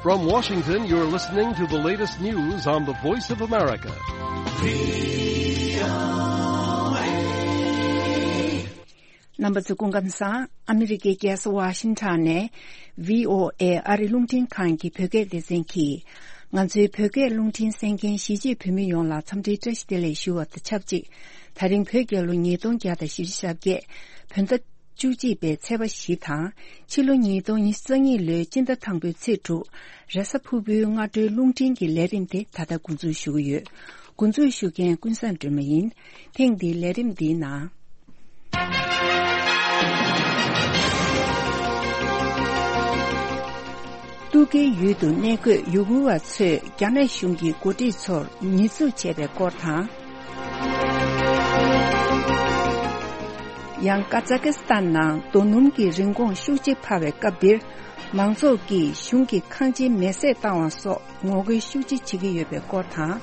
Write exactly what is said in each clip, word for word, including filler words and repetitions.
From Washington, you're listening to the latest news on the Voice of America. རྣམ་པ་ཚོ་སྐུ་ཁམས་བཟང་། ཨ་མི་རི་ཀའི་རྒྱལ་ས་ཝ་ཤིང་ཊོན་ནས་བྷི་ཨོ་ཨེ་ཨ་རི་རླུང་འཕྲིན་ཁང་གི་བོད་སྐད་སྡེ་ཚན་གྱིས། ང་ཚོའི་བོད་སྐད་རླུང་འཕྲིན་གསན་མཁན་གཞིས་བྱེས་བོད་མི་ཡོངས་ལ་འཚམས་འདྲིའི་བཀྲ་ཤིས་བདེ་ལེགས་ཞུ་བ་དང་ཆབས་ཅིག་དེ་རིང་བོད་རྒྱལ་ལོ་ཉིས་སྟོང་བརྒྱ་དང་བཞི་བཅུ་ཞེ་བརྒྱད། བོད་ཟླ་བཅུ་གཅིག་པའི་ཚེས་པ་བཞི་དང་། ཕྱི་ལོ་ཉིས་སྟོང་ཉི་ཤུ་རྩ་གཉིས་ལོའི་སྤྱི་ཟླ་དང་པོའི་ཚེས་དྲུག་རེས་གཟའ་ཕུར་བུའི་སྔ་དྲོའི་རླུང་འཕྲིན་གྱི་ལས་རིམ་དེ་ད་ལྟ་འགོ་འཛུགས་ཞུ་གི་ཡོད། འགོ་འཛུགས་ཞུ་མཁན་ཀུན་བཟང་སྒྲོལ་མ་ཡིན། ཐེངས་འདིའི་ལས་རིམ་འདིའི་ནང་། ཏུར་ཀིའི་ཡུལ་དུ་གནས་འཁོད་ཡུ་གུར་བ་ཚོས་རྒྱ་ནག་གཞུང་གི་འགོ་ཁྲིད་ཚོར་ཉེས་འཛུགས་བྱས་པའི་སྐོར་དང་། ཡང་ཀ་ཛ་ཀི་སི་ཐན་ནང་རྡོ་སྣུམ་གྱི་རིན་གོང་ཤུགས་ཆེ་འཕར་བའི་སྐབས་འདིར། མང་ཚོགས་ཀྱིས་གཞུང་གི་ཁང་ཆེན་མེ་བསྲེགས་བཏང་བ་སོགས་ངོ་རྒོལ་ཤུགས་ཆེ་བྱེད་ཀྱི་ཡོད་པའི་སྐོར་དང་།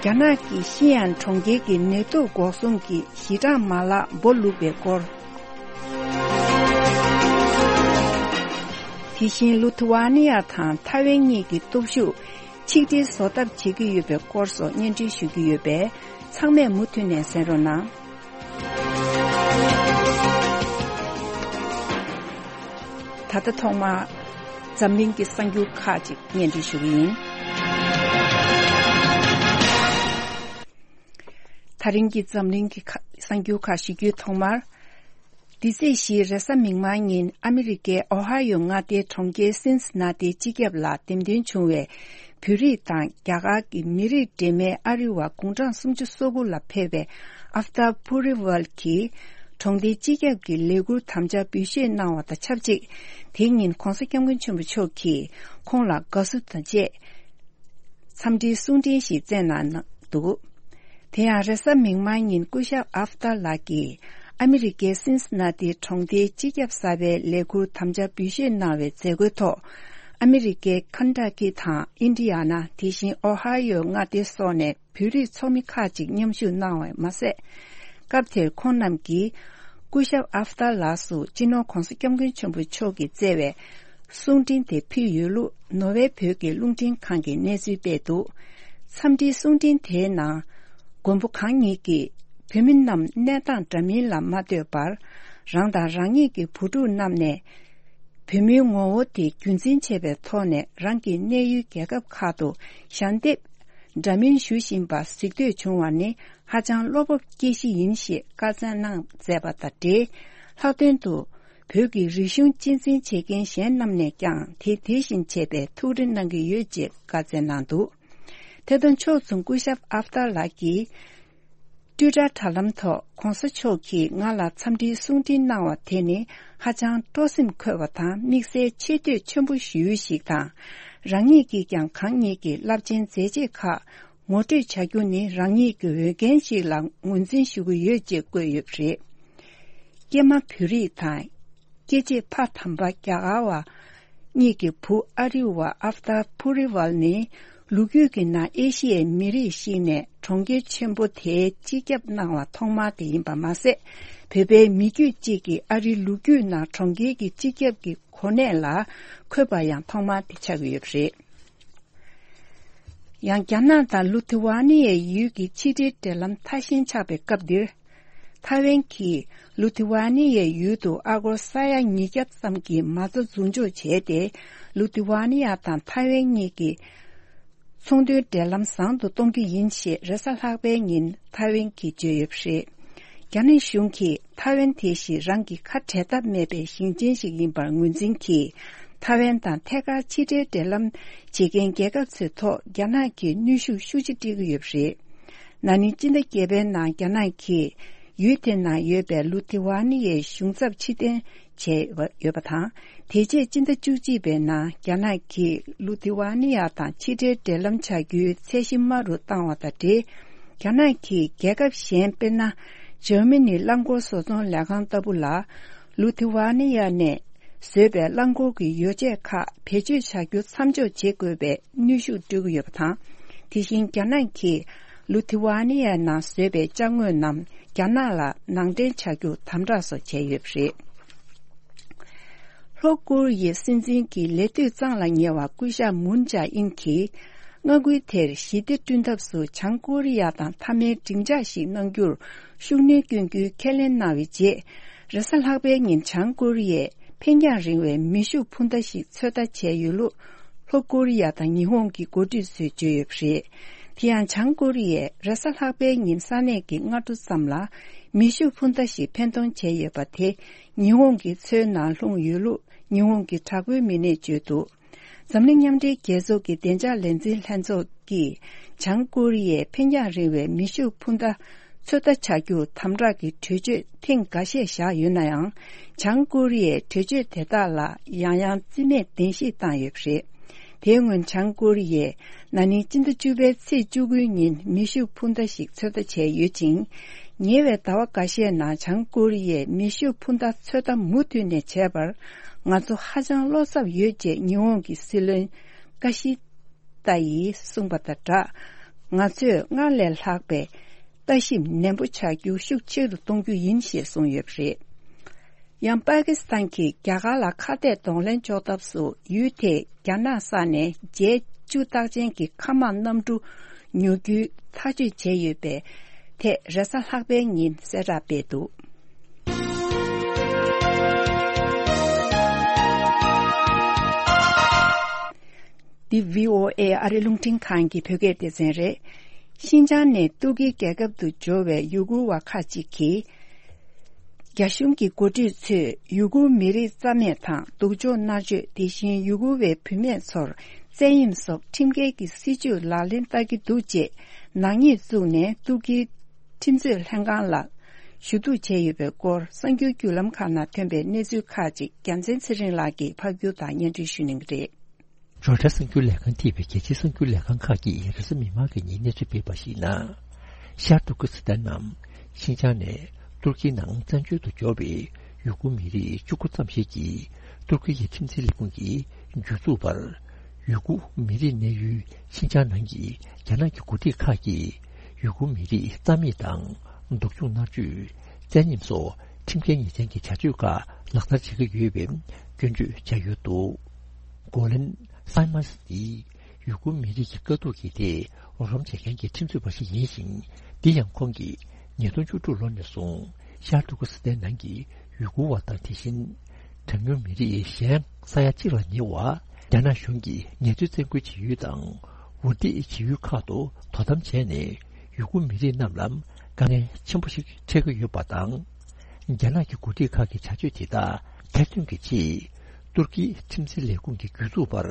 རྒྱ་ནག་གི་ཤི་ཡན་གྲོང་ཁྱེར་གྱི་ནད་དུག་འགོག་སྲུང་གི་ཞི་གྲངས་མ་ལག་སྦོ་ལུག་པའི་སྐོར། དེ་བཞིན་ལུ་ཐི་ཝ་ནི་ཡ་དང་ཐའེ་ཝན་གཉིས་ཀྱི་སྟོབས་ཤུགས་ཆིག་སྒྲིལ་བཟོ་ཐབས་བྱེད་ཀྱི་ཡོད་པའི་སྐོར་སོགས་སྙན་སྒྲོན་ཞུ་གི་ཡོད་པས། ཚང་མས་མུ་མཐུད་ནས་གསན་རོགས་གནང་། ད་ལྟ་ཐོག་མར་འཛམ་གླིང་གི་གསར་འགྱུར་ཁག་ཅིག་སྙན་སྒྲོན་ཞུ་གི་ཡིན། ད་རིང་གི་འཛམ་གླིང་གི་ཁ་གསར་འགྱུར་ཁག་ཞུ་རྒྱུའི་ཐོག་མར། འདི་ཚེས་བཞིའི་རེས་གཟའ་མིག་དམར་ཉིན་ཨ་མི་རི་ཀའི་ཨོ་ཧ་ཡོ་མངའ་སྡེའི་གྲོང་ཁྱེར་སིན་སི་ན་ཏིའི་སྤྱི་ཁྱབ་ལ་འདེམས་ཐོན་བྱུང་བའི་བོད་རིགས་དང་རྒྱ་གར་གྱི་མི་རིགས་འདྲེས་མའི་ཨ་རི་བ་དགུང་གྲངས་སུམ་ཅུ་སོ་དགུ་ལ་ཕེབས་པའི་ཨབ་ཏཱ་པུ་རི་ཝལ་གྱིས་གྲོང་སྡེའི་སྤྱི་ཁྱབ་ཀྱི་ལས་འཁུར་དམ་བཅའ་འབུལ་བཞེས་གནང་བ་དང་ཆབས་ཅིག་དེ་ཉིན་༸གོང་ས་༸སྐྱབས་མགོན་ཆེན་པོ་མཆོག་གིས་ཁོང་ལ་དགའ་བསུ་དང་བཅས། འཚམས་འདྲིའི་གསུང་འཕྲིན་ཞིག་བསྩལ་གནང་འདུག་དེ་ཡང་རེས་གཟའ་མིག་དམར་ཉིན་སྐུ་ཞབས་ཨབ་ཏཱ་ལགས་ཀྱིས་ཨ་མི་རི་ཀའི་སིན་སི་ན་ཏི་གྲོང་སྡེའི་སྤྱི་ཁྱབ་གསར་པའི་ལས་འཁུར་དམ་བཅའ་འབུལ་བཞེས་གནང་བའི་མཛད་སྒོའི་ཐོག་ཨ་མི་རི་ཀའི་ཁན་ཊ་ཀི་དང་ཨིན་ཌི་ཡ་ན། དེ་བཞིན་ཨོ་ཧ་ཡོ་མངའ་སྡེ་སོགས་ནས་བོད་རིགས་ཚོགས་མི་ཁག་ཅིག་མཉམ་ཞུགས་གནང་བ་མ་ཟད། སྐབས་དེར་ཁོང་རྣམས་ཀྱིས་སྐུ་ཞབས་ཨབ་ཏཱ་ལགས་སུ་སྤྱི་ནོར་༸གོང་ས་༸སྐྱབས་མགོན་ཆེན་པོ་མཆོག་གིས་བསྩལ་བའི་གསུང་འཕྲིན་དེ་ཕུལ་ཡོད་ལུགས་ནོར་ཝེ་བོད་ཀྱི་རླུང་འཕྲིན་ཁང་གིས་གནས་ཚུལ་སྤེལ་འདུག་འཚམས་འདྲིའི་གསུང་འཕྲིན་དེའི་ནང་། མགོན་པོ་གང་ཉིད་ཀྱིས་བོད་མི་རྣམས་གནས་སྟངས་འདྲ་མིན་ལ་མ་ལྟོས་པར། རང་དང་རང་ཉིད་ཀྱི་བུ་ཕྲུག་རྣམས་ནས་བོད་མིའི་ངོ་བོ་དེ་རྒྱུན་འཛིན་བྱས་པའི་ཐོག་ནས་རང་གི་གནས་ཡུལ་རྒྱལ་ཁབ་ཁག་ཏུ་ཞལ་འདེབས་འདྲ་མིན་ཞུ་བཞིན་པ་གཟིགས་འདོད་བྱུང་བ་ནི་ཧ་ཅང་བློ་སྤོབས་སྐྱེ་གཞི་ཡིན་ཞེས་བཀའ་སྩལ་གནང་མཛད་པ་དང་འབྲེལ། ལྷག་དོན་དུ། བོད་ཀྱི་རིག་གཞུང་གཅེས་འཛིན་བྱེད་མཁན་གཞན་རྣམས་ནས་ཀྱང་དེ་དེ་བཞིན་བྱེད་པའི་ཐུགས་རེ་གནང་གི་ཡོད་ཅེས་བཀའ་སྩལ་གནང་འདུག་དེ་དང་ཕྱོགས་མཚུངས་སྐུ་ཞབས་ཨབ་ཏཱ་ལགས་ཀྱིས། ཊུའི་ཊར་དྲ་ལམ་ཐོག་༸གོང་ས་མཆོག་གིས་ང་ལ་འཚམས་འདྲིའི་གསུང་འཕྲིན་གནང་བ་དེ་ནི་ཧ་ཅང་སྤྲོ་སེམས་འཁོལ་བ་དང་དམིགས་བསལ་ཆེ་བསྟོད་ཆེན་པོ་ཞུ་ཡུལ་ཞིག་དང་། རང་ཉིད་ཀྱིས་ཀྱང་གང་ཉིད་ཀྱི་རླབས་ཆེན་མཛད་རྗེས་ཁག་ངོ་སྤྲོད་བྱ་རྒྱུ་ནི་རང་ཉིད་ཀྱི་འོས་འགན་ཞིག་ལ་ངོས་འཛིན་ཞུ་གི་ཡོད་ཅེས་བཀོད་ཡོད་པ་རེད། ཀྱེ་མ་བོད་རིགས་དང་། སྐྱེས་ཆེན་ཕ་དམ་པ་རྒྱ་གར་བ་གཉིས་ཀྱི་བུ་ཨ་རི་བ་ཨབ་ཏཱ་པུ་རི་ཝལ་ནི་ལོ་རྒྱུས་ཀྱི་ནང་ཨེ་ཤི་ཡའི་མི་རིགས་ཤིག་ནས་གྲོང་ཁྱེར་ཆེན་པོ་དེའི་སྤྱི་ཁྱབ་གནང་བ་ཐོག་མ་དེ་ཡིན་པ་མ་ཟད། བོད་པའི་མི་རྒྱུད་ཅིག་གིས་ཨ་རིའི་ལོ་རྒྱུས་ནང་གྲོང་ཁྱེར་གྱི་སྤྱི་ཁྱབ་ཀྱི་གོ་གནས་ལ་འཁོད་པ་ཡང་ཐོག་མ་དེ་ཆགས་ཀྱི་ཡོད་པ་རེད། ཡང་རྒྱ་ནག་དང་ལུ་ཐི་ཝ་ནི་ཡའི་ཡུལ་གྱི་ཕྱི་འབྲེལ་འབྲེལ་ལམ་མཐའ་ཞེན་ཆགས་པའི་སྐབས་འདིར། ཐའེ་ཝན་གྱིས་ལུ་ཐི་ཝ་ནི་ཡའི་ཡུལ་དུ་ཨ་སྒོར་ས་ཡ་ཉིས་བརྒྱ་ཙམ་གྱི་མ་རྩ་འཛུགས་འཇོག་བྱས་ཏེ། ལུ་ཐི་ཝ་ནི་ཡ་དང་ཐའེ་ཝན་གཉིས་ཀྱི་ཚོང་དོན་འབྲེལ་ལམ་བཟང་དུ་གཏོང་རྒྱུ་ཡིན་ཞེས་རེས་གཟའ་ལྷག་པའི་ཉིན་ཐའེ་ཝན་གྱིས་བརྗོད་ཡོད་པ་རེད། རྒྱ་ནག་གཞུང་གིས་ཐའེ་ཝན་དེ་བཞིན་རང་གི་ཁ་བྲལ་ཐབས་མེད་པའི་ཞིང་ཆེན་ཞིག་ཡིན་པར་ངོས་འཛིན་གྱིས། ཐའེ་ཝན་དང་ཐད་ཀར་ཕྱི་འབྲེལ་འབྲེལ་ལམ་བྱེད་མཁན་རྒྱལ་ཁབ་ཚོའི་ཐོག་རྒྱ་ནག་གིས་གནོན་ཤུགས་ཤུགས་ཆེ་སྤྲད་ཀྱི་ཡོད་པ་རེད། ན་ནིང་སྤྱི་ཟླ་བརྒྱད་པའི་ནང་རྒྱ་ནག་གིས་ཡུལ་དེ་ནང་ཡོད་པའི་ལུ་ཐི་ཝ་ནི་ཡའི་གཞུང་ཚབ་ཕྱིར་འཐེན་བྱས་ཡོད་པ་དང་། དེ་རྗེས་སྤྱི་ཟླ་བཅུ་གཅིག་པའི་ནང་རྒྱ་ནག་གིས་ལུ་ཐི་ཝ་ནི་ཡ་དང་ཕྱི་འབྲེལ་འབྲེལ་ལམ་བྱ་རྒྱུའི་ཚད་གཞི་དམའ་རུ་བཏང་བ་དང་འབྲེལ། རྒྱ་ནག་གིས་རྒྱལ་ཁབ་གཞན་དཔེར་ན། འཇར་མ་ནིའི་རླངས་འཁོར་བཟོ་ཚོང་ལས་ཁང་ལྟ་བུ་ལ། ལུ་ཐི་ཝ་ནི་ཡ་ནས་བཟོས་པའི་རླངས་འཁོར་གྱི་ཡོ་བྱད་ཁག་བེད་སྤྱོད་བྱ་རྒྱུ་མཚམས་འཇོག་བྱེད་དགོས་པའི་གནོན་ཤུགས་སྤྲོད་ཀྱི་ཡོད་པ་དང་། དེ་བཞིན་རྒྱ་ནག་གིས་ལུ་ཐི་ཝ་ནི་ཡ་ནང་བཟོས་པའི་ཅ་དངོས་རྣམས་རྒྱ་ནག་ལ་ནང་འདྲེན་བྱ་རྒྱུ་དམ་དྲག་སོགས་བྱས་ཡོད་པ་རེད། ལྷོ་ཀོ་རི་ཡའི་སྲིད་འཛིན་གྱི་ལས་དུས་གཙང་ལ་ཉེ་བ་སྐུ་ཞབས་མུན་ཇཱ་ཨིན་གྱིས། མངའ་ཁུལ་དེར་ཞི་བདེ་བསྐྲུན་ཐབས་སུ་བྱང་ཀོ་རི་ཡ་དང་མཐའ་མའི་སྡིངས་ཆ་ཞིག་གནང་རྒྱུར་ཤུགས་སྣོན་བསྐྱོན་རྒྱུའི་ཁས་ལེན་གནང་བའི་རྗེས། རེས་གཟའ་ལྷག་པའི་ཉིན་བྱང་ཀོ་རི་ཡས་འཕེན་རྒྱང་རིང་བའི་མེ་ཤུགས་འཕུར་མདའ་ཞིག་ཚོད་ལྟ་བྱས་ཡོད་ལུགས། ལྷོ་ཀོ་རི་ཡ་དང་ཉི་ཧོང་གི་འགོ་ཁྲིད་ཚོས་བརྗོད་ཡོད་པ་རེད། དེ་ཡང་། བྱང་ཀོ་རི་ཡས་རེས་གཟའ་ལྷག་པའི་ཉིན་ས་གནས་ཀྱི་སྔ་དྲོ་ཙམ་ལ་མེ་ཤུགས་འཕུར་མདའ་ཞིག་འཕེན་གཏོང་བྱས་ཡོད་པ་དེ། ཉི་ཧོང་གི་མཚོའི་ནང་ལྷུང་ཡོད་ལུགས་ཉི་ཧོང་གི་དྲག་པོའི་མི་སྣས་བརྗོད་འདུག། འཛམ་གླིང་མཉམ་འབྲེལ་རྒྱལ་ཚོགས་ཀྱི་བདེ་འཇགས་ལས་འཛིན་ལྷན་ཚོགས་ཀྱིས། བྱང་ཀོ་རི་ཡས་འཕེན་རྒྱང་རིང་བའི་མེ་ཤུགས་འཕུར་མདའ་ཚོད་ལྟ་བྱ་རྒྱུར་དམ་དྲག་གི་གྲོས་ཆོད་ཐེངས་འགའ་ཤས་བཞག་ཡོད་ན་ཡང་། བྱང་ཀོ་རི་ཡས་གྲོས་ཆོད་དེ་དག་ལ་ཡང་ཡང་རྩིས་མེད་བདེན་བཞིས་བཏང་ཡོད་པ་རེད། དེའི་སྔོན། བྱང་ཀོ་རི་ཡས་ན་ནིང་སྤྱི་ཟླ་བཅུ་པའི་ཚེས་བཅུ་དགུའི་ཉིན་མེ་ཤུགས་འཕུར་མདའ་ཞིག་ཚོད་ལྟ་བྱས་ཡོད་ཅིང་། ཉེ་བའི་ཟླ་བ་འགའ་ཤས་ནང་། བྱང་ཀོ་རི་ཡས་མེ་ཤུགས་འཕུར་མདའ་ཚོད་ལྟ་མུ་མཐུད་ནས་བྱས་པར། ང་ཚོ་ཧ་ཅང་བློ་འཚབ་ཡོད་ཅེས་ཉི་ཧོང་གི་སྲིད་བློན་ཀ་ཤི་ད་ཡིས་གསུངས་པ་དང་སྦྲགས། ང་ཚོས་སྔར་ལས་ལྷག་པའི་ལྟ་ཞིབ་ནན་པོ་བྱ་རྒྱུ་ཤུགས་ཆེ་རུ་གཏོང་རྒྱུ་ཡིན་ཞེས་གསུངས་ཡོད་པ་རེད། ཡང་། པ་ཀི་སི་ཐན་གྱིས་རྒྱ་གར་ལ་ཁ་གཏད་གདོང་ལེན་གཅོག་ཐབས་སུ་ཡུལ་དེས་རྒྱ་ནག་ས་ནས་ཇེ་ཊི་བཅུ་རྟགས་ཅན་གྱི་མཁའ་དམག་གནམ་གྲུ་ཉོ་རྒྱུའི་ཐག་གཅོད་བྱས་ཡོད་པའི་ཐད། རེས་གཟའ་ལྷག་པའི་ཉིན་གསལ་བསྒྲགས་སྤེལ་འདུག། འདི་བྷི་ཨོ་ཨེ་ཨ་རི་རླུང་འཕྲིན་ཁང་གི་བོད་སྐད་སྡེ་ཚན་རེད། ཤིན་ཅང་ནས་ཏུར་ཀི་རྒྱལ་ཁབ་ཏུ་འབྱོར་བའི་ཡུ་གུར་བ་ཁག་ཅིག་གིས། རྒྱ་གཞུང་གི་འགོ་ཁྲིད་ཚོས་ཡུ་གུར་མི་རིགས་རྩ་མེད་དང་སྡུག་སྦྱོང་མནར་གཅོད། དེ་བཞིན་ཡུ་གུར་བའི་བུད་མེད་ཚོར་བཙན་གཡེམ་སོགས་ཁྲིམས་འགལ་གྱི་སྲིད་བྱུས་ལག་ལེན་བསྟར་གྱི་འདུག་ཅེས་ནག་ཉེས་བཙུགས་ནས་ཏུར་ཀིའི་ཁྲིམས་རྩོད་ལྷན་ཁང་ལ་ཞུ་གཏུག་བྱས་ཡོད་པའི་སྐོར། གསར་འགྱུར་བརྒྱུད་ལམ་ཁག་ནང་ཐོན་པའི་གནས་ཚུལ་ཁག་ཅིག་རྒྱལ་མཚན་ཚེ་རིང་ལགས་ཀྱིས་ཕབ་སྒྱུར་དང་སྙན་སྒྲོན་ཞུ་གནང་གི་རེད། རོའི་ཊར་གསར་འགྱུར་ལས་ཁང་ཐེ་བའི་རྒྱལ་སྤྱིའི་གསར་འགྱུར་ལས་ཁང་ཁག་གིས་རེས་གཟའ་མིག་དམར་གྱི་ཉིན་གནས་ཚུལ་སྤེལ་བར་གཞིགས་ན། ཤར་ཏུར་ཀི་སི་ཐན་ནམ་ཤིན་ཅང་ནས་ཏུར་ཀིའི་ནང་བཙན་བྱོལ་དུ་འབྱོར་བའི་ཡུ་གུར་མི་རིགས་བཅུ་དགུ་ཙམ་ཞིག་གིས། ཏུར་ཀི་ཡི་ཁྲིམས་འཛིན་ལས་ཁུངས་ཀྱིས་གྱོད་འཛུགས་པར། ཡུ་གུར་མི་རིགས་གནས་ཡུལ་ཤིན་ཅང་ནང་གི་རྒྱ་ནག་གི་འགོ་ཁྲིད་ཁག་གིས། ཡུ་གུར་མི་རིགས་རྩ་མེད་དང་། སྡུག་སྦྱོང་མནར་གཅོད། བཙན་གཡེམ་སོགས་ཁྲིམས་འགལ་ཉེས་ཅན་གྱི་བྱ་སྤྱོད་ཁག་ལག་བསྟར་བྱེད་ཀྱི་ཡོད་པའི་སྐྱོན་བརྗོད་བྱས་ཡོད་འདུག། གོ་ལན་སཱི་མཱས་ནི། ཡུ་གུར་མི་རིགས་ཀྱི་དཀའ་སྡུག་གི་ཐད་རོགས་རམ་བྱེད་མཁན་གྱི་ཁྲིམས་རྩོད་པ་ཞིག་ཡིན་ཞིང་། འདི་ཡང་ཁོང་གིས་ཉིས་སྟོང་བཅུ་དྲུག་ལོ་ནས་བཟུང་ཤར་ཏུར་ཀི་སི་ཐན་ནང་གི་ཡུ་གུར་བ་དང་། དེ་བཞིན་གྲངས་ཉུང་མི་རིགས་གཞན་ས་ཡ་གཅིག་ལ་ཉེ་བ་རྒྱ་ནག་གཞུང་གིས་ངལ་རྩོལ་བཙན་རྒོལ་བྱེད་ཡུལ་དང་འུར་འདེབས་བྱེད་ཡུལ་ཁག་ཏུ་དོ་དམ་བྱས་ནས། ཡུ་གུར་མི་རིགས་རྣམས་ལ་དཀའ་ངལ་ཆེན་པོ་ཞིག་འཕྲད་ཀྱི་ཡོད་པ་དང་། རྒྱ་ནག་གི་འགོ་ཁྲིད་ཁག་གི་བྱ་སྤྱོད་དེ་དག་ཐེར་འདོན་གྱི་ཆེད། ཏུར་ཀིའི་ཁྲིམས་འཛིན་ལས་ཁུངས་ཀྱིས་གྱོད་འཛུགས་པར།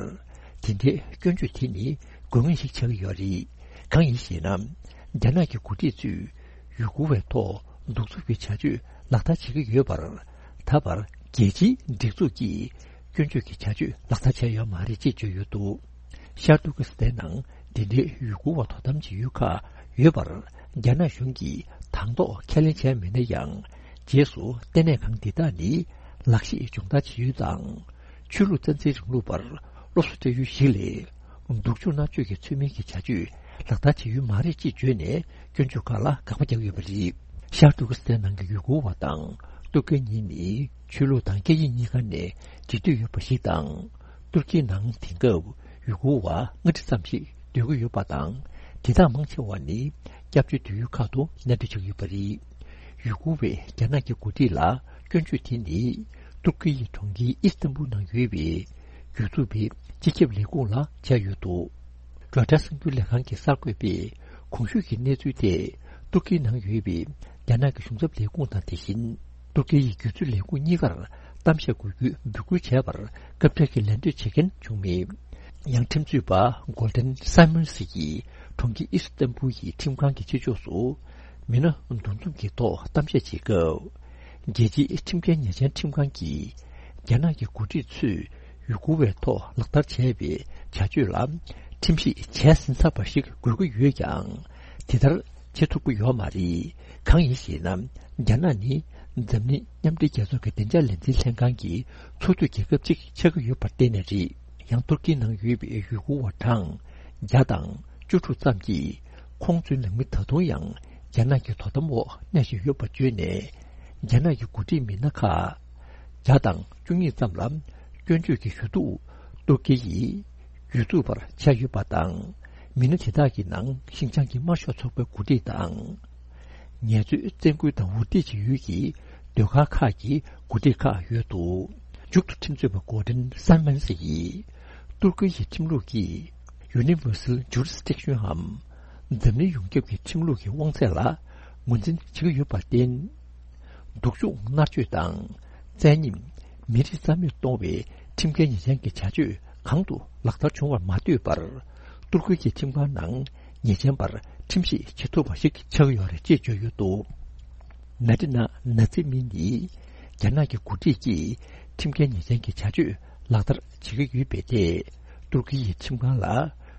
དེ་འདྲའི་སྐྱོན་བརྗོད་དེ་ནི་དགོས་ངེས་ཤིག་ཆགས་ཀྱི་ཡོད་རེད། གང་ཡིན་ཞེ་ན། རྒྱ་ནག་གི་འགོ་ཁྲིད་ཚོས་ཡུ་གུར་བའི་ཐོག་གདུག་རྩུབ་ཀྱི་བྱ་སྤྱོད་ལག་བསྟར་བྱེད་ཀྱི་ཡོད་པར། ད་བར་རྒྱལ་སྤྱིའི་སྒྲིག་འཛུགས་ཀྱིས་སྐྱོན་བརྗོད་ཀྱི་བྱ་སྤྱོད་ལག་བསྟར་བྱས་ཡོད་མ་རེད་ཅེས་བརྗོད་ཡོད་འདུག། ཤར་ཏུར་ཀི་སི་ཐན་ནང་འདི་འདྲའི་ཡུ་གུར་བ་དོ་དམ་བྱེད་ཡུལ་ཁག་ཡོད་པར། རྒྱ་ནག་གཞུང་གིས་དང་ཐོག་ཁས་ལེན་བྱས་མེད་ན་ཡང་། རྗེས་སུ་ལྟེ་གནས་ཁང་འདི་དག་ནི་ལག་ཤེས་སྦྱོང་བརྡར་བྱེད་ཡུལ་དང་། ཆོས་ལུགས་རྩ་འཛིན་རིང་ལུགས་པར་སློབ་གསོ་སྤྲད་ཡུལ་ཞིག་ལས། སྡུག་སྦྱོང་མནར་གཅོད་ཀྱི་ཚུལ་མིན་གྱི་བྱ་སྤྱོད་ལག་བསྟར་བྱེད་ཡུལ་མ་རེད་ཅེས་བརྗོད་ནས། སྐྱོན་བརྗོད་ཁག་ལ་དགག་པ་བརྒྱབ་ཡོད་པ་རེད། ཤར་ཏུར་ཀི་སི་ཐན་ནང་གི་ཡུ་གུར་བ་དང་ཏུར་ཀི་གཉིས་ནི་ཆོས་ལུགས་དང་སྐད་ཡིག་གཉིས་ཀ་ནས་འབྲེལ་མཐུད་ཡོད་པ་ཞིག་དང་། ཏུར་ཀིའི་ནང་དེང་སྐབས་ཡུ་གུར་བ་ལྔ་ཁྲི་ཙམ་ཞིག་སྡོད་ཀྱི་ཡོད་པ་དང་། དེ་དག་མང་ཆེ་བ་ནི་སྐྱབས་བཅོལ་སྡོད་ཡུལ་ཁག་ཏུ་གནས་སྡོད་བྱེད་ཀྱི་ཡོད་པ་རེད། ཡུ་གུར་བས་རྒྱ་ནག་གི་འགོ་ཁྲིད་ལ་སྐྱོན་བརྗོད་དེ་ནི། ཏུར་ཀི་ཡི་གྲོང་ཁྱེར་ཨི་སི་ཏན་བུལ་ནང་ཡོད་པའི་གྱོད་འཛུགས་པའི་སྤྱི་ཁྱབ་ལས་ཁུངས་ལ་བྱས་ཡོད་འདུག། རོའི་ཊར་གསར་འགྱུར་ལས་ཁང་གི་གསར་འགོད་པས་གོང་ཞུས་ཀྱི་གནས་ཚུལ་དེ་ཏུར་ཀིའི་ནང་ཡོད་པའི་རྒྱ་ནག་གི་གཞུང་ཚབ་ལས་ཁུངས་དང་། དེ་བཞིན་ཏུར་ཀི་ཡི་སྒྱུ་རྩལ་ལས་ཁུངས་གཉིས་ཀར་གཏམ་བཤད་དགོས་རྒྱུའི་འབོད་སྐུལ་བྱས་པར་སྐབས་འཕྲལ་གྱི་ལན་འདེབས་བྱེད་མཁན་བྱུང་མེད། ཡང་། ཁྲིམས་རྩོད་པ་གོལ་ཌེན་སཱི་མོན་སི་ཡིས་གྲོང་ཁྱེར་ཨི་སི་ཏན་བུལ་གྱི་ཁྲིམས་ཁང་གི་ཕྱི་ཕྱོགས་སུ་མི་སྣ་འདུ་འཛོམས་ཀྱི་ཐོག་གཏམ་བཤད་བྱེད་སྐབས། རྒྱལ་སྤྱིའི་ཁྲིམས་འགལ་ཉེས་ཅན་ཁྲིམས་ཁང་གིས་རྒྱ་ནག་གི་འགོ་ཁྲིད་ཚོས་ཡུ་གུར་བའི་ཐོག་ལག་བསྟར་བྱས་པའི་བྱ་སྤྱོད་ལ་ཁྲིམས་ཞིབ་བྱས་ཟིན་ཚར་བ་ཞིག་དགོས་ཀྱི་ཡོད་ཀྱང་། དེ་ལྟར་བྱེད་ཐུབ་ཀྱི་ཡོད་མ་རེད། གང་ཡིན་ཞེ་ན། རྒྱ་ནག་ནི་འཛམ་གླིང་མཉམ་འབྲེལ་རྒྱལ་ཚོགས་ཀྱི་བདེ་འཇགས་ལས་འཛིན་ལྷན་ཁང་གི་ཚོགས་འཐུས་རྒྱལ་ཁབ་ཅིག་ཆགས་ཀྱི་ཡོད་པར་བརྟེན་ནས་རེད། ཡང་། ཏུར་ཀིའི་ནང་ཡོད་པའི་ཡུ་གུར་བ་གྲངས་བརྒྱ་དང་བཅུ་དྲུག་ཙམ་གྱིས། ཁོང་ཚོའི་ནང་མི་ད་དུང་ཡང་རྒྱ་ནག་གི་དོ་དམ་འོག་གནས་བཞིན་ཡོད་པ་བརྗོད་ནས། རྒྱ་ནག་གི་འགོ་ཁྲིད་མི་སྣ་ཁག་བརྒྱ་དང་བཅུ་གཉིས་ཙམ་ལ་ སྐྱོན་བརྗོད་ཀྱི་ཞུ་གཏུག་ཏུར་ཀི་ཡིས་ཡུལ་དུ་བར་ཆགས་ཡོད་པ་དང་། མི་སྣ་དེ་དག་གི་ནང་ཤིན་ཅང་གི་དམར་ཤོག་ཚོགས་པའི་འགོ་ཁྲིད་དང་། ངལ་རྩོལ་བཙན་སྐུལ་དང་འུར་སྒྲིག་བྱེད་ཡུལ་གྱི་ཟློས་གར་ཁག་གི་འགོ་ཁྲིད་ཁག་ཡོད་འདུག་མཇུག་ཏུ་ཁྲིམས་རྩོད་པ་གོ་ཌན་སན་མན་སི་ཡིས་ཏུར་ཀི་ཡི་ཁྲིམས་ལུགས་ཀྱི་Universal Jurisdiction འམ་འཛམ་གླིང་ཡོངས་ཁྱབ་ཀྱི་ཁྲིམས་ལུགས་ཀྱི་དབང་ཚད་ལ་ངོས་འཛིན་བྱེད་ཀྱི་ཡོད་པར་བརྟེན། སྡུག་སྦྱོང་མནར་གཅོད་དང་བཙན་ཉམས། མི་རིགས་རྩ་མེད་གཏོང་བའི་ཁྲིམས་འགལ་ཉེས་ཅན་གྱི་བྱ་སྤྱོད་གང་དུ་ལག་བསྟར་བྱུང་བར་མ་ལྟོས་པར། ཏུར་ཀི་གི་ཁྲིམས་ཁང་ནང་ཉེས་ཅན་པར་ཁྲིམས་ཞིབ་བྱེད་ཐུབ་པ་ཞིག་ཆགས་ཀྱི་ཡོད་རེད་ཅེས་བརྗོད་ཡོད་འདུག་ན་ཏི་ན་ན་ཙི་མི་ནི་རྒྱ་ནག་གི་འགོ་ཁྲིད་ཀྱིས་ཁྲིམས་འགལ་ཉེས་ཅན་གྱི་བྱ་སྤྱོད་ལག་བསྟར་བྱེད་ཀྱི་ཡོད་པའི་ཐད། ཏུར་ཀི་ཡི་ཁྲིམས་ཁང་ལ་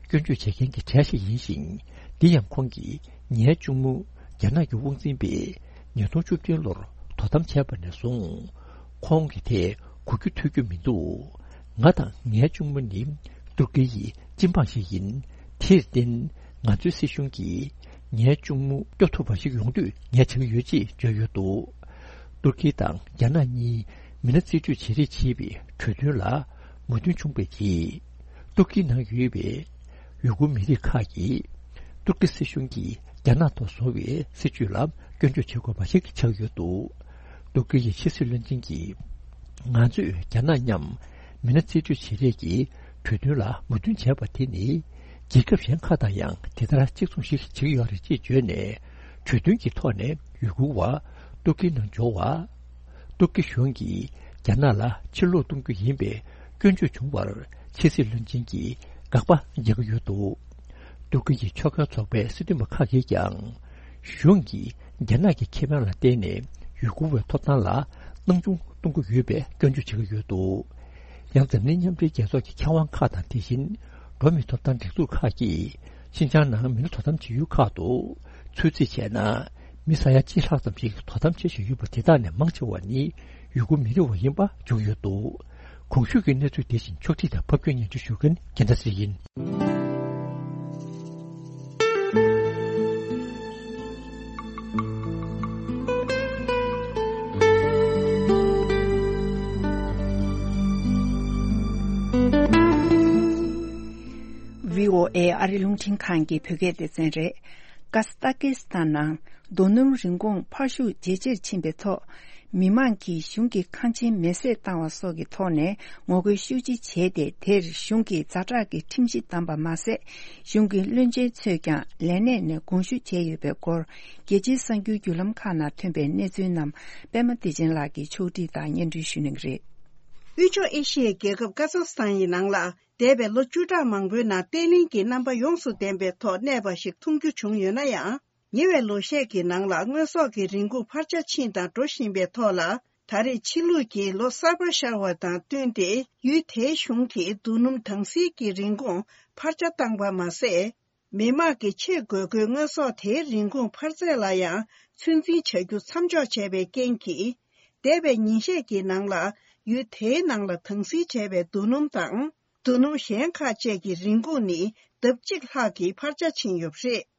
སྐྱོན་བརྗོད་བྱེད་མཁན་གྱི་གྲས་ཤིག་ཡིན་ཞིང་། འདི་ཡང་ཁོང་གིས་ངའི་གཅུང་མོ་རྒྱ་ནག་གི་དབང་འཛིན་པས་ཉིས་སྟོང་བཅུ་བདུན་ལོར་དོ་དམ་བྱས་པ་ནས་བཟུང་ཁོང་གི་ཐད་གོ་རྒྱུ་ཐོས་རྒྱུ་མི་འདུག་ང་དང་ངའི་གཅུང་མོ་ནི་ཏུར་ཀི་ཡི་སྤྱི་འབངས་ཤིག་ཡིན། དེར་བརྟེན་ང་ཚོའི་སྲིད་གཞུང་གིས་ངའི་གཅུང་མོ་སྐྱོབ་ཐུབ་པ་ཞིག་ཡོང་དུས་ངས་བྱེད་ཀྱི་ཡོད་ཅེས་བརྗོད་ཡོད་འདུག་ཏུར་ཀི་དང་རྒྱ་ནག་གཉིས་མི་སྣ་རྩིས་སྤྲོད་བྱེད་རེས་བྱེད་པའི་གྲོས་མཐུན་ལ་མོས་མཐུན་བྱུང་བའི་རྗེས། ཏུར་ཀི་ནང་ཡོད་པའི་ཡུ་གུར་མི་རིགས་ཁག་གིས་ཏུར་ཀི་སྲིད་གཞུང་གིས་རྒྱ་ནག་ཐོག་བཟོ་བའི་སྲིད་བྱུས་ལ་སྐྱོན་བརྗོད་བྱེད་དགོས་པ་ཞིག་ཆགས་ཡོད་འདུག་ཏུར་ཀི་ཡི་ཕྱི་སྲིད་བློན་ཆེན་གྱིས། ང་ཚོས་རྒྱ་ནག་མཉམ་མི་སྣ་རྩིས་སྤྲོད་བྱེད་རེས་ཀྱི་གྲོས་མཐུན་ལ་མོས་མཐུན་བྱས་པ་དེ་ནི། རྒྱལ་ཁབ་གཞན་ཁག་དང་ཡང་དེ་ལྟར་གཅིག་མཚུངས་ཤིག་བྱེད་ཀྱི་ཡོད་རེད་ཅེས་བརྗོད་ནས། གྲོས་མཐུན་གྱི་ཐོག་ནས་ཡུ་གུར་བ་ཏུར་ཀི་ནང་འབྱོར་བ། ཏུར་ཀི་གཞུང་གིས་རྒྱ་ནག་ལ་ཕྱིར་ལོག་གཏོང་རྒྱུ་ཡིན་པའི་སྐྱོན་བརྗོད་བྱུང་བར་ཕྱི་སྲིད་བློན་ཆེན་གྱིས་དགག་པ་རྒྱག་གི་ཡོད་འདུག་ཏུར་ཀི་ཡི་ཆོས་ཁང་ཚོགས་པའི་སྲིད་དོན་པ་ཁག་གིས་ཀྱང་། གཞུང་གིས་རྒྱ་ནག་གི་ཁེ་ཕན་ལ་བརྟེན་ནས་ཡུ་གུར་བའི་ཐོབ་ཐང་ལ་སྣང་ཆུང་གཏོང་གི་ཡོད་པའི་སྐྱོན་བརྗོད་བྱེད་ཀྱི་ཡོད་འདུག་ཡང་འཛམ་གླིང་མཉམ་འབྲེལ་རྒྱལ་ཚོགས་ཀྱི་ཁྱབ་ཁོངས་ཁག་དང་དེ་བཞིན་འགྲོ་བ་མིའི་ཐོབ་ཐང་སྒྲིག་འཛུགས་ཁག་གིས་ཤིན་ཅང་ནང་མི་སྣ་དོ་དམ་བྱེད་ཡུལ་ཁག་ཏུ་ཚོད་རྩིས་བྱས་ན། མི་ས་ཡ་གཅིག་ལྷག་ཙམ་ཞིག་དོ་དམ་བྱེད་བཞིན་ཡོད་པ་དེ་དག་ནས་མང་ཆེ་བ་ནི་ཡུ་གུར་མི་རིགས་བ་ཡིན་པ་བརྗོད་ཡོད་འདུག་གོང་ཞུས་ཀྱི་གནས་ཚུལ་དེ་བཞིན་ཕྱོགས་སྒྲིག་དང་ཕབ་སྒྱུར་སྙན་སྒྲོན་ཞུ་མཁན་རྒྱལ་མཚན་ཚེ་རིང་ཡིན། བྷི་ཨོ་ཨེ་ཨ་རི་རླུང་འཕྲིན་ཁང་གི་བོད་སྐད་སྡེ་ཚན་རེད། ཀ་ཟ་ཁ་སི་ཐན་ནང་རྡོ་སྣུམ་རིན་གོང་འཕར་ཤུགས་ཇེ་ཆེར་ཕྱིན་པའི་ཐོག་མི་མང་གིས་གཞུང་གི་ཁང་ཆེན་མེ་བསྲེགས་བཏང་བ་སོགས་ཀྱི་ཐོག་ནས་ངོ་རྒོལ་ཤུགས་ཆེ་བྱས་ཏེ། དེར་གཞུང་གིས་ཛ་དྲག་གི་ཁྲིམས་གཞི་བསྡམས་པ་མ་ཟད། གཞུང་གི་བློན་ཆེན་ཚོས་ཀྱང་ལས་གནས་ནས་དགོངས་ཞུ་བྱས་ཡོད་པའི་སྐོར། རྒྱལ་སྤྱིའི་གསར་འགྱུར་བརྒྱུད་ལམ་ཁག་ནང་ཐོན་པའི་གནས་ཚུལ་རྣམས་པད་མ་བདེ་ཆེན་ལགས་ཀྱིས་ཕྱོགས་སྒྲིག་དང་སྙན་སྒྲོན་ཞུ་གནང་གི་རེད། དབུས་ཕྱོགས་ཨེ་ཤི་ཡའི་རྒྱལ་ཁབ་ཀ་ཛ་སི་ཐན་ཡི་ནང་ལ། འདས་པའི་ལོ་བཅུ་ཕྲག་མང་པོའི་ནང་བརྟན་ལྷིང་གི་རྣམ་པ་ཡོངས་སུ་ལྡན་པའི་ཐོག་གནས་པ་ཞིག་མཐོང་རྒྱུ་བྱུང་ཡོད་ན་ཡང་། ཉེ་བའི་ལོ་ཤས་ཀྱི་ནང་ལ་དངོས་ཟོག་གི་རིན་གོང་འཕར་ཆ་ཕྱིན་དང་འགྲོ་བཞིན་པའི་ཐོག་ལ། ད་རེས་ཕྱི་ལུགས་ཀྱི་ལོ་གསར་པ་ཤར་བ་དང་བསྟུན་ཏེ། ཡུལ་དེའི་གཞུང་གིས་རྡོ་སྣུམ་དྭངས་བསིལ་གྱི་རིན་གོང་འཕར་ཆ་བཏང་པ་མ་ཟད། མི་དམངས་ཀྱི་ཆེས་དགོས་མཁོའི་དངོས་ཟོག་དེའི་རིན་གོང་འཕར་ཚད་ལ་ཡང་ཚོད་འཛིན་བྱ་རྒྱུ་མཚམས་འཇོག་བྱས་པའི་རྐྱེན་གྱིས། འདས་པའི་ཉིན་ཤས་ཀྱི་ནང་ལ་ཡུལ་དེའི་ནང་ལ་དྭངས་བསིལ་བྱས་པའི་རྡོ་སྣུམ་དང་། རྡོ་སྣུམ་གཞན་ཁག་བཅས་ཀྱི་རིན་གོང་ནི་ལྡབ་གཅིག་ལྷག་གིས་འཕར་ཆ་ཕྱིན་ཡོད་པ་རེད།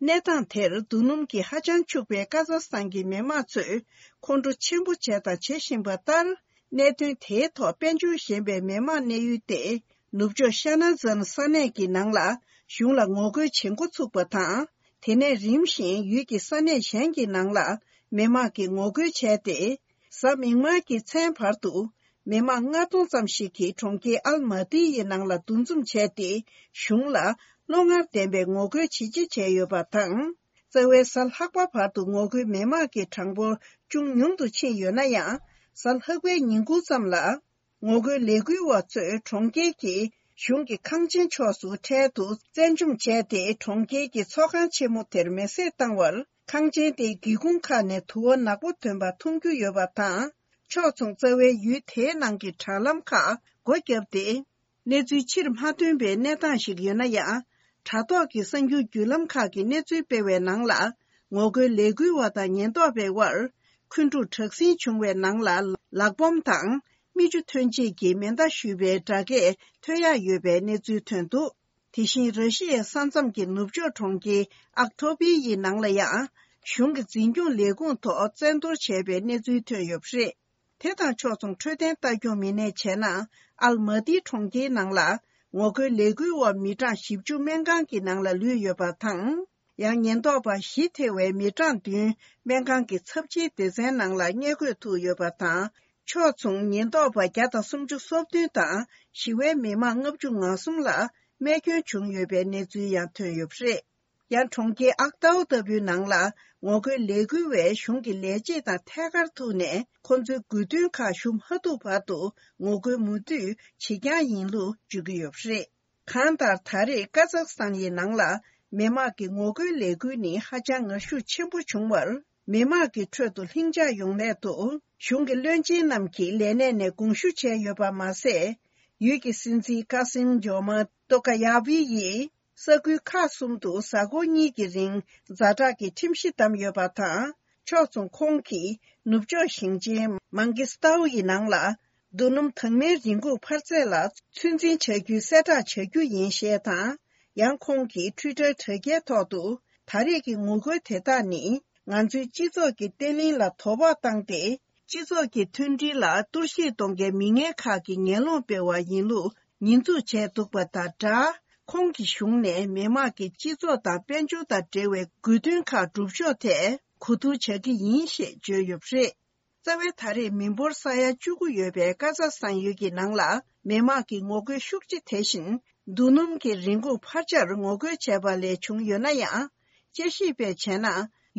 གནས་སྟངས་དེར་རྡོ་སྣུམ་གྱིས་ཧ་ཅང་ཕྱུག་པའི་ཀ་ཛ་སི་ཐན་གྱི་མི་དམངས་ཚོས་ཁོང་ཁྲོ་ཆེན་པོ་བྱས་དང་བྱེད་བཞིན་པ་ལྟར། གནད་དོན་དེའི་ཐོག་དཔལ་འབྱོར་ཞན་པའི་མི་དམངས་གནས་ཡུལ་ཏེ། ནུབ་ཕྱོགས་ཤ་ན་ཛན་ས་གནས་ཀྱི་ནང་ལ་གཞུང་ལ་ངོ་རྒོལ་བྱེད་འགོ་ཚུགས་པ་དང་། དེ་ནས་རིམ་བཞིན་ཡུལ་གྱི་ས་གནས་གཞན་གྱི་ནང་ལ་མི་དམངས་ཀྱིས་ངོ་རྒོལ་བྱས་ཏེ། གཟའ་མིག་དམར་གྱི་མཚན་བར་དུ་མི་དམངས་ལྔ་སྟོང་ཙམ་ཞིག་གིས་གྲོང་ཁྱེར་ཨལ་མ་ཏི་ཡི་ནང་ལ་འདུ་འཛོམས་བྱས་ཏེ། གཞུང་ལ་བློ་ངར་ལྡན་པའི་ངོ་རྒོལ་བྱེད་ཆེད་བྱས་ཡོད་པ་དང་། རྩ་བའི་གཟའ་ལྷག་པ་བར་དུ་ངོ་རྒོལ་མི་དམངས་ཀྱི་གྲངས་འབོར་ཅུང་ཉུང་དུ་ཕྱིན་ཡོད་ན་ཡང་། གཟའ་ལྷག་པའི་ཉིན་གུང་ཙམ་ལ། ངོ་རྒོལ་ལས་འགུལ་བ་ཚོས་གྲོང་ཁྱེར་གྱི་གཞུང་གི་ཁང་ཆེན་ཕྱོགས་སུ་འཕྲལ་དུ་བཙན་བཅོམ་བྱས་ཏེ། གྲོང་ཁྱེར་གྱི་ཚོགས་ཁང་ཆེན་མོ་དེར་མེ་བསྲེགས་བཏང་བར། ཁང་ཆེན་དེའི་སྒེའུ་ཁུང་ཁག་ནས་དུ་བ་ནག་པོ་ཐོན་པ་མཐོང་རྒྱུ་ཡོད་པ་དང་། ཕྱོགས་མཚུངས་རྩ་བའི་ཡུལ་དེའི་ནང་གི་དྲ་ལམ་ཁག་སྒོ་བརྒྱབ་སྟེ། གནས་ཚུལ་ཕྱིར་མ་ཐོན་པའི་གནས་སྟངས་ཤིག་ཡོད་ན་ཡང་། དྲ་ཐོག་གི་གསར་འགྱུར་བརྒྱུད་ལམ་ཁག་གིས་གནས་ཚུལ་སྤེལ་བའི་ནང་ལ། ངོ་རྒོལ་ལས་འགུལ་བ་དང་ཉེན་རྟོག་པའི་དབར། འཁོན་འཁྲུག་དྲག་ཟིང་བྱུང་བའི་ནང་ལ། ལག་འབོམ་དང་། མིག་ཆུ་ཐོན་ཆེད་ཀྱི་མེ་མདའ་གཞུས་པའི་སྒྲ་སྐད་ཐོས་ཡག་ཡོད་པའི་གནས་ཚུལ་ཐོན་འདུག་དེ་བཞིན་ར་ཤི་ཡའི་ས་མཚམས་ཀྱི་ནུབ་ཕྱོགས་གྲོང་ཁྱེར་ཨག་ཐོ་པི་ཡི་ནང་ལ་ཡང་། གཞུང་གི་འཛིན་སྐྱོང་ལས་ཁུངས་ཐོག་བཙན་གཏོར་བྱས་པའི་གནས་ཚུལ་ཐོན་ཡོད་པ་རེད། དེ་དང་ཕྱོགས་མཚུངས་འཕྲོད་བསྟེན་ལྟ་སྐྱོང་མི་སྣས་བྱས་ན། ཨལ་མ་ཏི་གྲོང་ཁྱེར་ནང་ལ་ངོ་རྒོལ་ལས་འགུལ་འོག་མི་གྲངས་བཞི་བཅུ་སྨན་ཁང་གི་ནང་ལ་ལུས་ཡོད་པ་དང་། ཡང་ཉེན་རྟོག་པ་བཞི་ཐེ་བའི་མི་གྲངས་བདུན་སྨན་ཁང་གི་ཚབས་ཆེའི་སྡེ་ཚན་ནང་ལ་བསྙལ་འཁོད་ཐུག་ཡོད་པ་དང་། ཕྱོགས་མཚུངས་ཉེན་རྟོག་པ་བརྒྱ་དང་སུམ་ཅུ་སོ་བདུན་དང་ཞི་བའི་མི་མང་ལྔ་བཅུ་ང་གསུམ་ལ་རྨས་སྐྱོན་བྱུང་ཡོད་པའི་གནས་ཚུལ་ཡང་ཐོན་ཡོད་པ་རེད། ཡང་གྲོང་ཁྱེར་ཨག་ཏའོ་ལྟ་བུའི་ནང་ལ་ངོ་རྒོལ་ལས་འགུལ་བས་གཞུང་གི་ལས་བྱེད་དང་ཐད་ཀར་ཐུག་ནས། ཁོ་ཚོའི་དགོས་འདུན་ཁག་ཞུ་མ་ཐུབ་བར་དུ་ངོ་རྒོལ་མུ་མཐུད་བྱེད་རྐྱང་ཡིན་ལུགས་བརྗོད་ཀྱི་ཡོད་པ་རེད། གང་ལྟར། ད་རེས་ཀ་ཛག་སི་ཐན་ཡི་ནང་ལ་མི་དམངས་ཀྱི་ངོ་རྒོལ་ལས་འགུལ་ནི་ཧ་ཅང་ངར་ཤུགས་ཆེན་པོ་བྱུང་བར། མི་དམངས་ཀྱི་ཁྲོད་དུ་ལྷིང་འཇགས་ཡོང་སླད་དུ་གཞུང་གི་བློན་ཆེན་རྣམས་ཀྱིས་ལས་གནས་ནས་དགོངས་ཞུ་བྱས་ཡོད་པ་མ་ཟད། ཡུལ་གྱི་སྲིད་འཛིན་ཀ་སིམ་ཇོ་མ་ཏོ་ཀ་ཡ་བྷི་ཡིས་ས་ཁུལ་ཁག་གསུམ་དུ་གཟའ་འཁོར་གཉིས་ཀྱི་རིང་ཛ་དྲག་གི་ཁྲིམས་གཞི་བསྡམས་ཡོད་པ་དང་། ཕྱོགས་མཚུངས་ཁོང་གིས་ནུབ་ཕྱོགས་ཞིང་ཆེན་མང་གི་སི་ཏའུ་ཡི་ནང་ལ། རྡོ་སྣུམ་དྭངས་མའི་རིན་གོང་འཕར་ཚད་ལ་ཚོད་འཛིན་བྱ་རྒྱུའི་གསལ་བསྒྲགས་བྱ་རྒྱུ་ཡིན་ཞེས་དང་། ཡང་ཁོང་གིས་ཊུའི་ཊར་དྲ་རྒྱའི་ཐོག་ཏུ། ད་རེས་ཀྱི་ངོ་རྒོལ་དེ་དག་ནི། ང་ཚོའི་སྤྱི་ཚོགས་ཀྱི་བརྟན་ལྷིང་ལ་དོ་ཕོག་བཏང་སྟེ། སྤྱི་ཚོགས་ཀྱི་མཐུན་སྒྲིལ་ལ་གཏོར་བཤིག་གཏོང་མཁན་མི་ངན་ཁག་གི་ངན་སློང་སྤེལ་བ་ཡིན་ལུགས་ཉེས་འཛུགས་བྱས་འདུག་པ་དང་སྦྲགས། ཁོང་གི་གཞུང་ནས་མི་དམངས་ཀྱི་སྤྱི་ཚོགས་དང་དཔལ་འབྱོར་དང་འབྲེལ་བའི་དགོས་འདུན་ཁག་སྒྲུབ་ཕྱོགས་ཐད་གོ་བསྡུར་བྱ་གི་ཡིན་ཞེས་བརྗོད་ཡོད་པ་རེད། རྩ་བའི་ད་རེས་མི་འབོར་ས་ཡ་བཅུ་དགུ་ཡོད་པའི་ཀ་ཛག་སི་ཐན་ཡུལ་གྱི་ནང་ལ་མི་དམངས་ཀྱི་ངོ་རྒོལ་ཤུགས་ཆེ་དེ་བཞིན་རྡོ་སྣུམ་གྱི་རིན་གོང་འཕར་ཆར་ངོ་རྒོལ་བྱས་པ་ལས་བྱུང་ཡོད་ན་ཡང་། དཔྱད་ཞིབ་པས་བྱས་ན།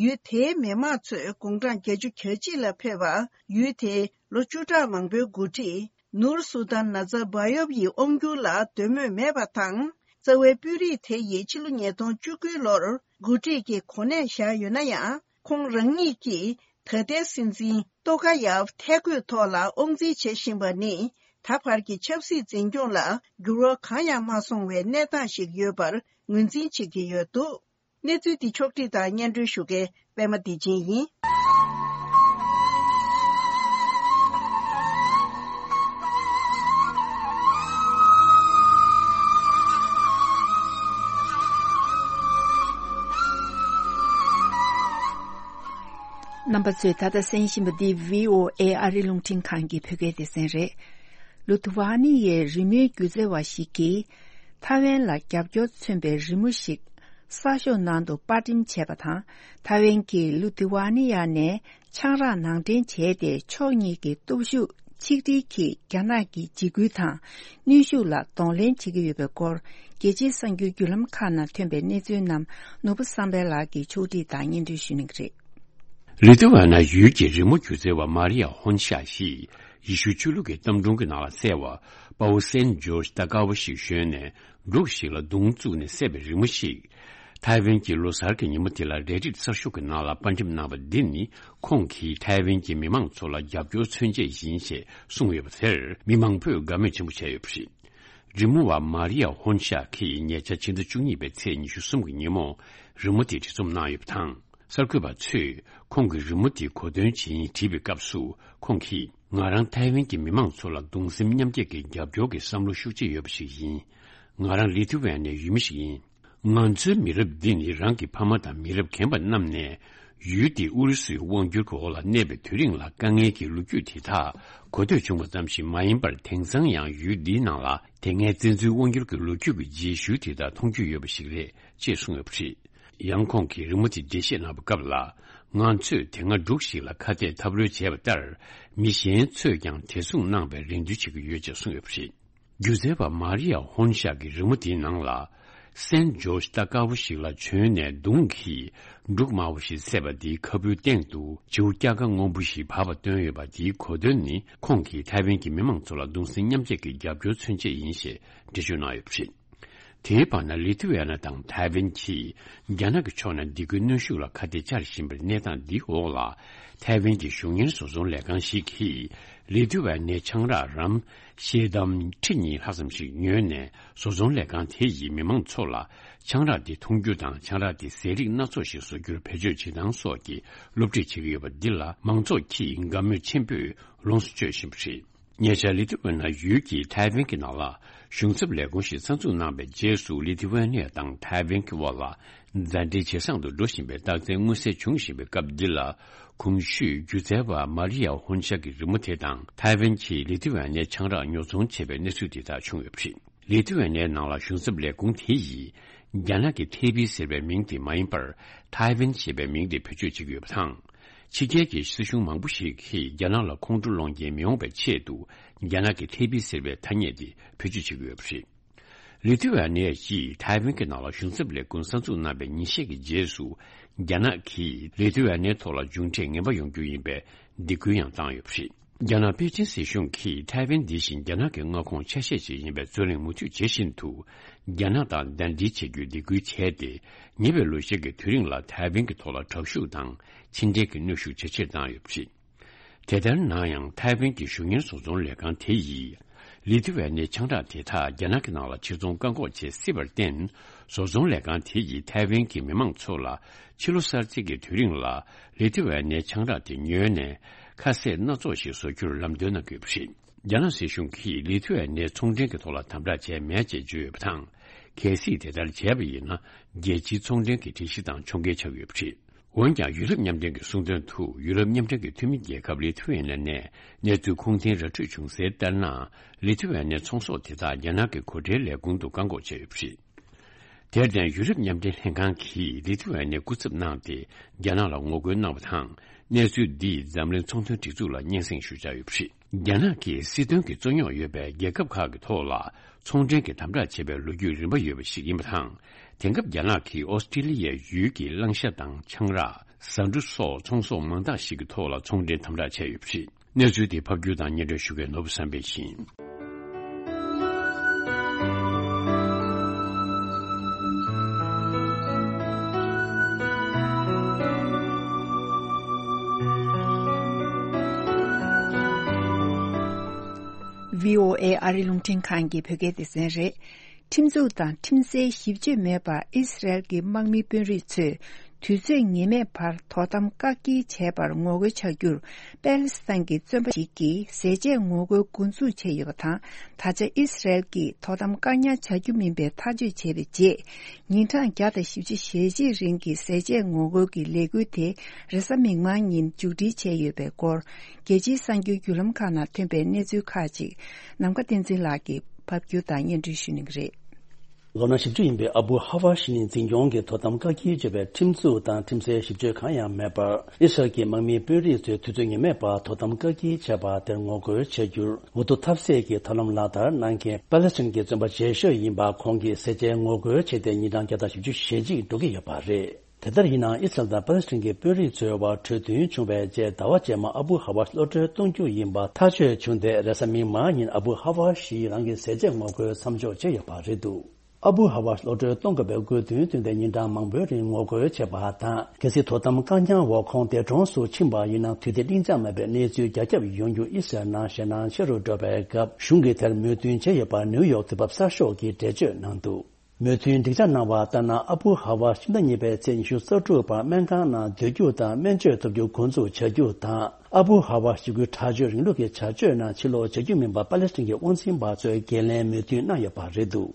ཡུལ་དེའི་མི་དམངས་ཚོས་དགུང་གྲངས་བརྒྱད་ཅུ་གྱ་གཅིག་ལ་ཕེབས་པ། ཡུལ་དེའི་ལོ་བཅུ་ཕྲག་མང་པོའི་འགོ་ཁྲིད་ནུར་སུ་ཏན་ན་ཛར་བྷ་ཡོབ་ཡི་དབང་སྒྱུར་ལ་འདོད་མོས་མེད་པ་དང་། རྩ་བའི་དཔོན་རིགས་དེ་ཡིས་ཕྱི་ལོ་ཉིས་སྟོང་བཅུ་དགུ་ལོར་འགོ་ཁྲིད་ཀྱི་གོ་གནས་བཞག་ཡོད་ན་ཡང་། ཁོང་རང་ཉིད་ཀྱིས་ད་ལྟའི་སྲིད་འཛིན་ཏོ་ཀ་ཡབ་ཐད་བསྐོས་ཐོག་ལ་དབང་འཛིན་བྱེད་བཞིན་པ་ནི། ད་བར་གྱི་ཆབ་སྲིད་འཛིན་སྐྱོང་ལ་འགྱུར་བ་གང་ཡང་མ་སོང་བའི་གནས་སྟངས་ཤིག་ཡོད་པར་ངོས་འཛིན་བྱེད་ཀྱི་ཡོད་འདུག། གནས་ཚུལ་འདི་ཕྱོགས་བསྒྲིགས་དང་སྙན་སྒྲོན་ཞུ་མཁན་པད་མ་བདེ་ཆེན་ཡིན། རྣམ་པ་ཚོས་ད་ལྟ་གསན་བཞིན་པ་འདི་བྷི་ཨོ་ཨེ་ཨ་རི་རླུང་འཕྲིན་ཁང་གི་བོད་སྐད་སྡེ་ཚན་རེད། ལུ་ཐུ་ཝ་ནི་ཡའི་རི་མོའི་སྒྱུ་རྩལ་བ་ཞིག་གིས། ཐའེ་ཝན་ལ་རྒྱབ་སྐྱོར་མཚོན་པའི་རི་མོ་ཞིག་གསར་ཤོག་ནང་དུ་པར་འགྲེམས་བྱས་པ་དང་། ཐའེ་ཝན་གྱིས་ལུ་ཐི་ཝ་ནི་ཡ་ནས་ཆང་རག་ནང་འདྲེན་བྱས་ཏེ། ཕྱོགས་གཉིས་ཀྱི་སྟོབས་ཤུགས་ཆིག་སྒྲིལ་གྱིས་རྒྱ་ནག་གི་འཇིགས་སྐུལ་དང་གནོན་ཤུགས་ལ་གདོང་ལེན་བྱེད་ཀྱི་ཡོད་པའི་སྐོར། རྒྱལ་སྤྱིའི་གསར་འགྱུར་བརྒྱུད་ལམ་ཁག་ནང་ཐོན་པའི་གནས་ཚུལ་རྣམས་ནོར་བུ་བསམ་འཕེལ་ལགས་ཀྱིས་ཕྱོགས་སྒྲིག་དང་སྙན་སྒྲོན་ཞུ་གནང་གི་རེད། ལི་ཐུ་ཝ་ན་ཡུལ་གྱི་རི་མོ་སྒྱུ་རྩལ་བ་མ་རི་ཡ་ཧོན་ཤ་ཞིག་ཡེ་ཤུ་ཆོས་ལུགས་ཀྱི་གཏམ་སྒྲུང་གི་ནང་ལ་གསལ་བ། དཔའ་བོ་སན་ཇོར་ཇི་ལྟ་དཀར་བོ་ཞིག་ཞོན་ནས་འབྲུག་ཞིག་ལ་མདུང་བཙུགས་ནས་བསད་པའི་རི་མོ་ཞིག། ཐའེ་ཝན་གྱི་ལོ་གསར་གྱི་ཉིན་མོ་དེ་ལ་རས་རིས་གསར་ཤོག་གི་ནང་ལ་པར་འགྲེམས་གནང་བ་འདི་ནི། ཁོང་གིས་ཐའེ་ཝན་གྱི་མི་མང་ཚོ་ལ་རྒྱབ་སྐྱོར་མཚོན་ཆེད་ཡིན་ཞེས་གསུངས་ཡོད་པ་དེར། མི་མང་པོས་དགའ་མོས་ཆེན་པོ་བྱས་ཡོད་པ་རེད། རི་མོ་བ་མ་རི་ཡ་ཧོན་ཤ་གིས་ཉེ་ཆར་ཕྱི་ཟླ་བཅུ་གཉིས་པའི་ཚེས་ཉི་ཤུ་གསུམ་གྱི་ཉིན་མོ་རི་མོ་དེ་བྲིས་རྩོམ་གནང་ཡོད་པ་དང་། གསར་འགོད་པ་ཚོས་ཁོང་གིས་རི་མོ་དེའི་གོ་དོན་ཇི་ཡིན་དྲིས་པའི་སྐབས་སུ། ཁོང་གིས། ང་རང་ཐའེ་ཝན་གྱི་མི་མང་ཚོ་ལ་གདུང་སེམས་མཉམ་སྐྱེད་ཀྱི་རྒྱབ་སྐྱོར་གྱི་བསམ་བློ་ཤུགས་ཆེ་ཡོད་པ་ཞིག་ཡིན། ང་རང་ལི་ཐུ་ཝན་ནའི་ཡུལ་མི་ཞིག་ཡིན། ང་ཚོའི་མི་རབས་འདི་ནི་རང་གི་ཕ་མ་དང་མི་རབས་རྒན་པ་རྣམས་ནས། ཡུལ་འདི་ཨུ་རུ་སུའི་དབང་སྒྱུར་གྱི་འོག་ལ་གནས་པའི་དུས་རིང་ལ་དཀའ་ངལ་གྱི་ལོ་རྒྱུས་དེ་དག་གོ་ཐོས་བྱུང་བ་ཙམ་ཞིག་མ་ཡིན་པར། དེང་སང་ཡང་ཡུལ་འདིའི་ནང་ལ་དེ་སྔའི་བཙན་འཛུལ་དབང་སྒྱུར་གྱི་ལོ་རྒྱུས་ཀྱི་རྗེས་ཤུལ་དེ་དག་མཐོང་རྒྱུ་ཡོད་པ་ཞིག་རེད་ཅེས་གསུངས་ཡོད་པ་རེད། ཡང་ཁོང་གིས་རི་མོ་དེ་འགྲེལ་བཤད་གནང་བའི་སྐབས་ལ། ང་ཚོས་དེ་སྔ་འབྲུག་ཞིག་ལ་ཁ་གཏད་ཐབས་རོལ་བྱས་པ་ལྟར། མི་གཞན་ཚོས་ཀྱང་དེ་མཚུངས་གནང་བའི་རེ་འདུན་བྱེད་ཀྱི་ཡོད་ཅེས་གསུངས་ཡོད་པ་རེད། སྒྱུ་རྩལ་བ་མ་རི་ཡ་ཧོན་ཤག་གི་རི་མོ་དེའི་ནང་ལ། སན་ཇོར་ཇི་ལྟ་དཀར་པོ་ཞིག་ལ་བྱོན་ནས་མདུང་གིས་འབྲུག་དམར་པོ་ཞིག་བསད་པ་དེའི་ཁ་སྤུའི་སྟེང་དུ་བྱིའུ་སྐྱ་ཀ་སྔོན་པོ་ཞིག་བབས་པ་བཏོན་ཡོད་པ། དེའི་གོ་དོན་ནི། ཁོང་གིས་ཐའེ་ཝན་གྱི་མི་མང་ཚོ་ལ་གདུང་སེམས་མཉམ་སྐྱེད་ཀྱི་རྒྱབ་སྐྱོར་མཚོན་ཆེད་ཡིན་ཞེས་འགྲེལ་བརྗོད་གནང་ཡོད་པ་རེད། དེའི་བར་ན། ལི་ཐུ་ཝེ་ན་དང་ཐའེ་ཝན་གྱིས་རྒྱ་ནག་གི་ཕྱོགས་ནས་སྡིགས་སྐུལ་གནོན་ཤུགས་ལ་ཁ་གཏད་བཅར་བཞིན་པའི་གནས་སྟངས་འདིའི་འོག་ལ། ཐའེ་ཝན་གྱི་གཞུང་གཉེར་བཟོ་ཚོང་ལས་ཁང་ཞིག་གིས་ལི་ཐུ་ཝེ་ནའི་ཆང་རག་རམ་ཤེལ་དམ་ཁྲི་གཉིས་ལྷག་ཙམ་ཞིག་ཉོས་ནས། བཟོ་ཚོང་ལས་ཁང་དེ་ཡིས་མི་མང་ཚོ་ལ་ཆང་རག་དེ་འཐུང་རྒྱུ་དང་། ཆང་རག་དེ་ཟས་རིགས་སྣ་ཚོགས་ཤིག་བཟོ་རྒྱུར་བེད་སྤྱོད་བྱེད་སྟངས་སོགས་ཀྱི་སློབ་ཁྲིད་བྱེད་ཀྱི་ཡོད་པ་འདི་ལ། མང་ཚོགས་ཀྱིས་དགའ་མོས་ཆེན་པོས་ལོངས་སུ་སྤྱོད་བཞིན་པ་རེད། ཉེ་ཆར་ལི་ཐུ་ཝེ་ན་ཡུལ་གྱིས་ཐའེ་ཝན་གྱི་ནང་ལ་ གཞུང་ཚབ་ལས་ཁུངས་ཤིག་གསར་འཛུགས་གནང་བའི་རྗེས་སུ། ལི་ཐི་ཝེ་ནི་ཡ་དང་ཐའེ་ཝན་གྱི་དབར་ལ་མཛའ་འབྲེལ་ཇེ་བཟང་དུ་འགྲོ་བཞིན་པའི་རྟགས་མཚན་མངོན་གསལ་འབྱུང་བཞིན་པའི་སྐབས་འདི་ལ། གོང་ཞུས་སྒྱུ་རྩལ་བ་མཱ་རི་ཡ་ཧོན་ཤ་གི་རི་མོ་དེ་དང་། ཐའེ་ཝན་གྱིས་ལི་ཐི་ཝེ་ནི་ཡའི་ཆང་རག་ཉོ་ཚོང་བྱས་པའི་གནས་ཚུལ་དེ་དག་བྱུང་ཡོད་པ་རེད། ལི་ཐི་ཝེ་ནི་ཡའི་ནང་ལ་གཞུང་ཚབ་ལས་ཁུངས་དེ་ཡིས། རྒྱ་ནག་གི་ཐེ་པི་ཟེར་བའི་མིང་དེ་མ་ཡིན་པར། ཐའེ་ཝན་ཞེས་པའི་མིང་དེ་བེད་སྤྱོད་བྱེད་ཀྱི་ཡོད་པ་དང་། ཕྱི་རྒྱལ་གྱི་སྲིད་གཞུང་མང་པོ་ཞིག་གིས་རྒྱ་ནག་ལ་ཁོང་ཁྲོ་སློང་རྐྱེན་མི་འོང་བའི་ཆེད་དུ། རྒྱ་ནག་གི་ཐེ་པི་ཟེར་བའི་ཐ་སྙད་དེ་བེད་སྤྱོད་བྱེད་ཀྱི་ཡོད་པ་རེད། ལི་ཐི་ཝེ་ནི་ཡ་ཡིས་ཐའེ་ཝན་གྱི་ནང་ལ་གཞུང་ཚབ་ལས་ཁུངས་གསར་འཛུགས་གནང་བའི་ཉིན་ཤས་ཀྱི་རྗེས་སུ། རྒྱ་ནག་གིས་ལི་ཐི་ཝེ་ནི་ཡའི་ཐོག་ལ་མཇུག་འབྲས་ངན་པ་ཡོང་རྒྱུ་ཡིན་པའི་སྡིགས་སྐུལ་ཡང་བཏང་ཡོད་པ་རེད། རྒྱ་ནག་པེ་ཅིན་སྲིད་གཞུང་གིས་ཐའེ་ཝན་འདི་བཞིན་རྒྱ་ནག་གི་མངའ་ཁོངས་ཆ་ཤས་ཤིག་ཡིན་པའི་རྩོད་གླེང་མུ་མཐུད་བྱེད་བཞིན་དུ། རྒྱ་ནག་དང་ཟླ་སྒྲིལ་བྱེད་རྒྱུའི་སྡིགས་སྐུལ་བྱས་ཏེ། ཉེ་བའི་ལོ་ཤས་ཀྱི་དུས་རིང་ལ་ཐའེ་ཝན་གྱི་ཐོག་ལ་དྲག་ཤུགས་དང་ཕྱི་འབྲེལ་གྱི་གནོན་ཤུགས་ཇེ་ཆེར་བཏང་ཡོད་པ་རེད། དེ་ལྟར་ན་ཡང་ཐའེ་ཝན་གྱི་གཞུང་གཉེར་བཟོ་ཚོང་ལས་ཁང་དེ་ཡིས། ལི་ཐི་ཝེ་ནི་ཡའི་ཆང་རག་དེ་དག་རྒྱ་ནག་གི་ནང་ལ་ཕྱིར་ཚོང་བཀག་འགོག་བྱེད་སྲིད་པར་བརྟེན། བཟོ་ཚོང་ལས་ཁང་དེ་ཡིས་ཐའེ་ཝན་གྱི་མི་མང་ཚོ་ལ་ཕྱི་ལོ་གསར་ཚེས་ཀྱི་དུས་རིང་ལ་ལི་ཐི་ཝེ་ནི་ཡའི་ཆང་རག་དེ་ཉོས་ནས་ཁ་ཟས་སྣ་ཚོགས་ཤིག་བཟོ་རྒྱུར་ལམ་སྟོན་གནང་གི་ཡོད་པ་རེད། རྒྱ་ནག་སྲིད་གཞུང་གིས་ལི་ཐི་ཝེ་ནི་ཡའི་ཚོང་འབྲེལ་གྱི་ཐོག་ལ་དམ་དྲག་བྱས་མེད་ཅེས་བརྗོད་ཡོད་པ་དང་། གལ་སྲིད་དེ་ལྟར་བྱས་པ་ཡིན་ན། རྒྱལ་སྤྱིའི་ཚོང་འབྲེལ་གྱི་སྒྲིག་གཞི་དང་ཕྱོགས་འགལ་ཆགས་ཡོད་པ་རེད། འོན་ཀྱང་། ཡུ་རོབ་མཉམ་འབྲེལ་གྱིས་གསུངས་དོན་དུ། ཡུ་རོབ་མཉམ་འབྲེལ་གྱི་འཐུས་མི་རྒྱལ་ཁབ་ལི་ཐི་ཝེ་ནི་ཡ་ནས་གནས་ཚུལ་ཁུངས་ལྡན་ར་འཕྲོད་བྱུང་གསལ་ལྟར་ན། ལི་ཐི་ཝེ་ནི་ཡའི་ཚོང་ཟོག་དེ་དག་རྒྱ་ནག་གི་སྒོ་ཁྲལ་ལས་ཁུངས་དུ་བཀག་འགོག་བྱས་ཡོད་པ་རེད། དེར་བརྟེན། ཡུ་རོབ་མཉམ་འབྲེལ་ལྷན་ཁང་གིས་ལི་ཐི་ཝེ་ནི་ཡའི་སྐུ་ཚབ་གནང་སྟེ། རྒྱ་ནག་ལ་ངོ་རྒོལ་གནང་བ་དང་། གནས་ཚུལ་འདིས་འཛམ་གླིང་ཚོང་དོན་སྒྲིག་འཛུགས་ལ་སྙན་སེང་ཞུ་འཆར་ཡོད་པ་རེད། རྒྱ་ནག་གིས་སྲིད་དོན་གྱི་རྩོད་རྙོག་ཡོད་པའི་རྒྱལ་ཁབ་ཁག་གི་ཐོག་ལ་ཚོང་འབྲེལ་གྱི་དམ་དྲག་བྱས་པའི་ལོ་རྒྱུས་རིམ་པ་ཡོད་པ་ཞིག་ཡིན་པ་དང་། དེང་སྐབས་རྒྱ་ནག་གིས་ཨོ་སི་ཀྲི་ལི་ཡའི་ཡུལ་གྱི་གླང་ཤ་དང་ཆང་རག། ཟ་འབྲུ་སོགས་ཚོང་ཟོག་མང་དག་ཞིག་གི་ཐོག་ལ་ཚོང་འབྲེལ་དམ་དྲག་བྱས་ཡོད་པ་རེད། གནས་ཚུལ་དེ་ཕབ་སྒྱུར་དང་སྙན་སྒྲོན་ཞུ་མཁན་ནོར་བུ་བསམ་འཕེལ་ཡིན། བྷི་ཨོ་ཨེ་ཨ་རི་རླུང་འཕྲིན་ཁང་གི་བོད་སྐད་སྡེ་ཚན་རེད། ཁྲིམས་འཛུགས་དང་ཁྲིམས་སའི་ཞིབ་དཔྱོད་མེད་པར་ཨི་སི་རལ་གྱི་དམག་མི་དཔོན་རིགས་ཚོས་དུས་ཚོད་ངེས་མེད་བར་དོ་དམ་བཀག་སྐྱིལ་བྱས་པར་ངོ་རྒོལ་བྱ་རྒྱུར། པེ་ལི་སི་ཐན་གྱི་བཙོན་པ་ཞིག་གིས་ཟས་བཅད་ངོ་རྒོལ་འགོ་འཛུགས་བྱས་ཡོད་པ་དང་། ད་ཆ་ཨི་སི་རལ་གྱིས་དོ་དམ་བཀག་ཉར་བྱ་རྒྱུ་མིན་པའི་ཐག་གཅོད་བྱས་པའི་རྗེས། ཉིན་གྲངས་བརྒྱ་དང་བཞི་བཅུ་ཞེ་གཅིག་རིང་གི་ཟས་བཅད་ངོ་རྒོལ་གྱི་ལས་འགུལ་དེ་རེས་གཟའ་མིག་དམར་ཉིན་མཇུག་སྒྲིལ་བྱས་ཡོད་པའི་སྐོར། རྒྱལ་སྤྱིའི་གསར་འགྱུར་བརྒྱུད་ལམ་ཁག་ནང་ཐོན་པའི་གནས་ཚུལ་ཁག་ཅིག་ནམ་མཁའ་བསྟན་འཛིན་ལགས་ཀྱིས་ཕབ་སྒྱུར་དང་སྙན་སྒྲོན་ཞུ་གནང་གི་རེད། ལོ་ན་བཞི་བཅུ་ཡིན་པའི་ཨ་བུ་ཧ་ཝ་ཤི་ནི་འཛིན་སྐྱོང་གི་དོ་དམ་བཀག་སྐྱིལ་བྱས་པའི་ཁྲིམས་འཛུགས་དང་ཁྲིམས་སའི་ཞིབ་དཔྱོད་གང་ཡང་མེད་པར། ཨི་སི་རལ་གྱི་དམག་མིའི་དཔོན་རིགས་ཚོས་དུས་ཚོད་ངེས་མེད་པར་དོ་དམ་བཀག་སྐྱིལ་བྱས་པ་དེར་ངོ་རྒོལ་བྱ་རྒྱུར། འུ་ཐུག་ཐབས་ཟད་ཀྱིས་ཐབས་ལམ་ལག་བསྟར་གནང་མཁན་པ་ལེ་སི་ཐན་གྱི་བཙོན་པ་རྗེས་ཤོས་ཡིན་པ་ཁོང་གིས་ཟས་བཅད་ངོ་རྒོལ་བྱས་ཏེ་ཉིན་གྲངས་བརྒྱ་དང་བཞི་བཅུ་ཞེ་གཅིག་འགྲོ་གི་ཡོད་པ་རེད། དེ་ལྟར་ཡིན་ནའང་ཨི་སི་རལ་དང་པ་ལེ་སི་ཐན་གྱི་དཔོན་རིགས་ཚོའི་དབར་གྲོས་མཐུན་བྱུང་བའི་རྗེས། ཟླ་བ་རྗེས་མ་ཨ་བུ་ཧ་ཝ་ཤི་གློད་གྲོལ་གཏོང་རྒྱུ་ཡིན་པ་ཐག་གཅོད་བྱུང་སྟེ། རེས་གཟའ་མིག་དམར་ཉིན་ཨ་བུ་ཧ་ཝ་ཤི་རང་གི་ཟས་བཅད་ངོ་རྒོལ་མཚམས་འཇོག་བྱས་ཡོད་པ་རེད་འདུག་ཨ་བུ་ཧ་ཝ་ཤི་གློད་གྲོལ་གཏོང་དགོས་པའི་དགོས་འདུན་བཏོན་ཏེ་ཉིན་གྲངས་མང་པོའི་རིང་ངོ་རྒོལ་བྱས་པ་དང་། གལ་སྲིད་དོ་དམ་བཀག་ཉར་འོག་ཁོང་འདས་གྲོངས་སུ་ཕྱིན་པ་ཡིན་ན། དུས་བདེ་གླེང་བྱ་མེད་པའི་གནས་ཚུལ་རྒྱ་ཁྱབ་ཡོང་རྒྱུ་ཨི་སི་རལ་ནང་ཞེད་སྣང་ཆེ་རུ་འགྲོ་བའི་སྐབས། གཞུང་གིས་དེར་མོས་མཐུན་བྱས་ཡོད་པར་ནིའུ་ཡོག་དུས་བབ་གསར་ཤོག་གིས་འགྲེལ་བརྗོད་གནང་འདུག་མོས་མཐུན་སྒྲིག་ཆ་གནང་བ་ལྟར་ན། ཨ་བུ་ཧ་ཝ་ཕྱི་ཟླ་གཉིས་པའི་ཚེས་ཉི་ཤུ་རྩ་དྲུག་བར་སྨན་ཁང་ནང་སྡོད་རྒྱུ་དང་སྨན་བཅོས་ཐོབ་རྒྱུ་འགོ་འཛུགས་བྱ་རྒྱུ་དང་། ཨ་བུ་ཧ་ཝ་ཤི་གི་དྲག་སྤྱོད་རིང་ལུགས་ཀྱི་བྱ་སྤྱོད་ནང་ཕྱིར་ལོག་བྱ་རྒྱུ་མིན་པ་པ་ལེ་སི་ཐན་གྱི་དབང་འཛིན་པ་ཚོས་འགན་ལེན་མོས་མཐུན་གནང་ཡོད་པ་རེད་འདུག་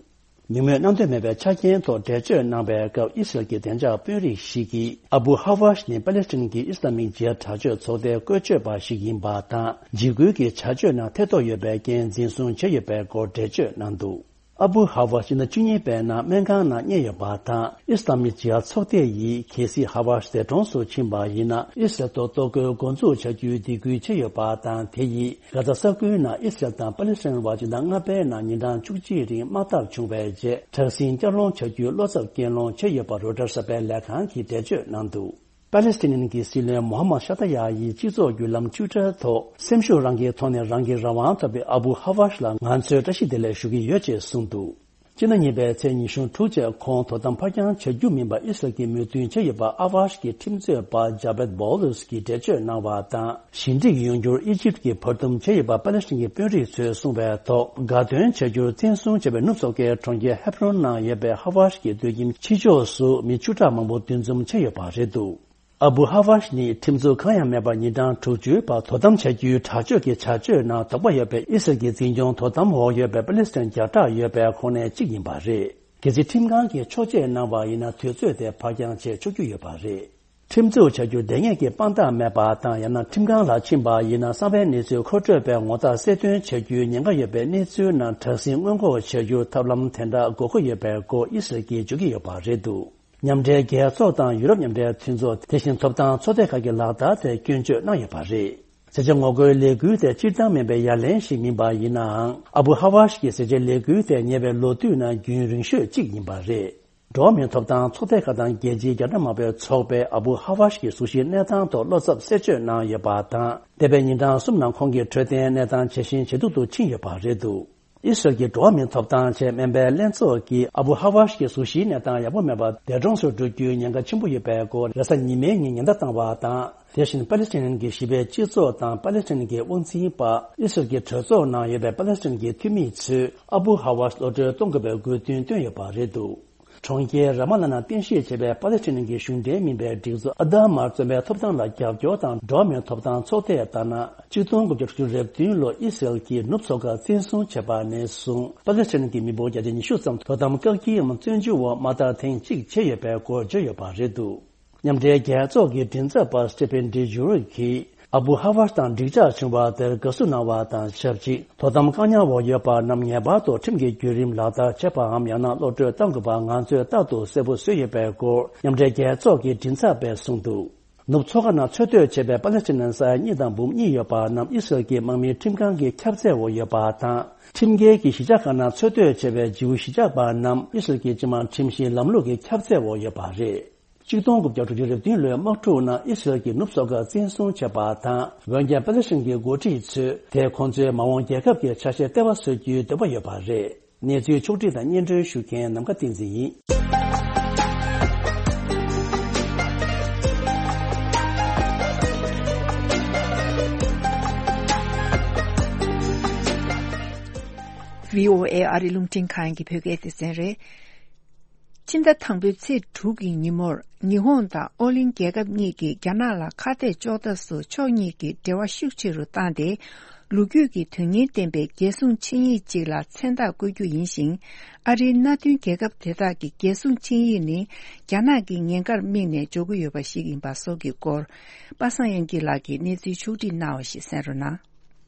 མིང་འབོད་གནང་འདོད་མེད་པའི་ཆ་རྐྱེན་ཐོག་འགྲེལ་བརྗོད་གནང་བའི་སྐབས། ཨི་སི་རལ་གྱི་བདེ་འཇགས་དཔོན་རིགས་ཤིག་གིས། ཨ་བུ་ཧ་ཝ་ཤི་ནི་པ་ལེ་སི་ཐན་གྱི་ཨི་སི་ལ་མིག་ཇི་ཧཱད་དྲག་སྤྱོད་ཚོགས་སྡེའི་བཀོལ་སྤྱོད་པ་ཞིག་ཡིན་པ་དང་། འཇིགས་སྐུལ་གྱི་བྱ་སྤྱོད་ནང་ཐེ་གཏོགས་ཡོད་པའི་རྐྱེན་འཛིན་བཟུང་བྱས་ཡོད་པའི་སྐོར་འགྲེལ་བརྗོད་གནང་འདུག་ཨ་བུ་ཧ་ཝ་ཕྱི་ཟླ་བཅུ་གཉིས་པའི་ནང་སྨན་ཁང་ནང་བསྙལ་ཡོད་པ་དང་། ཨི་སི་ལ་མིག་ཇི་ཧཱད་ཚོགས་སྡེ་ཡིས། གལ་སྲིད་ཧ་ཝ་ཤི་འདས་གྲོངས་སུ་ཕྱིན་པ་ཡིན་ན། ཨི་སི་རལ་ཐོག་གཏོར་རྒོལ་འགོ་འཛུགས་བྱ་རྒྱུའི་སྡིགས་སྐུལ་བྱས་ཡོད་པ་དང་། དེ་ཡིས་གྷ་ཛ་ས་ཁུལ་ནང་ཨི་སི་རལ་དང་པ་ལེ་སི་ཐན་བར་སྤྱི་ཟླ་ལྔ་པའི་ནང་ཉིན་གྲངས་བཅུ་གཅིག་རིང་དམག་འཐབ་བྱུང་བའི་རྗེས། དྲག་ཟིང་བསྐྱར་སློང་བྱ་རྒྱུའི་བློ་འཚབ་རྐྱེན་སློང་བྱས་ཡོད་པ་རོའི་ཊར་གསར་པའི་ལས་ཁང་གིས་འགྲེལ་བརྗོད་གནང་འདུག་པ་ལེ་སི་ཐན་གྱི་སྲིད་བློན་མོ་ཧ་མད་ཤ་ཏ་ཡ་ཡིས་སྤྱི་ཚོགས་བརྒྱུད་ལམ་ཊུའི་ཊར་ཐོག་སེམས་ཤུགས་རང་གི་ཐོག་ནས་རང་གི་རང་དབང་ཐོབ་པའི་ཨ་བུ་ཧ་ཝ་ཤི་ལ་ང་ཚོས་བཀྲ་ཤིས་བདེ་ལེགས་ཞུ་གི་ཡོད་ཅེས་གསུངས་འདུག་སྤྱི་ཟླ་གཉིས་པའི་ཚེས་ཉི་ཤུ་དྲུག་ཚེས་ཁོང་དོ་དམ་ཕར་འགྱངས་བྱ་རྒྱུ་མིན་པ་ཨི་སི་རལ་གྱིས་མོས་མཐུན་བྱས་ཡོད་པ་ཨ་ཝ་ཤི་གི་ཁྲིམས་རྩོད་པ་ཇ་བེད་བོ་ལུས་ཀྱིས་འགྲེལ་བརྗོད་གནང་བ་དང་། ཞི་འགྲིག་ཡོང་རྒྱུར་ཨི་ཇིབ་ཀྱིས་བར་འདུམ་བྱས་ཡོད་པ་པ་ལེ་སི་ཐན་གྱི་དཔོན་རིགས་ཚོས་གསུངས་པའི་ཐོག་དགའ་སྟོན་བྱ་རྒྱུར་བཙན་བཟུང་བྱས་པའི་ནུབ་སོག་ཁའི་གྲོང་ཁྱེར་ཧེབ་རོན་ནང་ཡོད་པའི་ཧ་ཝ་ཤི་གི་སྡོད་ཁྱིམ་ཕྱི་ཕྱོགས་སུ་མི་བཅུ་ཕྲག་མང་པོ་འདུ་འཛོམས་བྱས་ཡོད་པ་རེད་འདུག་ཨ་བུ་ཧ་ཝཱཤ་ནི་ཁྲིམས་འཛུགས་གང་ཡང་མེད་པར་ཉིན་གྲངས་དྲུག་ཅུའི་བར་དོ་དམ་བྱ་རྒྱུའི་དྲག་སྤྱོད་ཀྱི་བྱ་སྤྱོད་ནང་དོགས་པ་ཡོད་པའི་ཨི་སི་རལ་གྱི་འཛིན་སྐྱོང་དོ་དམ་འོག་ཡོད་པའི་པ་ལེ་སི་ཐན་བརྒྱ་ཕྲག་ཡོད་པའི་ཁོངས་ནས་གཅིག་ཡིན་པ་རེད། གལ་སྲིད་ཁྲིམས་ཁང་གིས་འཕྱོག་བཅད་གནང་བ་ཡིན་ན། དུས་ཚོད་དེ་ཕར་འགྱངས་བྱས་ཆོག་རྒྱུ་ཡོད་པ་རེད། ཁྲིམས་འཛུགས་བྱ་རྒྱུར་དེ་སྔས་ཀྱི་དཔང་རྟགས་མེད་པ་དང་། ཡང་ན་ཁྲིམས་ཁང་ལ་ཕྱིན་པ་ཡིན་ན། གསང་བའི་གནས་ཚུལ་མཁོ་སྤྲོད་པའི་ངོ་རྟགས་གསལ་སྟོན་བྱ་རྒྱུའི་ཉེན་ཁ་ཡོད་པའི་གནས་ཚུལ་ནང་དྲག་ཟིང་སྔོན་འགོག་བྱ་རྒྱུར་ཐབས་ལམ་དེ་འདྲ་དགོས་མཁོ་ཡོད་པའི་སྐོར་ཨི་སི་རལ་གྱིས་བརྗོད་ཀྱི་ཡོད་པ་རེད་འདུག་མཉམ་འབྲེལ་རྒྱལ་ཚོགས་དང་ཡུ་རོབ་མཉམ་འབྲེལ་མཐུན་ཚོགས། དེ་བཞིན་ཐོབ་ཐང་ཚོགས་སྡེ་ཁག་གི་ལག་བསྟར་དེར་སྐྱོན་བརྗོད་གནང་ཡོད་པ་རེད། ཟས་བཅད་ངོ་རྒོལ་ལས་འགུལ་དེ་སྤྱིར་བཏང་མིན་པའི་ཡ་ལན་ཞིག་མིན་པ་ཡིན་ནའང་། ཨ་བུ་ཧ་ཝཱཤ་གི་ཟས་བཅད་ལས་འགུལ་དེ་ཉེ་བའི་ལོ་དུས་ནང་རྒྱུན་རིང་ཤོས་གཅིག་ཡིན་པ་རེད། འགྲོ་བ་མིའི་ཐོབ་ཐང་ཚོགས་སྡེ་ཁག་དང་རྒྱལ་སྤྱིའི་རྒྱ་ནག་དམར་པོའི་ཚོགས་པས་ཨ་བུ་ཧ་ཝཱཤ་གི་གཟུགས་གཞིའི་གནས་སྟངས་ཐོག་བློ་འཚབ་གསལ་བརྗོད་གནང་ཡོད་པ་དང་། འདས་པའི་ཉིན་གྲངས་གསུམ་ནང་ཁོང་གི་འཕྲོད་བསྟེན་གནས་སྟངས་ཇེ་ཞན་ཇེ་སྡུག་ཏུ་ཕྱིན་ཡོད་པ་རེད་འདུག་ཨི་སི་རལ་གྱི་འགྲོ་བ་མིའི་ཐོབ་ཐང་ཆེད་སྨན་པའི་ལྷན་ཚོགས་ཀྱིས་ཨ་བུ་ཧ་ཝཱཤ་གི་གཟུགས་གཞིའི་གནས་སྟངས་ཡག་པོ་མེད་པར། འདས་གྲོངས་སུ་འགྲོ་རྒྱུའི་ཉེན་ཁ་ཆེན་པོ་ཡོད་པའི་སྐོར། རེས་གཟའ་ཉི་མའི་ཉིན་ཉེན་བརྡ་བཏང་བ་དང་། དེ་བཞིན་པ་ལེ་སི་ཐན་གྱི་གཞིས་པའི་སྤྱི་ཚོགས་དང་པ་ལེ་སི་ཐན་གྱི་དབང་འཛིན་པ། ཨི་སི་རལ་གྱི་གྲོས་ཚོགས་ནང་ཡོད་པའི་པ་ལེ་སི་ཐན་གྱི་འཐུས་མི་ཚོས་ཨ་བུ་ཧ་ཝཱཤ་གློད་གྲོལ་གཏོང་དགོས་པའི་དགོས་འདུན་བཏོན་ཡོད་པ་རེད་འདུག་གྲོང་ཁྱེར་ར་མ་ལ་ནང་རྟེན་གཞི་བྱས་པའི་པ་ལེ་སི་ཐན་གྱི་གཞུང་འབྲེལ་མིན་པའི་སྒྲིག་འཛུགས་ཨ་དྷ་མར་བཙོན་པའི་ཐོབ་ཐང་ལ་རྒྱབ་སྐྱོར་དང་། འགྲོ་བ་མིའི་ཐོབ་ཐང་ཚོགས་སྡེ་ལྟར་ན། གཅིག་སྟོང་དགུ་བརྒྱ་དྲུག་ཅུ་རེ་བདུན་ལོར་ཨི་སི་རལ་གྱིས་ནུབ་མཚོ་ཁ་བཙན་བཟུང་བྱས་པ་ནས་བཟུང་། པ་ལེ་སི་ཐན་གྱི་མི་འབོར་བརྒྱ་ཆ་ཉི་ཤུ་ཙམ་དོ་དམ་བཀག་སྐྱིལ་འམ་བཙོན་འཇུག་འོག་མ་མཐར་ཐེངས་གཅིག་བྱས་ཡོད་པའི་སྐོར་བརྗོད་ཡོད་པ་རེད་འདུག་མཉམ་འབྲེལ་རྒྱལ་ཚོགས་ཀྱི་མགྲིན་ཚབ་པ་སི་ཊི་ཕན་ཌི་ཇུ་རིག་གིས་ཨ་བུ་ཧ་ཝཱཤ་དང་འགྲིག་འཇགས་བྱུང་བ་དེར་དགའ་བསུ་གནང་བ་དང་ཆབས་ཅིག་དོ་དམ་བཀག་ཉར་འོག་ཡོད་པ་རྣམས་ངེས་པར་དུ་ཁྲིམས་ཀྱི་བརྒྱུད་རིམ་ལག་བསྟར་བྱེད་པའམ། ཡང་ན་གློད་གྲོལ་གཏང་དགོས་པ་ང་ཚོས་རྟག་ཏུ་གསལ་པོ་བཟོས་ཡོད་པའི་སྐོར་མཉམ་འབྲེལ་རྒྱལ་ཚོགས་ཀྱི་མགྲིན་ཚབ་པས་གསུངས་འདུག་ནུབ་མཚོ་ཁ་ནང་འཚོ་སྡོད་བྱེད་པའི་པ་ལེ་སི་ཐན་ས་ཡ་གཉིས་དང་འབུམ་གཉིས་ཡོད་པ་རྣམས་ཨི་སི་རལ་གྱི་དམག་མིའི་ཁྲིམས་ཁང་གི་ཁྱབ་ཚད་འོག་ཡོད་པ་དང་། ཁྲིམས་འགལ་གྱིས་གཞིས་ཆགས་ཁག་ནང་འཚོ་སྡོད་བྱེད་པའི་ཇིའུ་གཞིས་ཆགས་པ་རྣམས་ཨི་སི་རལ་གྱི་སྤྱི་དམངས་ཁྲིམས་བཞིན་ལམ་ལུགས་ཀྱི་ཁྱབ་ཚད་འོག་ཡོད་པ་རེད། གཅིག་སྟོང་དགུ་བརྒྱ་དྲུག་ཅུ་རེ་བདུན་ལོའི་དམག་འཁྲུག་ནང་ཨི་སི་རལ་གྱིས་ནུབ་མཚོ་ཁ་བཙན་བཟུང་བྱས་པ་དང་། འོན་ཀྱང་པ་ལེ་སི་ཐན་གྱི་འགོ་ཁྲིད་ཚོས་དེ་ཁོང་ཚོའི་མ་འོངས་རྒྱལ་ཁབ་ཀྱི་ཆ་ཤས་ལྟེ་བ་བཟོ་རྒྱུའི་འདོད་པ་ཡོད་པ་རེད། གནས་ཚུལ་ཕྱོགས་བསྒྲིགས་དང་སྙན་སྒྲོན་ཞུ་མཁན་ནམ་མཁའ་བསྟན་འཛིན་ཡིན། བྷི་ཨོ་ཨེ་ཨ་རི་རླུང་འཕྲིན་ཁང་གི་བོད་སྐད་སྡེ་ཚན་རེད། ཕྱི་ཟླ་དང་པོའི་ཚེས་དྲུག་གི་ཉིན་མོར། ཉི་ཧོང་དང་ཨོ་གླིང་རྒྱལ་ཁབ་གཉིས་ཀྱིས་རྒྱ་ནག་ལ་ཁ་གཏད་གཅོག་ཐབས་སུ་ཕྱོགས་གཉིས་ཀྱི་འབྲེལ་བ་ཤུགས་ཆེ་རུ་བཏང་སྟེ། ལོ་རྒྱུས་ཀྱི་དོན་སྙིང་ལྡན་པའི་རྒྱལ་སྲུང་ཆིངས་ཡིག་ཅིག་ལ་མཚན་རྟགས་བཀོད་རྒྱུ་ཡིན་ཞིང་། ཨ་རིའི་མནའ་མཐུན་རྒྱལ་ཁབ་དེ་དག་གི་རྒྱལ་སྲུང་ཆིངས་ཡིག་ནི། རྒྱ་ནག་གི་ཉེན་ཁར་དམིགས་ནས་འཇོག་གི་ཡོད་པ་ཞིག་ཡིན་པ་སོགས་ཀྱི་སྐོར། པ་སངས་དབྱངས་སྐྱིད་ལགས་ཀྱིས་གནས་ཚུལ་ཕྱོགས་བསྒྲིགས་གནང་བ་ཞིག་གསན་རོགས་གནང་།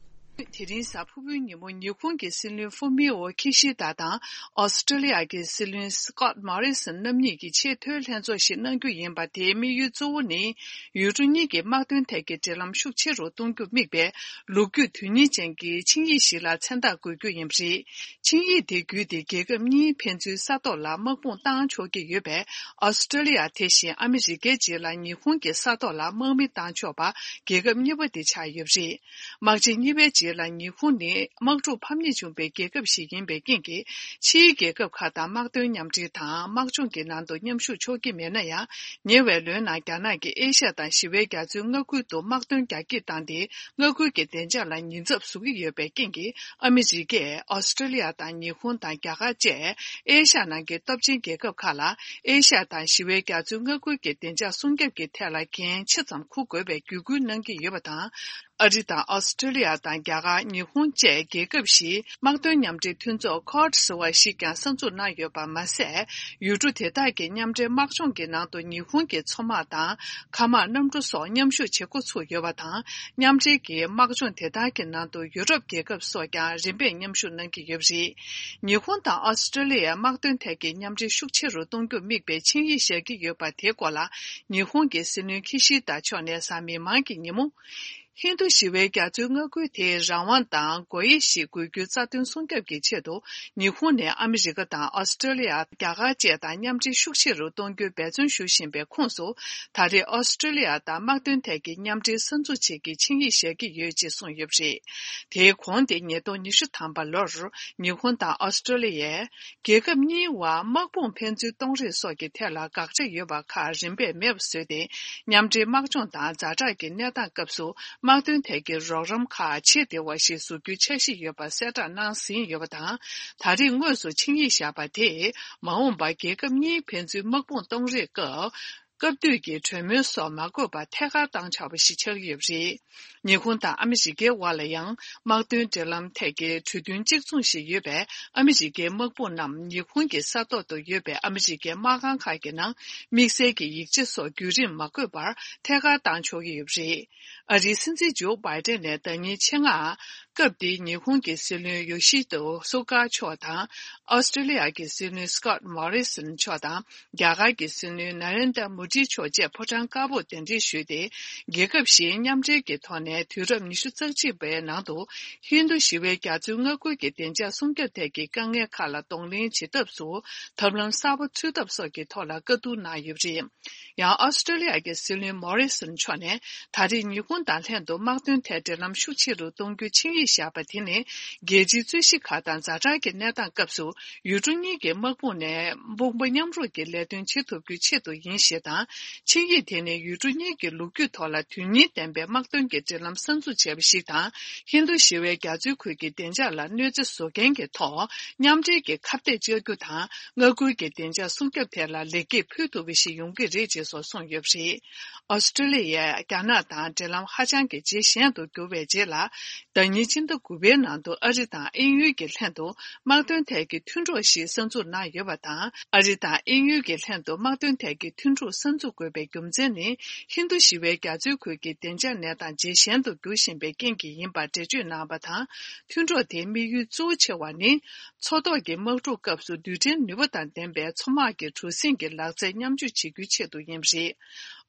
དེ་རིང་གཟའ་ཕུར་བུའི་ཉིན་མོ་ཉི་ཧོང་གི་སྲིད་བློན་ཧྥུ་མི་ཨོ་ཁི་ཤི་ད་དང་ཨོ་སི་ཀྲི་ལི་ཡ་གི་སྲིད་བློན་སི་ཀོད་མོ་རི་སོན་རྣམ་གཉིས་ཀྱིས་ཆེས་མཐོའི་ལྷན་ཚོགས་ཤིག་གནང་རྒྱུ་ཡིན་པ། དེའི་དམིགས་ཡུལ་གཙོ་བོ་ནི། ཡུལ་གྲུ་གཉིས་ཀྱི་དམག་དོན་ཐད་ཀྱི་འབྲེལ་ལམ་ཤུགས་ཆེ་རུ་གཏོང་རྒྱུར་དམིགས་པའི་ལོ་རྒྱུས་དོན་སྙིང་ཅན་གྱི་ཆིངས་ཡིག་ཞིག་ལ་མཚན་རྟགས་འགོད་རྒྱུ་ཡིན་པ་རེད། ཆིངས་ཡིག་དེ་བརྒྱུད་དེ་རྒྱལ་ཁབ་གཉིས་ཕན་ཚུན་ས་ཐོག་ལ་དམག་དཔུང་བཏང་ཆོག་གི་ཡོད་པས། ཨོ་སི་ཀྲི་ལི་ཡ་དེ་བཞིན་ཨ་མི་རི་ཀའི་རྗེས་ལ་ཉི་ཧོང་གི་ས་ཐོག་ལ་དམག་མི་བཏང་ཆོག་པ་རྒྱལ་ཁབ་གཉིས་པ་དེ་ཆགས་ཡོད་པ་རེད། དམག་ཆེན་གཉིས་པའི་རྗེས་ལ་ཉི་ཧོང་ནི་དམག་འཁྲུག་ཕམ་ཉེས་བྱུང་པའི་རྒྱལ་ཁབ་ཞིག་ཡིན་པའི་རྐྱེན་གྱིས། ཕྱིའི་རྒྱལ་ཁབ་ཁག་དང་དམག་དོན་མཉམ་འབྲེལ་དང་དམག་སྦྱོང་གི་ནང་དུ་མཉམ་ཞུགས་ཆོག་གི་མེད་ན་ཡང་། ཉེ་བའི་ལོའི་ནང་རྒྱ་ནག་གིས་ཨེ་ཤ་ཡ་དང་ཞི་བའི་རྒྱ་མཚོའི་མངའ་ཁུལ་དུ་དམག་དོན་རྒྱ་སྐྱེད་བཏང་སྟེ། མངའ་ཁུལ་གྱི་བདེ་འཇགས་ལ་ཉེན་ཚབས་བཟོ་གི་ཡོད་པའི་རྐྱེན་གྱིས། ཨ་མི་རི་ཀས་ཨོ་སི་ཀྲི་ལི་ཡ་དང་ཉི་ཧོང་དང་རྒྱ་གར་བཅས་ཨེ་ཤ་ཡ་ནང་གི་སྟོབས་ཆེན་རྒྱལ་ཁབ་ཁག་ལ། ཨེ་ཤ་ཡ་དང་ཞི་བའི་རྒྱ་མཚོའི་མངའ་ཁུལ་གྱི་བདེ་འཇགས་སྲུང་སྐྱོབ་ཀྱི་ཐད་ལ་འགན་ཆེ་ཙམ་འཁུར་དགོས་པའི་བརྒྱུད་སྐུལ་གནང་གི་ཡོད་པ་དང་། ཨ་རི་དང་ཨོ་སི་ཀྲི་ལི་ཡ་དང་རྒྱ་གར། ཉི་ཧོང་བཅས་རྒྱལ་ཁབ་བཞིའི་དམག་དོན་མཉམ་འབྲེལ་མཐུན་ཚོགས་ཁོཌ་ཟེར་བ་ཞིག་ཀྱང་གསར་འཛུགས་གནང་ཡོད་པ་མ་ཟད། ཡུལ་གྲུ་དེ་དག་གི་མཉམ་འབྲེལ་དམག་སྦྱོང་གི་ནང་དུ་ཉི་ཧོང་གི་མཚོ་དམག་དང་། མཁའ་དམག་གནམ་གྲུ་སོགས་མཉམ་ཞུགས་བྱེད་འགོ་ཚུགས་ཡོད་པ་དང་། མཉམ་འབྲེལ་གྱི་དམག་སྦྱོང་དེ་དག་གི་ནང་དུ་ཡུ་རོབ་རྒྱལ་ཁབ་སོགས་ཀྱང་རིམ་པས་མཉམ་ཞུགས་གནང་གི་ཡོད་པ་རེད། ཉི་ཧོང་དང་ཨོ་སི་ཀྲི་ལི་ཡའི་དམག་དོན་ཐད་ཀྱི་མཉམ་འབྲེལ་ཤུགས་ཆེ་རུ་གཏོང་རྒྱུར་དམིགས་པའི་ཆིངས་ཡིག་བཞག་གི་ཡོད་པ་དེའི་སྐོར་ལ། ཉི་ཧོང་གི་སྲིད་བློན་ཁི་ཤི་ད་མཆོག་ནས་གཟའ་མིག་དམར་གྱི་ཉིན་མོ། ཧིན་རྡུ་ཞི་བའི་རྒྱ་མཚོའི་མངའ་ཁུལ་དེའི་རང་དབང་དང་སྒོ་དབྱེ་ཞིག་དགོས་རྒྱུའི་རྩ་དོན་སྲུང་སྐྱོབ་ཀྱི་ཆེད་དུ། ཉི་ཧོང་ནས་ཨ་མི་རི་ཀ་དང་ཨོ་སི་ཀྲི་ལི་ཡ། རྒྱ་གར་བཅས་དང་མཉམ་འབྲེལ་ཤུགས་ཆེ་རུ་གཏོང་རྒྱུའི་འབད་བརྩོན་ཞུ་བཞིན་པའི་ཁོངས་སུ། ད་རེས་ཨོ་སི་ཀྲི་ལི་ཡ་དང་དམག་དོན་ཐད་ཀྱི་མཉམ་འབྲེལ་གསར་འཛུགས་བྱེད་ཀྱི་ཆིངས་ཡིག་བཞག་གི་ཡོད་ཅེས་གསུངས་ཡོད་པ་རེད། དེའི་གོང་དེ་ཉིས་སྟོང་ཉི་ཤུ་ཐམ་པ་ལོར། ཉི་ཧོང་དང་ཨོ་སི་ཀྲི་ལི་ཡས། རྒྱལ་ཁབ་གཉིས་བར་དམག་དཔུང་ཕན་ཚུན་གཏོང་རེས་སོགས་ཀྱི་ཐད་ལ་དགག་བྱ་ཡོད་པ་ཁག་རིམ་པས་མེད་པ་བཟོས་ཏེ། མཉམ་འབྲེལ་དམག་སྦྱོང་དང་ཛ་དྲག་གི་གནས་སྟངས་སྐབས་སུ་དམག་དོན་ཐད་ཀྱི་རོགས་རམ་ཁག་བྱེད་བདེ་བ་ཞིག་བཟོ་རྒྱུའི་འཆར་གཞི་ཡོད་པ་གསལ་བསྒྲགས་གནང་ཟིན་ཡོད་པ་དང་། ད་རེས་དངོས་སུ་ཆིངས་ཡིག་བཞག་པ་དེས། མ་འོངས་པར་རྒྱལ་ཁབ་གཉིས་ཕན་ཚུན་དམག་དཔུང་གཏོང་རེས་སྐབས། སྐབས་དུས་ཀྱི་གྲོས་མོལ་སོགས་མ་དགོས་པར་ཐད་ཀར་བཏང་ཆོག་པ་ཞིག་ཆགས་ཀྱི་ཡོད་པ་རེད། ཉི་ཧོང་དང་ཨ་མི་རི་ཀའི་དབར་ལ་ཡང་དམག་དོན་འབྲེལ་ལམ་ཐད་ཀྱི་གྲོས་མཐུན་གཅིག་མཚུངས་ཤིག་ཡོད་པས། ཨ་མི་རི་ཀའི་དམག་དཔུང་རྣམས་ཉི་ཧོང་གི་ས་ཐོག་ཏུ་ཡོད་པའི་ཨ་མི་རི་ཀའི་དམག་ཁང་ཁག་གི་ནང་དམིགས་བསལ་གྱི་ཡིག་ཆ་སོགས་བརྒྱུད་རིམ་མ་དགོས་པར་ཐད་ཀར་བཏང་ཆོག་གི་ཡོད་པ་རེད། ཨ་རིའི་སྲིད་འཛིན་ཇོ་བྷའི་ཏན་ནས་ཟླ་ཉིན་ཕྱེད་ཀ་སྐབས་འདིའི་ཉི་ཧོང་གི་སྲིད་བློན་ཡོ་ཤི་ཏོ་སུ་ག་མཆོག་དང་། ཨོ་སི་ཀྲི་ལི་ཡ་གི་སྲིད་བློན་སི་ཀོད་མོ་རི་སོན་མཆོག་དང་། རྒྱ་གར་གྱི་སྲིད་བློན་ན་རེན་དྲ་མོ་དི་མཆོག་བཅས་ཕོ་བྲང་དཀར་པོར་གདན་འདྲེན་ཞུས་ཏེ། རྒྱལ་ཁབ་བཞིའི་མཉམ་འབྲེལ་གྱི་ཐོག་ནས་དུས་རབས་ཉི་ཤུ་རྩ་གཅིག་པའི་ནང་དུ་ཧིན་རྡུ་ཞི་བའི་རྒྱ་མཚོའི་མངའ་ཁུལ་གྱི་བདེ་འཇགས་སྲུང་སྐྱོབ་ཐད་ཀྱི་དཀའ་ངལ་ཁག་ལ་གདོང་ལེན་བྱེད་ཐབས་སུ་ཐབས་ལམ་གསར་པ་འཚོལ་ཐབས་སོགས་ཀྱི་ཐོག་ལ་བཀའ་བསྡུར་གནང་ཡོད་པ་རེད། ཡང་ཨོ་སི་ཀྲི་ལི་ཡ་གི་སྲིད་བློན་མོ་རི་སོན་མཆོག་ནས་ད་རེས་ཉི་ཧོང་དང་ལྷན་དུ་དམག་དོན་ཐད་འབྲེལ་ལམ་ཤུགས་ཆེ་རུ་གཏོང་རྒྱུའི་ཆིངས་ཡིག་བཞག་པ་དེ་ནི་རྒྱལ་སྤྱིའི་རྩོད་གཞི་ཁག་དང་ཛ་དྲག་གི་གནས་སྟངས་སྐབས་སུ་ཡུལ་གྲུ་གཉིས་ཀྱི་དམག་དཔུང་ནས་དཔུང་པ་མཉམ་རུབ་ཀྱིས་ལས་དོན་བྱེད་ཐུབ་རྒྱུའི་ཆེད་དུ་ཡིན་ཞེས་དང་། ཆིངས་ཡིག་དེ་ནི་ཡུལ་གྲུ་གཉིས་ཀྱི་ལོ་རྒྱུས་ཐོག་ལ་དོན་སྙིང་ལྡན་པའི་དམག་དོན་གྱི་འབྲེལ་ལམ་གསར་འཛུགས་བྱས་པ་ཞིག་དང་། ཧིན་རྡུ་ཞི་བའི་རྒྱ་མཚོའི་ཁུལ་གྱི་བདེ་འཇགས་ལ་གནོད་འཚེ་བཟོ་མཁན་གྱི་ཐོག་མཉམ་འབྲེལ་གྱི་ཁ་གཏད་གཅོག་རྒྱུ་དང་། མངའ་ཁུལ་གྱི་བདེ་འཇགས་སྲུང་སྐྱོབ་ཐད་ལ་ལེགས་སྐྱེས་ཕུལ་ཐུབ་པ་ཞིག་ཡོང་གི་རེད་ཅེས་སོགས་གསུངས་ཡོད་པ་རེད། ཨོ་སི་ཀྲི་ལི་ཡས་རྒྱ་ནག་དང་འབྲེལ་ལམ་ཧ་ཅང་གི་ཇེ་ཞན་དུ་གྱུར་བའི་རྗེས་ལ། ཟླ་ཉིན་སྤྱི་ཟླ་དགུ་པའི་ནང་དུ་ཨ་རི་དང་དབྱིན་ཡུལ་གྱི་ལྷན་དུ་དམག་དོན་ཐད་ཀྱི་མཐུན་གྲོགས་ཤིག་གསར་འཛུགས་གནང་ཡོད་པ་དང་། ཨ་རི་དང་དབྱིན་ཡུལ་གྱི་ལྷན་དུ་དམག་དོན་ཐད་ཀྱི་མཐུན་གྲོགས་གསར་འཛུགས་དགོས་པའི་རྒྱུ་མཚན་ནི། ཧིན་རྡུ་ཞི་བའི་རྒྱ་མཚོའི་ཁུལ་གྱི་བདེ་འཇགས་གནས་སྟངས་ཇེ་ཞན་དུ་འགྱུར་བཞིན་པའི་རྐྱེན་གྱིས་ཡིན་པར་འགྲེལ་བརྗོད་གནང་བ་དང་། མཐུན་གྲོགས་དེའི་དམིགས་ཡུལ་གཙོ་བོ་ཆེ་བ་ནི། མཚོ་ཐོག་གི་དམག་འཁྲུག་སྐབས་སུ་རྡུལ་ཕྲན་ནུས་པ་དང་ལྡན་པའི་མཚོ་དམག་གི་གྲུ་གཟིངས་ཀྱི་ལག་རྩལ་མཉམ་སྤྱོད་བྱེད་རྒྱུའི་ཆེད་དུ་ཡིན་པ་རེད།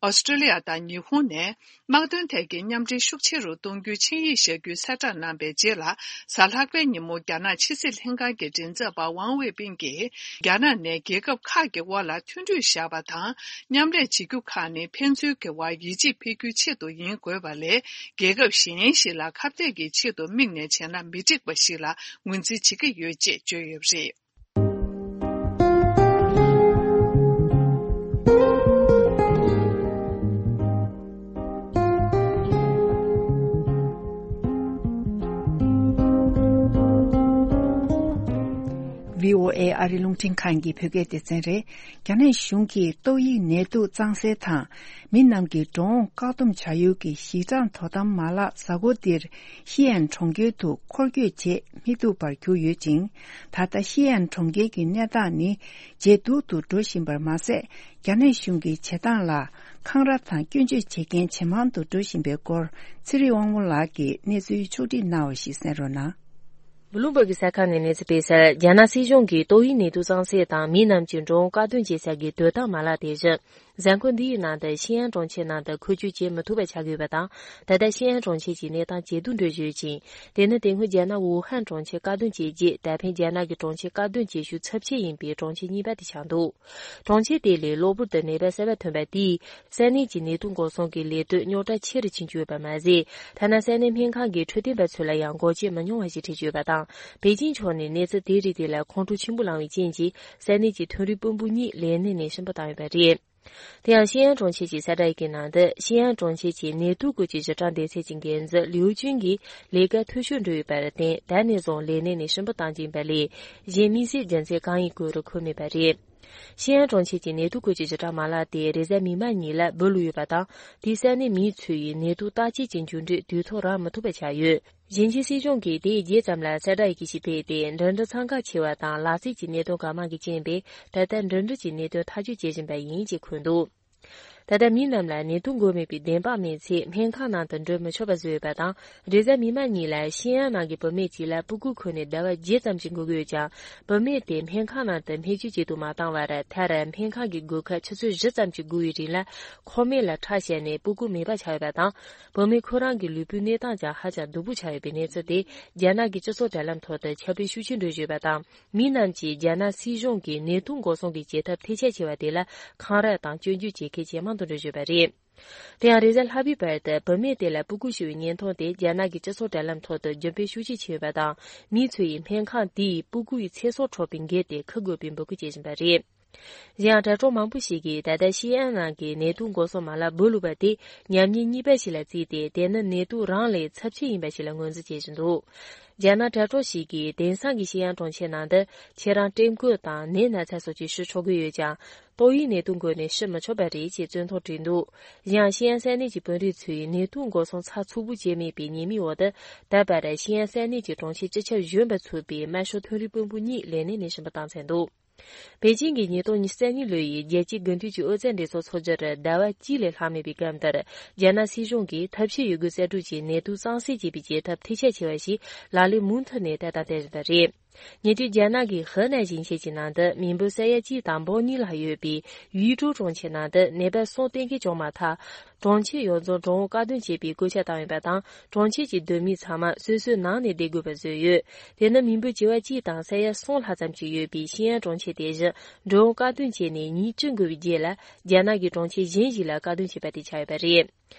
ཨོ་སི་ཀྲི་ལི་ཡ་དང་ཉི་ཧོང་ནས་དམག་དོན་ཐད་ཀྱི་མཉམ་འབྲེལ་ཤུགས་ཆེ་རུ་གཏོང་རྒྱུའི་ཆིངས་ཡིག་བཞག་རྒྱུའི་གསལ་བསྒྲགས་གནང་པའི་རྗེས་ལ། གཟའ་ལྷག་པའི་ཉིན་མོ་རྒྱ་ནག་ཕྱི་སྲིད་ལྷན་ཁང་གི་མགྲིན་ཚབ་པ་ཝང་ཝེ་པིན་གྱིས། རྒྱ་ནག་ནས་རྒྱལ་ཁབ་ཁག་གི་དབར་ལ་མཐུན་གྲོས་བཞག་པ་དང་། མཉམ་ལས་བྱེད་རྒྱུ་ཁག་ནི་ཕན་ཚུན་གྱི་དབར་ཡིད་ཆེས་འཕེར་རྒྱུའི་ཆེད་དུ་ཡིན་དགོས་པ་ལས། རྒྱལ་ཁབ་གཞན་ཞིག་ལ་ཁ་གཏད་ཀྱི་ཆེད་དུ་དམིགས་ནས་བྱས་ན་མི་འགྲིག་པ་ཞིག་ལ་ངོས་འཛིན་བྱེད་ཀྱི་ཡོད་ཅེས་བརྗོད་ཡོད་པ་རེད། བྷི་ཨོ་ཨེ་ཨ་རི་རླུང་འཕྲིན་ཁང་གི་བོད་སྐད་སྡེ་ཚན་རེད། རྒྱ་ནག་གཞུང་གིས་ཏོག་དབྱིབས་ནད་དུག་གཙང་སེལ་དང་། མི་རྣམས་ཀྱི་འགྲོ་འོང་བཀག་སྡོམ་བྱ་ཡུལ་གྱི་གཞི་གྲངས་དོ་དམ་མ་ལག་གཟའ་འཁོར་འདིར་ཤི་ཨན་གྲོང་ཁྱེར་དུ་འཁོར་སྐྱོད་བྱེད་མི་ཐུབ་པར་གྱུར་ཡོད་ཅིང་། ད་ལྟ་ཤི་ཨན་གྲོང་ཁྱེར་གྱི་གནས་སྟངས་ནི་ཇེ་སྡུག་ཏུ་འགྲོ་བཞིན་པར་མ་ཟད། རྒྱ་ནག་གཞུང་གི་བྱེད་སྟངས་ལ་འཁང་ར་དང་སྐྱོན་བརྗོད་བྱེད་མཁན་ཇེ་མང་དུ་འགྲོ་བཞིན་པའི་སྐོར། ཚེ་རིང་དབང་མོ་ལགས་ཀྱིས་གནས་ཚུལ་ཕྱོགས་སྒྲིག་གནང་བ་ཞིག་གསན་རོགས་གནང་། བྷི་ལུམ་བྷག་གི་གསར་ཁང་ནས་གནས་ཚུལ་སྤེལ་གསལ། རྒྱ་ནག་སྲིད་གཞུང་གིས་ཏོག་དབྱིབས་ནད་དུག་གཙང་སེལ་དང་མི་རྣམས་ཀྱི་འགྲོ་འོང་བཀག་སྡོམ་བྱེད་ས་གི་དོ་དམ་མ་ལག་དེ་བཞིན། གཟའ་འཁོར་འདིའི་ནང་དུ་ཤི་ཨན་གྲོང་ཁྱེར་ནང་དུ་འཁོར་སྐྱོད་བྱེད་མི་ཐུབ་པ་ཆགས་ཡོད་པ་དང་། ད་ལྟ་ཤི་ཨན་གྲོང་ཁྱེར་གྱི་གནས་སྟངས་ཇེ་སྡུག་འགྲོ་བཞིན་ཡོད་ཅིང་། དེ་ནི་དེ་སྔོན་རྒྱ་ནག་ཝུ་ཧན་གྲོང་ཁྱེར་བཀག་སྡོམ་བྱས་རྗེས། ད་ཕན་རྒྱ་ནག་གི་གྲོང་ཁྱེར་བཀག་སྡོམ་བྱེད་ཤུགས་ཚབས་ཆེ་ཡིན་པའི་གྲོང་ཁྱེར་གཉིས་པ་དེ་ཆགས་འདུག་གྲོང་ཁྱེར་དེ་ལས་གློ་བུར་དུ་ནད་པ་གསར་པ་ཐོན་པ་དེས། ས་གནས་ཀྱི་ནད་དུག་འགོག་སྲུང་གི་ལས་དོན་རྙོག་དྲ་ཆེ་རུ་ཕྱིན་ཡོད་པ་མ་ཟད། ཐ་ན་ས་གནས་སྨན་ཁང་གི་འཕྲོད་བསྟེན་པ་ཚོ་ལ་ཡང་འགོག་རྐྱེན་མི་ཉུང་བ་ཞིག་འཕྲད་ཀྱི་ཡོད་པ་དང་། པེ་ཅིང་ཕྱོགས་ནས་གནས་ཚུལ་དེ་རིགས་དེ་ལ་ཁོང་ཁྲོ་ཆེན་པོ་ལངས་པའི་རྐྱེན་གྱིས། ས་གནས་ཀྱི་ཐོན་རིགས་དཔོན་པོ་གཉིས་ལས་གནས་ནས་ཕྱིར་འབུད་བཏང་ཡོད་པ་རེད། དེ་ཡང་ཤི་ཨན་གྲོང་ཁྱེར་གྱི་གསལ་བསྒྲགས་ཡི་གེའི་ནང་དུ། ཤི་ཨན་གྲོང་ཁྱེར་གྱི་ནད་དུག་སྐོར་གྱི་ཞིབ་ཕྲ་སྡེ་ཚན་གྱི་འགན་འཛིན་ལིའུ་ཅུན་གྱིས། ལས་ཀ་འཐུས་ཤོར་འགྲོ་ཡོད་པར་བརྟེན། ད་ནས་བཟུང་ལས་གནས་ནས་ཕྱིར་འབུད་བཏང་རྒྱུ་ཡིན་པ་ལས། གཞན་དམིགས་བསལ་རྒྱུ་མཚན་གང་ཡིན་བཀོད་སྒྲིག་འཁོད་མེད་པ་རེད། ཤི་ཨན་གྲོང་ཁྱེར་གྱི་ནད་དུག་སྐོར་གྱི་ཞིབ་ཕྲ་མ་ལག་དེ་རེས་གཟའ་མིག་དམར་ཉིན་ལ་འབུད་ཡོད་པ་དང་། དེས་ས་གནས་མི་ཚོས་ནད་དུག་བརྟག་དཔྱད་ཀྱི་འགྱུར་འགྲོས་དུས་ཐོག་རག་མི་ཐུབ་པ་ཆགས་ཡོད། ཞིང་ཆེན་སྲིད་གཞུང་གིས་དེའི་རྗེས་ཙམ་ལ་གསལ་བསྒྲགས་ཡི་གེ་ཞིག་སྤེལ་ཏེ། འགྲིམ་འགྲུལ་འཚང་ཁ་ཆེ་བ་དང་ལག་རྩལ་གྱི་གནད་དོན་གང་མང་གི་རྐྱེན་པས། ད་ལྟ་འགྲིམ་འགྲུལ་གྱི་གནད་དོན་ཐག་གཅོད་བྱེད་བཞིན་པ་ཡིན་ཅེས་འཁོད་འདུག་ད་ལྟ་མི་རྣམས་ལ་ནད་དུག་འགོས་མེད་པའི་བདེན་དཔང་མེད་ཚེ། སྨན་ཁང་ནང་དུ་འགྲོ་མི་ཆོག་པ་བཟོས་ཡོད་པ་དང་། རེས་གཟའ་མིག་དམར་ཉིན་ལ་ཤི་ཨན་ནང་གི་བུད་མེད་ཅིག་ལ་སྤུ་གུ་འཁོར་ནས་ཟླ་བ་བརྒྱད་ཙམ་ཞིག་འགོར་གྱི་ཡོད་ཀྱང་། བུད་མེད་དེ་སྨན་ཁང་ནང་དུ་སྨན་བཅོས་བྱེད་དུ་མ་བཏང་བར། མཐར་སྨན་ཁང་གི་སྒོ་ཁ་ཆུ་ཚོད་བཞི་ཙམ་གྱི་སྒུར་བའི་རིང་ལ། ཁོག་སྨད་ལ་ཁྲག་བཞད་ནས་སྤུ་གུ་མེད་པ་ཆགས་ཡོད་པ་དང་། བུད་མེད་ཁོ་རང་གི་ལུས་པོའི་གནས་སྟངས་ཀྱང་ཧ་ཅང་སྡུག་པོ་ཆགས་ཡོད་པའི་གནས་ཚུལ་དེ། རྒྱ་ནག་གི་སྤྱི་ཚོགས་དྲ་ལམ་ཐོག་ཏུ་ཁྱབ་སྤེལ་ཤུགས་ཆེ་འགྲོ་བཞིན་ཡོད་པ་དང་། མི་རྣམས་ཀྱིས་རྒྱ་ནག་སྲིད་གཞུང་གིས་ནད་དུག་འགོག་སྲུང་གི་བྱེད་ཐབས་ཐེ་ཆད་ཆེ་བ་དེ་ལ་འཁང་ར་དང་སྐྱོན་བརྗོད་བྱེད་མཁན་ཇེ་མང་དུ་འགྲོ་བཞིན་ཡོད་པ་རེད། དེ་ཡང་རེས་གཟའ་ལྷག་པའི་བར་དུ་བུད་མེད་དེ་ལ་སྤུ་གུ་ཤི་བའི་བརྙན་ཐུང་དེ་རྒྱ་ནག་གི་སྤྱི་ཚོགས་དྲ་ལམ་ཐོག་ཏུ་རྒྱུན་སྤེལ་ཤུགས་ཆེ་ཕྱིན་ཡོད་པ་དང་། མི་ཚོ་ཡིས་སྨན་ཁང་དེ་ཡི་སྤུ་གུ་ཡི་ཚེ་སྲོག་འཕྲོག་པའི་འགན་དེ་འཁུར་དགོས་པའི་འབོད་སྐུལ་བྱེད་བཞིན་པ་རེད། གཞན་ཡང་། དྲ་གྲོགས་མང་པོ་ཞིག་གིས་ད་ལྟ་ཤི་ཨན་ནང་གི་ནད་དུག་འགོག་སྲུང་མ་ལག་སྦོ་ལུག་པ་དེ་ཉམས་ཉེས་གཉིས་པ་ཞིག་ལ་བརྩིས་ཏེ། དེ་ནི་ནད་དུག་རང་ལས་ཚབས་ཆེ་ཡིན་པ་ཞིག་ལ་ངོས་འཛིན་བྱེད་བཞིན་འདུག་རྒྱ་ནག་དྲ་གྲོགས་ཤིག་གིས། དེང་སང་གི་ཤི་ཨན་གྲོང་ཁྱེར་ནང་དུ་ཁྱེད་རང་སྐྲན་སྐོད་དང་ནད་ན་ཚ་སོགས་ཀྱིས་ཤི་ཆོག་གི་ཡོད་ཀྱང་། ཏོག་དབྱིབས་ནད་དུག་འགོས་ནས་ཤི་མི་ཆོག་པ་རེད་ཅེས་བཙན་ཐོག་བྲིས་འདུག་གཞན་ཡང་། ཤི་ཨན་ས་གནས་ཀྱི་དཔོན་རིགས་ཚོས་ནད་དུག་འགོག་སྲུང་ཚགས་ཚུད་པོ་བྱས་མེད་པའི་ཉེས་མིང་འོག་ཏུ། ད་བར་ཤི་ཨན་ས་གནས་ཀྱི་གྲོང་ཁྱེར་སྤྱི་ཁྱབ་གཞོན་པ་ཚུད་པའི་དམར་ཤོག་མཐོ་རིམ་དཔོན་པོ་གཉིས་ལས་གནས་ནས་ཕྱིར་འབུད་བཏང་ཚར་འདུག་པེ་ཅིང་གིས་ཉིས་སྟོང་ཉི་ཤུ་རྩ་གཉིས་ལོའི་རྒྱལ་སྤྱིའི་དགུན་དུས་ཀྱི་ཨོ་རྩལ་འགྲན་ཚོགས་འཚོགས་རྒྱུར་ཟླ་བ་གཅིག་ལས་ལྷག་མེད་པའི་སྐབས་འདིར། རྒྱ་ནག་སྲིད་གཞུང་གིས་ཐབས་ཤེས་ཡོད་རྒུས་གསར་སྒྲུབ་ཀྱིས་ནད་དུག་གཙང་སེལ་བྱེད་པའི་བྱེད་ཐབས་མཐིལ་ཕྱག་ཆེ་བ་ཞིག་ལག་ལེན་མུ་མཐུད་ནས་བསྟར་དང་སྟེར་བཞིན་པ་རེད། ཉེ་དུས་རྒྱ་ནག་གི་ཧི་ནན་ཞིང་ཆེན་གྱི་ནང་དུ་མི་འབོར་ས་ཡ་གཅིག་དང་འབུམ་གཉིས་ལྷག་ཡོད་པའི་ཡུས་ཀྲོའུ་གྲོང་ཁྱེར་ནང་དུ་ནད་པ་གསུམ་གཏན་འཁེལ་བྱུང་མ་ཐག་གྲོང་ཁྱེར་ཡོངས་རྫོགས་འགྲོ་འོང་བཀག་སྡོམ་བྱེད་པའི་བཀོད་ཁྱབ་བཏང་ཡོད་པ་དང་། གྲོང་ཁྱེར་གྱི་སྡོད་མི་ཚང་མ་སོ་སོའི་ནང་ནས་བསྡད་དགོས་པ་བཟོས་ཡོད། དེ་ནི་མི་འབོར་བྱེ་བ་གཅིག་དང་ས་ཡ་གསུམ་ལྷག་ཙམ་ཞིག་ཡོད་པའི་ཤི་ཨན་གྲོང་ཁྱེར་དེ་བཞིན་འགྲོ་འོང་བཀག་སྡོམ་བྱས་ནས་ཉིན་བཅུ་འགོར་བའི་རྗེས་ལ། རྒྱ་ནག་གི་གྲོང་ཁྱེར་གཞན་ཞིག་ལ་བཀག་སྡོམ་བྱས་པ་དེ་ཆགས་ཡོད་པ་རེད།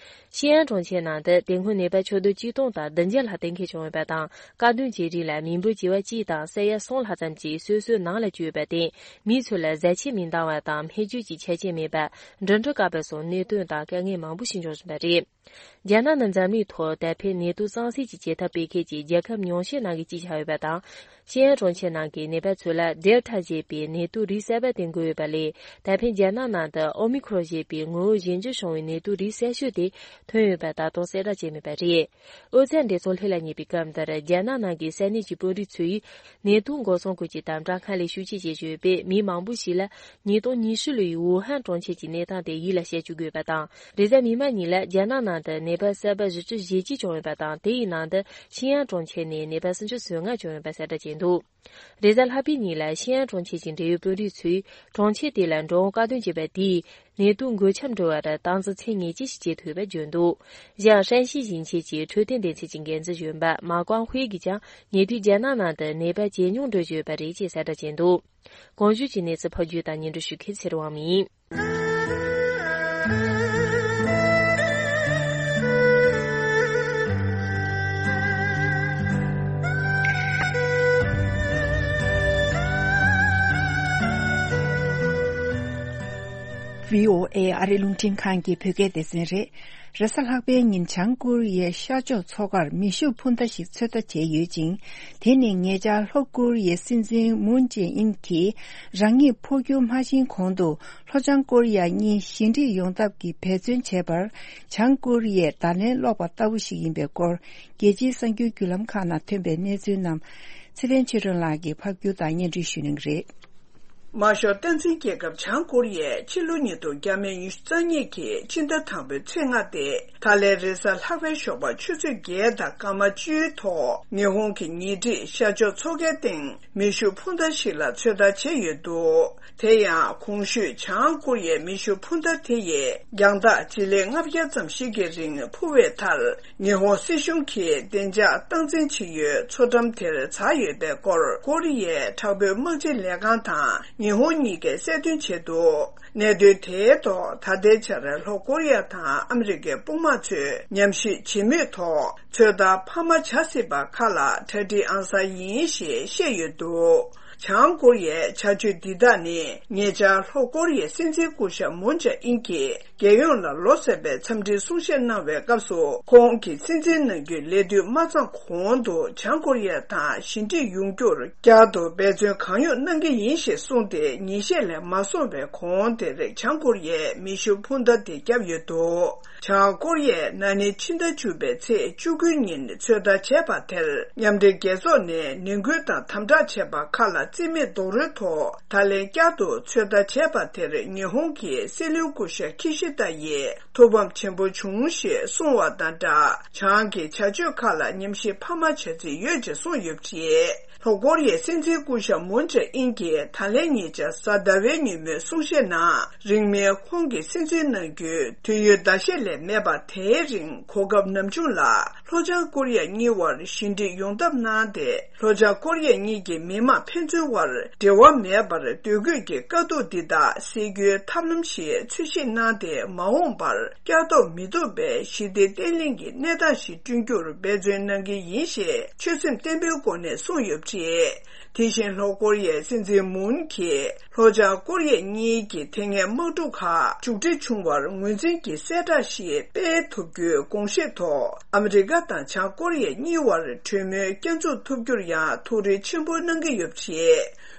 ཤི་ཨན་གྲོང་ཁྱེར་ནང་དུ་དེ་སྔོན་ནད་པ་ཁྱོན་བསྡོམས་གཅིག་སྟོང་དང་བདུན་བརྒྱ་ལྷག་གཏན་འཁེལ་བྱུང་ཡོད་པ་དང་། བཀག་སྡོམ་བྱེད་རིང་ལ་མི་འབོར་བྱེ་བ་གཅིག་དང་ས་ཡ་གསུམ་ལྷག་ཙམ་ཞིག་སོ་སོའི་ནང་ལ་བཅུག་ཡོད་པར་བརྟེན། མི་ཚོ་ལ་བཟའ་ཆས་མི་འདང་བ་དང་། སྨན་བཅོས་ཀྱི་ཆ་རྐྱེན་མེད་པ། འགྲིམ་འགྲུལ་བཀག་པ་སོགས་གནད་དོན་དང་དཀའ་ངལ་མང་པོ་ཞིག་འབྱུང་བཞིན་པ་རེད། རྒྱ་ནག་ནི་འཛམ་གླིང་ཐོག་ད་ཕན་ནད་དུག་གཙང་སེལ་གྱི་བྱེད་ཐབས་སྤེལ་མཁན་གྱི་རྒྱལ་ཁབ་ཉུང་ཤས་ནང་གི་གཅིག་ཆགས་ཡོད་པ་དང་། ཤི་ཨན་གྲོང་ཁྱེར་ནང་གི་ནད་པ་ཚོ་ལ་ཌེལ་ཊ་ཞེས་པའི་ནད་དུག་རིགས་གསར་པ་དེ་འགོས་ཡོད་པ་ལས། ད་ཕན་རྒྱ་ནག་ནང་དུ་ཨོ་མི་ཁྲོན་ཞེས་པའི་ངོ་བོ་གཞན་འགྱུར་བྱུང་བའི་ནད་དུག་རིགས་གསར་ཤོས་དེ་ཐོན་ཡོད་པ་ད་དུང་གསལ་བསྒྲགས་བྱས་མེད་པ་རེད། ཨོ་རྩལ་འགྲན་ཚོགས་ལྷོད་ལ་ཉེ་བའི་སྐབས་འདིར། རྒྱ་ནག་ནང་གི་ས་གནས་ཀྱི་དཔོན་རིགས་ཚོས་ནད་དུག་འགོག་སྲུང་སྐོར་གྱི་དམ་དྲག་སྔར་ལས་ཤུགས་ཆེ་བྱེད་བཞིན་ཡོད་པས། མི་མང་པོ་ཞིག་ལ་ཉིས་སྟོང་ཉི་ཤུ་ལོའི་ཝུ་ཧན་གྲོང་ཁྱེར་གྱི་གནས་སྟངས་དེ་ཡིད་ལ་བཤད་བཅུག་དགོས་པ་དང་། རེས་གཟའ་མིག་དམར་ཉིན་ལ་རྒྱ་ནག་ནང་དུ་ནད་པ་གསར་པ་བཞི་བཅུ་ཞེ་གཅིག་བྱུང་ཡོད་པ་དང་། དེ་ཡི་ནང་དུ་ཤི་ཨན་གྲོང་ཁྱེར་ནས་ནད་པ་སུམ་ཅུ་སོ་ལྔ་བྱུང་ཡོད་པ་གསལ་བསྒྲགས་བྱས་འདུག་རེས་གཟའ་ལྷག་པའི་ཉིན་ལ་ཤི་ཨན་གྲོང་ཁྱེར་གྱི་འབྲེལ་ཡོད་དཔོན་རིགས་ཚོས། གྲོང་ཁྱེར་དེ་ལ་འགྲོ་འོང་བཀག་སྡོམ་བྱས་པ་དེས་ནད་དུག་འགོས་ཁྱབ་འགྲོ་བར་སྟངས་འཛིན་ཚད་ངེས་ཅན་ཞིག་བྱེད་ཐུབ་པ་བརྗོད་འདུག་གཞན་ཡང་། ཧྲན་ཞི་ཞིང་ཆེན་གྱི་འཕྲོད་བསྟེན་སྡེ་ཚན་གྱི་འགན་འཛིན་གཞོན་པ་མ་ཀོང་ཧུའེ་གིས་ཀྱང་། ཉེ་དུས་རྒྱ་ནག་ནང་དུ་ནད་པ་ཇེ་ཉུང་འགྲོ་བཞིན་ཡོད་པ་རེད་ཅེས་གསལ་བསྒྲགས་བྱས་འདུག་གོང་ཞུས་ཀྱི་གནས་ཚུལ་ཕབ་སྒྱུར་དང་སྙན་སྒྲོན་ཞུ་མཁན་ཚེ་རིང་དབང་མོ་ཡིན། བྷི་ཨོ་ཨེ་ཨ་རིའི་རླུང་འཕྲིན་ཁང་གི་བོད་སྐད་སྡེ་ཚན་རེད། རེས་གཟའ་ལྷག་པའི་ཉིན་བྱང་ཀོ་རི་ཡའི་ཤར་ཕྱོགས་མཚོ་ཁར་མེ་ཤུགས་འཕུར་མདའ་ཞིག་ཚོད་ལྟ་བྱས་ཡོད་ཅིང་། དེ་ནི་ཉེ་ཆར་ལྷོ་ཀོ་རི་ཡའི་སྲིད་འཛིན་མུན་ཇེ་ཨིན་གྱིས་རང་ཉིད་འཕོ་འགྱུར་མ་ཕྱིན་གོང་དུ་ལྷོ་བྱང་ཀོ་རི་ཡ་གཉིས་ཞི་འགྲིག་ཡོང་ཐབས་ཀྱི་འབད་བརྩོན་བྱས་པར། བྱང་ཀོ་རི་ཡས་བརྡ་ལན་སློག་པ་ལྟ་བུ་ཞིག་ཡིན་པའི་སྐོར། རྒྱལ་སྤྱིའི་གསར་འགྱུར་བརྒྱུད་ལམ་ཁག་ནང་ཐོན་པའི་གནས་ཚུལ་རྣམས་ཚེ་བརྟན་ཆོས་སྒྲོན་ལགས་ཀྱིས་ཕབ་སྒྱུར་དང་སྙན་སྒྲོན་ཞུ་གནང་གི་རེད། དམར་ཤོག་སྟངས་འཛིན་རྒྱལ་ཁབ་བྱང་ཀོ་རི་ཡས་ཕྱི་ལོ་ཉིས་སྟོང་ཉི་ཤུ་རྩ་གཉིས་ཀྱི་ཕྱི་ཟླ་དང་པོའི་ཚེས་ལྔ་སྟེ། ད་ལན་རེས་གཟའ་ལྷག་པའི་ཞོགས་པ་ཆུ་ཚོད་བརྒྱད་དང་སྐར་མ་བཅུའི་ཐོག་ཉི་ཧོང་གི་ཉེ་འཁྲིས་ཤར་ཕྱོགས་མཚོ་ཁའི་སྟེང་མེ་ཤུགས་འཕུར་མདའ་ཞིག་ལ་ཚོད་ལྟ་བྱས་ཡོད་འདུག་དེ་ཡང་གོང་ཞུས་བྱང་ཀོ་རི་ཡའི་མེ་ཤུགས་འཕུར་མདའ་དེ་ཡིས་རྒྱང་ཐག་སྤྱི་ལེ་ལྔ་བརྒྱ་ཙམ་ཞིག་གི་རིང་འཕུར་བའི་མཐར། ཉི་ཧོང་སྲིད་གཞུང་གིས་བདེ་འཇགས་སྟངས་འཛིན་བྱེད་ཡུལ་མཚོ་འགྲམ་དེར་འཛེགས་ཡོད་པའི་སྐོར་ཀོ་རི་ཡའི་དྲག་པོའི་དམག་སྤྱི་ལས་ཁང་དང་ཉི་ཧོང་གཉིས་ཀས་གསལ་སྟོན་བྱས་འདུག་གནད་དོན་དེའི་ཐོག་ད་ལྟའི་ཆར་ལྷོ་ཀོ་རི་ཡ་དང་ཨ་མི་རི་ཀའི་དཔུང་དམག་ཚོས་ཉམས་ཞིབ་བྱེད་མུས་ཐོག་ཚོད་ལྟ་འཕར་མ་བྱ་སྲིད་པ་ཁག་ལ་གྲ་སྒྲིག་ཨང་གསར་ཡིན་ཞེས་བཤད་ཡོད་འདུག་བྱང་ཀོ་རི་ཡའི་བྱ་སྤྱོད་འདི་དག་ནི་ཉེ་ཆར་ལྷོ་ཀོ་རི་ཡའི་སྲིད་འཛིན་སྐུ་ཞབས་མུན་ཇེ་ཨིན་གྱིས། རྒྱལ་ཡོངས་ལ་ལོ་གསར་པའི་འཚམས་འདྲིའི་གསུང་བཤད་གནང་བའི་སྐབས་སུ། ཁོང་གིས་སྲིད་འཛིན་གནང་རྒྱུའི་ལས་དུས་མ་ཚང་གོང་དུ་བྱང་ཀོ་རི་ཡ་དང་ཞི་འགྲིག་ཡོང་རྒྱུར་བསྐྱར་དུ་འབད་བརྩོན་གང་ཡོང་གནང་གི་ཡིན་ཞེས་གསུངས་ཏེ། ཉིན་ཤས་ལས་མ་སོང་བའི་གོང་དེར་བྱང་ཀོ་རི་ཡས་མེ་ཤུགས་འཕུར་མདའ་དེ་བརྒྱབ་ཡོད་འདུག་བྱང་ཀོ་རི་ཡས་ན་ནིང་ཕྱི་ཟླ་བཅུ་པའི་ཚེས་བཅུ་དགུའི་ཉིན་ཚོད་ལྟ་བྱས་པ་དེར། མཉམ་འབྲེལ་རྒྱལ་ཚོགས་ནས་ནན་སྐུལ་དང་དམ་དྲག་བྱས་པ་ཁག་ལ་རྩིས་མེད་རྡོག་རོལ་ཐོག་ད་ལན་བསྐྱར་དུ་ཚོད་ལྟ་བྱས་པ་དེར། ཉི་ཧོང་གི་སྲིད་བློན་སྐུ་ཞབས་ཁི་ཤི་ཏ་ཡིས་ཐུགས་ཕམ་ཆེན་པོ་བྱུང་ཞེས་གསུངས་བ་དང་སྦྲགས། བྱང་གི་བྱ་སྤྱོད་ཁག་ལ་ཉམས་ཞིབ་འཕར་མ་བྱ་རྩིས་ཡོད་ཅེས་གསུངས་ཡོད་པ་རེད། ལྷོ་ཀོ་རི་ཡའི་སྲིད་འཛིན་སྐུ་ཞབས་མུན་ཇེ་ཨིན་གྱིས་ད་ལན་ཉེ་ཆར་གཟའ་ཟླ་བའི་ཉིན་མོའི་གསུང་བཤད་ནང་། རིང་མིན་ཁོང་གིས་སྲིད་འཛིན་གནང་རྒྱུའི་དུས་ཡུན་ཟླ་ཤས་ལས་མེད་པ་དེའི་རིང་གོ་སྐབས་ནམ་བྱུང་ལ། ལྷོ་བྱང་ཀོ་རི་ཡ་གཉིས་བར་ཞི་འགྲིག་ཡོང་ཐབས་གནང་སྟེ། ལྷོ་བྱང་ཀོ་རི་ཡ་གཉིས་ཀྱི་མི་དམངས་ཕན་ཚུན་བར་འབྲེལ་བ་མེད་པར་སྡོད་དགོས་ཀྱི་དཀའ་སྡུག་འདི་དག་སེལ་རྒྱུའི་ཐབས་ལམ་ཞིག་འཚོལ་ཞིབ་གནང་སྟེ། མ་འོངས་པར་བསྐྱར་ལྡོག་མི་ཐུབ་པའི་ཞི་བདེ་བརྟན་ལྷིང་གི་གནས་སྟངས་ཤིག་བསྐྲུན་རྒྱུར་འབད་བརྩོན་གནང་གི་ཡིན་ཞེས་ཆོད་སེམས་བརྟན་པོའི་སྒོ་ནས་གསུངས་ཡོད་པ་རེད། དེ་བཞིན་ལྷོ་ཀོ་རི་ཡའི་སྲིད་འཛིན་མུན་གྱིས་ལྷོ་བྱང་ཀོ་རི་ཡ་གཉིས་ཀྱི་དེ་སྔའི་དམག་འཁྲུག་ཁག་མཇུག་སྒྲིལ་བྱུང་བར་ངོས་འཛིན་གྱི་གསལ་བསྒྲགས་ཤིག་སྤེལ་ཐུབ་རྒྱུའི་དགོངས་བཞེས་ཐོག་ཨ་མི་རི་ཀ་དང་བྱང་ཀོ་རི་ཡ་གཉིས་བར་གྲོས་མོལ་བསྐྱར་འཛུགས་ཐུབ་རྒྱུར་ཡང་ཐུགས་རེ་ཆེན་པོ་གནང་གི་ཡོད་པ་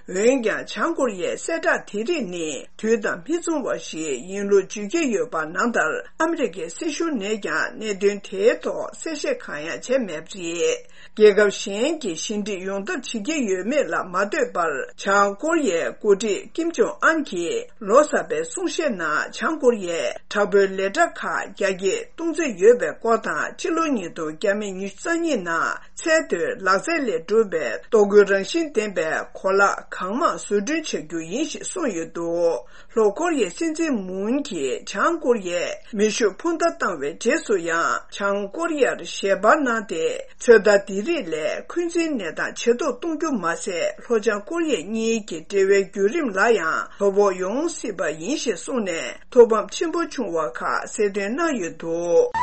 རེད། འོན་ཀྱང་། བྱང་ཀོ་རི་ཡའི་གསལ་བསྒྲགས་དེ་རིགས་ནི་དུས་དང་མི་མཚུངས་པ་ཞིག་ཡིན་ལུགས་བརྗོད་ཀྱི་ཡོད་པ་ནང་ལྟར། ཨ་མི་རི་ཀའི་སྲིད་གཞུང་ནས་ཀྱང་གནད་དོན་དེའི་ཐོག་གསལ་བཤད་གང་ཡང་བྱས་མེད་པ་རེད། རྒྱལ་ཁབ་གཞན་གྱིས་ཞི་འགྲིག་ཡོང་ཐབས་བྱེད་ཀྱི་ཡོད་མེད་ལ་མ་ལྟོས་པར། བྱང་ཀོ་རི་ཡའི་འགོ་ཁྲིད་ཀིམ་ཇོང་ཨན་གྱིས་ལོ་གསར་པའི་གསུང་བཤད་ནང་། བྱང་ཀོ་རི་ཡས་དྲག་པོའི་ལས་གྲྭ་ཁག་རྒྱ་སྐྱེད་གཏོང་རྩིས་ཡོད་པའི་སྐོར་དང་། ཕྱི་ལོ་ཉིས་སྟོང་ཉི་ཤུ་རྩ་གཉིས་ནང་ཚད་མཐོའི་ལག་རྩལ་ལས་གྲུབ་པའི་ལྟོ་གོས་རང་བཞིན་ལྡན་པའི་གོ་ལག་གང་མང་བཟོ་སྐྲུན་བྱ་རྒྱུ་ཡིན་ཞེས་གསུངས་ཡོད་འདུག་ལྷོ་ཀོ་རི་ཡའི་སྲིད་འཛིན་མུན་གྱིས་བྱང་ཀོ་རི་ཡས་མེ་ཤུགས་འཕུར་མདའ་བཏང་བའི་རྗེས་སུ་ཡང་། བྱང་ཀོ་རི་ཡར་ཞལ་པར་གནང་སྟེ། ཚོད་ལྟ་འདི་རིགས་ལས་འཁོན་འཛིན་གནས་སྟངས་ཇེ་སྡུག་གཏོང་རྒྱུ་མ་ཟད། ལྷོ་བྱང་ཀོ་རི་ཡ་གཉིས་ཀྱི་འབྲེལ་བའི་བརྒྱུད་རིམ་ལ་ཡང་དོ་ཕོག་ཡོང་སྲིད་པ་ཡིན་ཞེས་གསུངས་ནས། ཐུགས་ཕམ་ཆེན་པོ་བྱུང་བ་ཁག་གསལ་སྟོན་གནང་ཡོད་འདུག་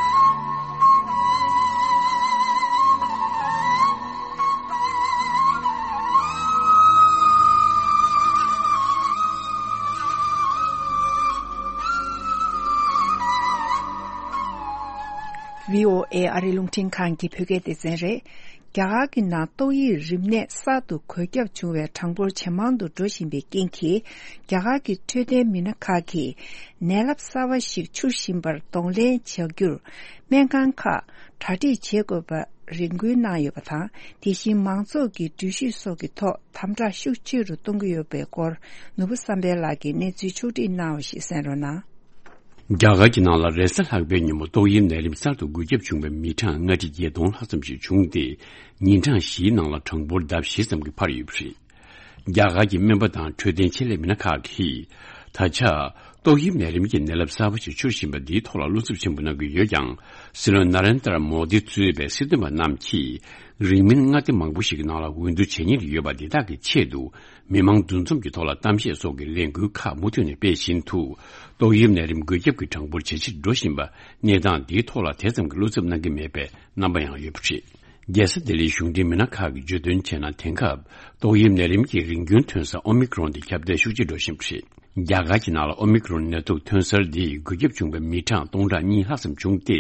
བྷི་ཨོ་ཨེ་ཨ་རི་རླུང་འཕྲིན་ཁང་གི་བོད་སྐད་སྡེ་ཚན་རེད། རྒྱ་གར་གྱི་ནང་ཏོག་དབྱིབས་རིམས་ནད་གསར་དུ་འགོས་ཁྱབ་བྱུང་བའི་གྲངས་འབོར་ཇེ་མང་དུ་འགྲོ་བཞིན་པའི་རྐྱེན་གྱིས། རྒྱ་གར་གྱི་འཕྲོད་བསྟེན་མི་སྣ་ཁག་གིས་ནད་རླབས་གསར་པ་ཞིག་འཕྱུར་བཞིན་པར་གདོང་ལེན་བྱ་རྒྱུར། སྨན་ཁང་ཁག་གྲ་སྒྲིག་བྱེད་དགོས་པ་རེ་འགུལ་གནང་ཡོད་པ་དང་། དེ་བཞིན་མང་ཚོགས་ཀྱི་འགྲུལ་བཞུད་སོགས་ཀྱི་ཐོག་དམ་དྲག་ཤུགས་ཆེ་རུ་གཏོང་གི་ཡོད་པའི་སྐོར། ནོར་བུ་བསམ་འཕེལ་ལགས་ཀྱིས་གནས་ཚུལ་ཕྱོགས་སྒྲིག་གནང་བ་ཞིག་གསན་རོགས་གནང་། རྒྱ་གར་གྱི་ནང་ལ་རེས་གཟའ་ལྷག་པའི་ཉིན་མོ་ཏོག་དབྱིབས་ནད་རིམས་གསར་དུ་འགོས་ཁྱབ་བྱུང་བའི་མི་གྲངས་ལྔ་ཁྲི་བརྒྱད་སྟོང་ལྷག་ཙམ་ཞིག་བྱུང་སྟེ། ཉིན་གྲངས་བཞིའི་ནང་ལ་གྲངས་འབོར་ལྡབ་བཞི་ཙམ་གྱིས་འཕར་ཡོད་པ་རེད། རྒྱ་གར་གྱི་སྨན་པ་དང་འཕྲོད་བསྟེན་ཆེད་ལས་མི་སྣ་ཁག་གིས། ད་ཆ། ཏོག་དབྱིབས་ནད་རིམས་ཀྱི་ནད་རླབས་གསར་པ་ཞིག་འཕྱུར་བཞིན་པ་འདིའི་ཐོག་ལ་བློ་འཚབ་ཆེན་པོ་གནང་གི་ཡོད་ཀྱང་། སྲིད་བློན་ན་རེན་དྲ་མོ་དི་གཙོས་པའི་སྲིད་དོན་པ་རྣམས་ཀྱིས། རིང་མིན་མངའ་སྡེ་མང་པོ་ཞིག་གི་ནང་ལ་འོས་བསྡུ་བྱེད་ཉེན་ཡོད་པ་འདི་དག་གི་ཆེད་དུ། མི་མང་འདུ་འཛོམས་ཀྱི་ཐོག་ལ་གཏམ་བཤད་སོགས་ཀྱི་ལས་འགུལ་ཁག་མུ་མཐུད་ནས་སྤེལ་བཞིན་དུ། ཏོག་དབྱིབས་ནད་རིམས་འགོས་ཁྱབ་ཀྱི་གྲངས་འབོར་ཇེ་ཆེར་འགྲོ་བཞིན་པ། གནས་སྟངས་འདིའི་ཐོག་ལ་དེ་ཙམ་གྱི་བློ་འཚབ་གནང་གི་མེད་པའི་རྣམ་པ་ཡང་ཡོད་པ་རེད། རྒྱལ་ས་ལྡི་ལིའི་གཞུང་འབྲེལ་མི་སྣ་ཁག་གིས་བརྗོད་དོན་བྱས་ན། དེང་སྐབས་ཏོག་དབྱིབས་ནད་རིམས་ཀྱི་རིམ་རྒྱུན་ཐོན་ས་ཨོ་མི་ཀྲོན་དེ་ཁྱབ་གདལ་ཤུགས་ཆེ་འགྲོ་བཞིན་པ་རེད། རྒྱ་གར་གྱི་ནང་ལ་ཨོ་མི་ཀྲོན་ནད་དུག་ཐོན་གསར་འདིས་འགོས་ཁྱབ་བྱུང་བའི་མི་གྲངས་སྟོང་ཕྲག་གཉིས་ལྷག་ཙམ་བྱུང་སྟེ།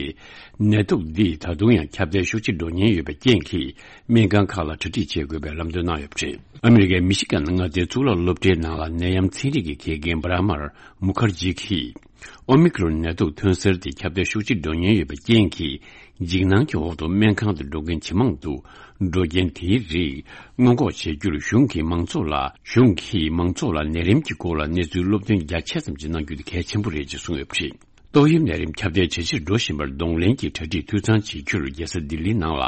ནད་དུག་འདིས་ད་དུང་ཡང་ཁྱབ་གདལ་ཤུགས་ཆེ་འགྲོ་ཉེན་ཡོད་པའི་རྐྱེན་གྱིས། སྨན་ཁང་ཁག་ལ་གྲ་སྒྲིག་བྱེད་དགོས་པའི་ལམ་སྟོན་གནང་ཡོད་པ་རེད། ཨ་མི་རི་ཀའི་མི་ཤི་གན་མངའ་སྡེའི་གཙུག་ལག་སློབ་གྲྭའི་ནང་ལ་ནད་ཡམས་ཚན་རིག་གི་དགེ་རྒན་བྷ་ར་མར་མུ་ཁར་ཇི་གིས། ཨོ་མི་ཀྲོན་ནད་དུག་ཐོན་གསར་དེ་ཁྱབ་གདལ་ཤུགས་ཆེ་འགྲོ་ཉེན་ཡོད་པའི་རྐྱེན་གྱིས། འཇིགས་སྣང་གི་འོག་ཏུ་སྨན་ཁང་དུ་འགྲོ་མཁན་ཇེ་མང་དུ་འགྲོ་རྐྱེན། དེའི་རིགས་སྔོན་འགོག་བྱེད་རྒྱུར་གཞུང་གིས་མང་ཚོགས་ལ། གཞུང་གིས་མང་ཚོགས་ལ་ནད་རིམས་ཀྱི་སྐོར་ལ་གནས་ཚུལ་སློབ་སྟོན་རྒྱ་ཆེ་ཙམ་ཞིག་གནང་རྒྱུ་དེ་གལ་ཆེན་པོ་རེད་ཅེས་གསུངས་ཡོད་པ་རེད། ཏོག་དབྱིབས་ནད་རིམས་ཁྱབ་གདལ་ཇེ་ཆེར་འགྲོ་བཞིན་པར་གདོང་ལེན་གྱི་གྲ་སྒྲིག་འཐུས་ཚང་བྱེད་རྒྱུར། རྒྱལ་ས་ལྡི་ལི་ནང་ལ་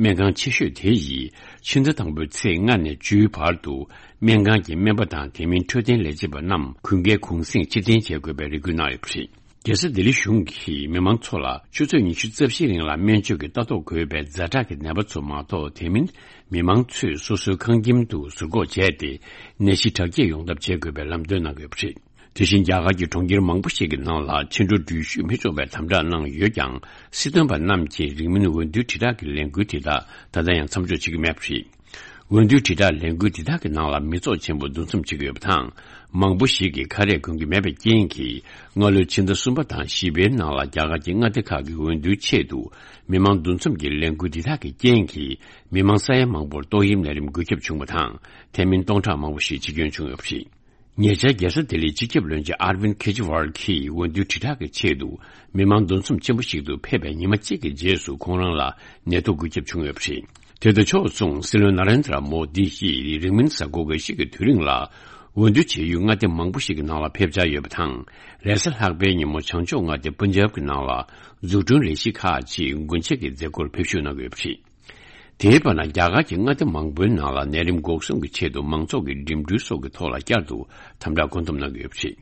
སྨན་ཁང་ཆེ་ཤོས་དེ་ཡིས་ཕྱི་ཟླ་དང་པོའི་ཚེས་ལྔ་ནས་བཅུའི་བར་དུ། སྨན་ཁང་གི་སྨན་པ་དང་དེ་མིན་འཕྲོད་བསྟེན་ལས་བྱེད་པ་རྣམས་གུན་གྱིས་གུང་གསེང་ཕྱིར་འཐེན་བྱེད་དགོས་པའི་རེ་སྐུལ་གནང་ཡོད་པ་རེད། རྒྱལ་ས་ལྡི་ལི་གཞུང་གིས་མི་མང་ཚོ་ལ་ཆུ་ཚོད་ཉི་ཤུ་རྩ་བཞིའི་རིང་ལ་སྨན་བཅོས་ཀྱི་ལྟ་རྟོག་དགོས་པའི་ཛ་དྲག་གི་ནད་པ་ཚོ་མ་གཏོགས། དེ་མིན་མི་མང་ཚོས་སོ་སོའི་ཁང་ཁྱིམ་དུ་ཟུར་འགོག་བྱས་ཏེ། ནད་གཞི་དྲག་སྐྱེད་ཡོང་ཐབས་བྱེད་དགོས་པའི་ལམ་སྟོན་གནང་ཡོད་པ་རེད། དེ་བཞིན་རྒྱ་གར་གྱི་གྲོང་ཁྱེར་མང་པོ་ཞིག་གི་ནང་ལ་ཕྱི་དྲོ་འགྲུལ་བཞུད་མི་ཆོག་པའི་དམ་དྲག་གནང་ཡོད་ཀྱང་། སྲིད་དོན་པ་རྣམས་ཀྱིས་རིང་མིན་འོས་བསྡུའི་དྲིལ་བསྒྲགས་ཀྱི་ལས་འགུལ་དེ་དག་ད་ལྟ་ཡང་མཚམས་འཇོག་བྱེད་ཀྱི་མེད་པ་རེད། འོས་བསྡུའི་དྲིལ་བསྒྲགས་ལས་འགུལ་འདི་དག་གི་ནང་ལ་མི་ཚོགས་ཆེན་པོ་འདུ་འཛོམས་བྱེད་ཀྱི་ཡོད་པ་དང་། མང་པོ་ཞིག་གིས་ཁ་རས་གོན་གྱི་མེད་པའི་རྐྱེན་གྱིས། སྔ་ལོའི་ཕྱི་ཟླ་གསུམ་པ་དང་བཞི་པའི་ནང་ལ་རྒྱ་གར་གྱི་མངའ་སྡེ་ཁག་གི་འོས་བསྡུའི་ཆེད་དུ་མི་མང་འདུ་འཛོམས་ཀྱི་ལས་འགུལ་འདི་དག་གི་རྐྱེན་གྱིས། མི་མང་ས་ཡ་མང་པོར་ཏོག་དབྱིབས་ནད་རིམས་འགོས་ཁྱབ་བྱུང་བ་དང་། དེ་མིན་སྟོང་ཕྲག་མང་པོ་ཞིག་འཆི་སྐྱོན་བྱུང་ཡོད་པ་རེད། ཉེ་ཆར་རྒྱལ་ས་ལྡི་ལིའི་སྤྱི་ཁྱབ་བློན་ཆེན་ཨར་ཝིན་ཁེ་ཇི་ཝལ་གྱིས་འོས་བསྡུའི་དྲིལ་བསྒྲགས་ཀྱི་ཆེད་དུ་མི་མང་འདུ་འཛོམས་ཆེན་པོ་ཞིག་ཏུ་ཕེབས་པའི་ཉི་མ་གཅིག་གི་རྗེས་སུ་ཁོང་རང་ལ་ནད་དུག་འགོས་ཁྱབ་བྱུང་ཡོད་པ་རེད། དེ་དང་ཕྱོགས་མཚུངས་སྲིད་བློན་ན་རེན་དྲ་མོ་དི་ཡིས་རིང་མིན་གཟའ་འཁོར་འགའ་ཞིག་གི་དུས་རིང་ལ་འོས་བསྡུ་བྱེད་ཡུལ་མངའ་སྡེ་མང་པོ་ཞིག་གི་ནང་ལ་ཕེབས་འཆར་ཡོད་པ་དང་། རེས་གཟའ་ལྷག་པའི་ཉིན་མོ་བྱང་ཕྱོགས་མངའ་སྡེ་པན་ཇབ་ཀྱི་ནང་ལ་འཛུགས་སྐྲུན་ལས་གཞི་ཁག་ཅིག་སྒོ་འབྱེད་ཀྱི་མཛད་སྒོར་ཕེབས་ཞུགས་གནང་གི་ཡོད་པ་རེད། དེའི་བར་ན་རྒྱ་གར་གྱི་མངའ་སྡེ་མང་པོའི་ནང་ལ་ནད་རིམས་འགོག་སྲུང་གི་ཆེད་དུ་མང་ཚོགས་ཀྱི་འགྲིམ་འགྲུལ་སོགས་ཀྱི་ཐོག་ལ་བསྐྱར་དུ་དམ་དྲག་བཀོད་འདོམས་གནང་གི་ཡོད་པ་རེད།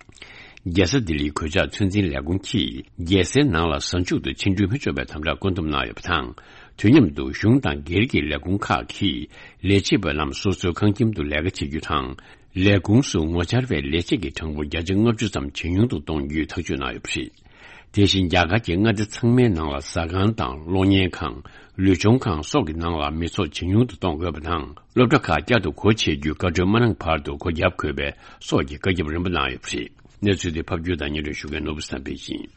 རྒྱལ་ས་ལྡི་ལིའི་གོད་ཆག་ཚོད་འཛིན་ལས་ཁུངས་ཀྱིས་རྒྱལ་སའི་ནང་ལ་གཟའ་མཇུག་ཏུ་ཆིངས་འགྲོལ་མི་འཇོག་པའི་དམ་དྲག་བཀོད་འདོམས་གནང་ཡོད་པ་དང་། དུས་མཉམ་དུ་གཞུང་དང་སྒེར་གྱི་ལས་ཁུངས་ཁག་གིས་ལས་བྱེད་པ་རྣམས་སོ་སོའི་ཁང་ཁྱིམ་དུ་ལས་ཀ་བྱེད་རྒྱུ་དང་། ལས་ཁུངས་སུ་ངོ་བཅར་བའི་ལས་བྱེད་ཀྱི་གྲངས་འབོར་བརྒྱ་ཆ་ལྔ་བཅུ་ཙམ་ཇེ་ཉུང་དུ་གཏོང་རྒྱུའི་ཐག་གཅོད་གནང་ཡོད་པ་རེད། དེ་བཞིན་རྒྱ་གར་གྱི་མངའ་སྡེ་ཚང་མའི་ནང་ལ་ཟ་ཁང་དང་གློག་བརྙན་ཁང་། ལུས་སྦྱོང་ཁང་སོགས་ཀྱི་ནང་ལ་མི་ཚོགས་ཇེ་ཉུང་དུ་གཏོང་དགོས་པ་དང་། སློབ་གྲྭ་ཁག་བསྐྱར་དུ་སྒོ་ཕྱེ་རྒྱུའི་བཀའ་འཁྲོལ་མ་གནང་བར་དུ་སྒོ་བརྒྱབ་དགོས་པའི་སོགས་ཀྱི་བཀའ་ཁྱབ་རིམ་པ་གནང་ཡོད་པ་རེད། གནས་ཚུལ་དེ་ཕབ་སྒྱུར་དང་སྙན་སྒྲོན་ཞུ་མཁན་ནོར་བུ་བསམ་འཕེལ་ཡིན།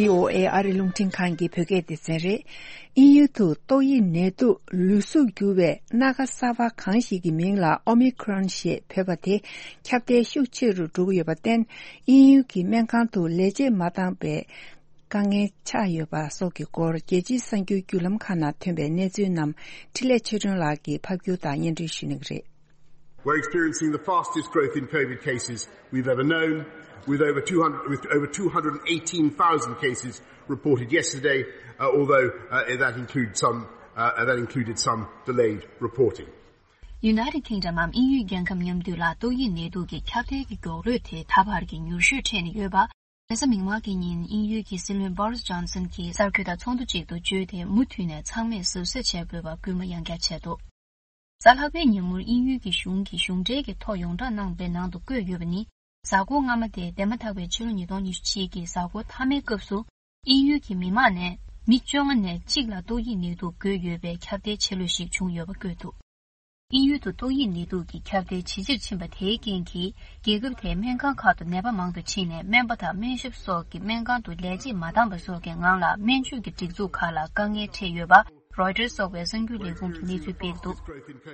བྷི་ཨོ་ཨེ་ཨ་རི་རླུང་འཕྲིན་ཁང་གི་བོད་སྐད་སྡེ་ཚན་རེད། དབྱིན་ཡུལ་དུ་ཏོག་དབྱིབས་ནད་དུག་ལུས་གཟུགས་འགྱུར་བའི་སྣ་ཁ་གསར་པ་གང་ཞིག་གི་མིང་ལ་ཨོ་མི་ཁྲོན་ཞེས་འབོད་པ་དེ་ཁྱབ་གདལ་ཤུགས་ཆེ་རུ་འགྲོ་གི་ཡོད་པར་བརྟེན། དབྱིན་ཡུལ་གྱི་སྨན་ཁང་དུ་ལས་བྱེད་མ་འདང་པའི་དཀའ་ངལ་ཆགས་ཡོད་པ་སོགས་ཀྱི་སྐོར། རྒྱལ་སྤྱིའི་གསར་འགྱུར་བརྒྱུད་ལམ་ཁག་ནང་ཐོན་པའི་གནས་ཚུལ་རྣམས་འཕྲིན་ལས་ཆོས་སྒྲོན་ལགས་ཀྱིས་ཕབ་སྒྱུར་དང་སྙན་སྒྲོན་ཞུ་གནང་གི་རེད། We're experiencing the fastest growth in COVID cases we've ever known, with over two hundred, with over two hundred and eighteen thousand cases reported yesterday, uh, although, uh, that includes some, uh, that included some delayed reporting. United Kingdom འམ་དབྱིན་ཡུལ་རྒྱལ་ཁབ་མཉམ་འདུས་ལ་ཏོག་དབྱིབས་ནད་དུག་གི་ཁྱབ་གདལ་གྱི་མགྱོགས་རོལ་དེ་ད་བར་གྱི་མྱུར་ཤོས་འཕྲད་ནས་ཡོད་པ། རེས་གཟའ་མིག་དམར་གྱི་ཉིན་དབྱིན་ཡུལ་གྱི་སྲིད་བློན་Boris Johnson གྱིས་གསར་འགོད་པ་ཚོགས་འདུ་ཅིག་ཏུ་བརྗོད་དེ། མུ་མཐུད་ནས་ཚང་མས་གཟབ་གཟབ་བྱེད་དགོས་པ་སྐུལ་མ་ཡང་བསྐྱར་བྱས་འདུག། གཟའ་ལྷག་པའི་ཉིན་མོར་དབྱིན་ཡུལ་གྱི་གཞུང་གིས་གཞུང་འབྲེལ་གྱི་ཐོག་ཡོངས་བསྒྲགས་གནང་བའི་ནང་དུ་བཀོད་ཡོད་པ་ནི། གཟའ་འཁོར་སྔ་མ་དེ་འདས་མ་ཐག་པའི་ཕྱི་ལོ་ཉིས་སྟོང་ཉི་ཤུ་གཅིག་གི་གཟའ་འཁོར་མཐའ་མའི་སྐབས་སུ། དབྱིན་ཡུལ་གྱི་མི་མང་ནས་མི་བཅོ་ལྔ་ནས་གཅིག་ལ་ཏོག་དབྱིབས་ནད་དུག་འགོས་ཡོད་པའི་ཁྱབ་གདལ་ཆེ་ལོས་ཤིག་བྱུང་ཡོད་པ་བཀོད་འདུག། དབྱིན་ཡུལ་དུ་ཏོག་དབྱིབས་ནད་དུག་གི་ཁྱབ་གདལ་ཇེ་ཆེར་ཕྱིན་པ་དེའི་རྐྱེན་གྱིས། རྒྱལ་ཁབ་དེའི་སྨན་ཁང་ཁག་ཏུ་ནད་པ་མང་དུ་ཕྱིན་ནས། སྨན་པ་དང་སྨན་ཞབས་སོགས་ཀྱིས་སྨན་ཁང་དུ་ལས་བྱེད་མ་འདང་པ་སོགས་ཀྱི་ངང་ལ་སྨན་བཅོས་ཀྱི་སྒྲིག་འཛུགས་ཁག་ལ་དཀའ་ངལ་འཕྲད་ཡོད་པ། Reuters སོགས་པའི་གསར་འགྱུར་ལས་ཁུངས་ཀྱིས་གནས་ཚུལ་སྤེལ་འདུག།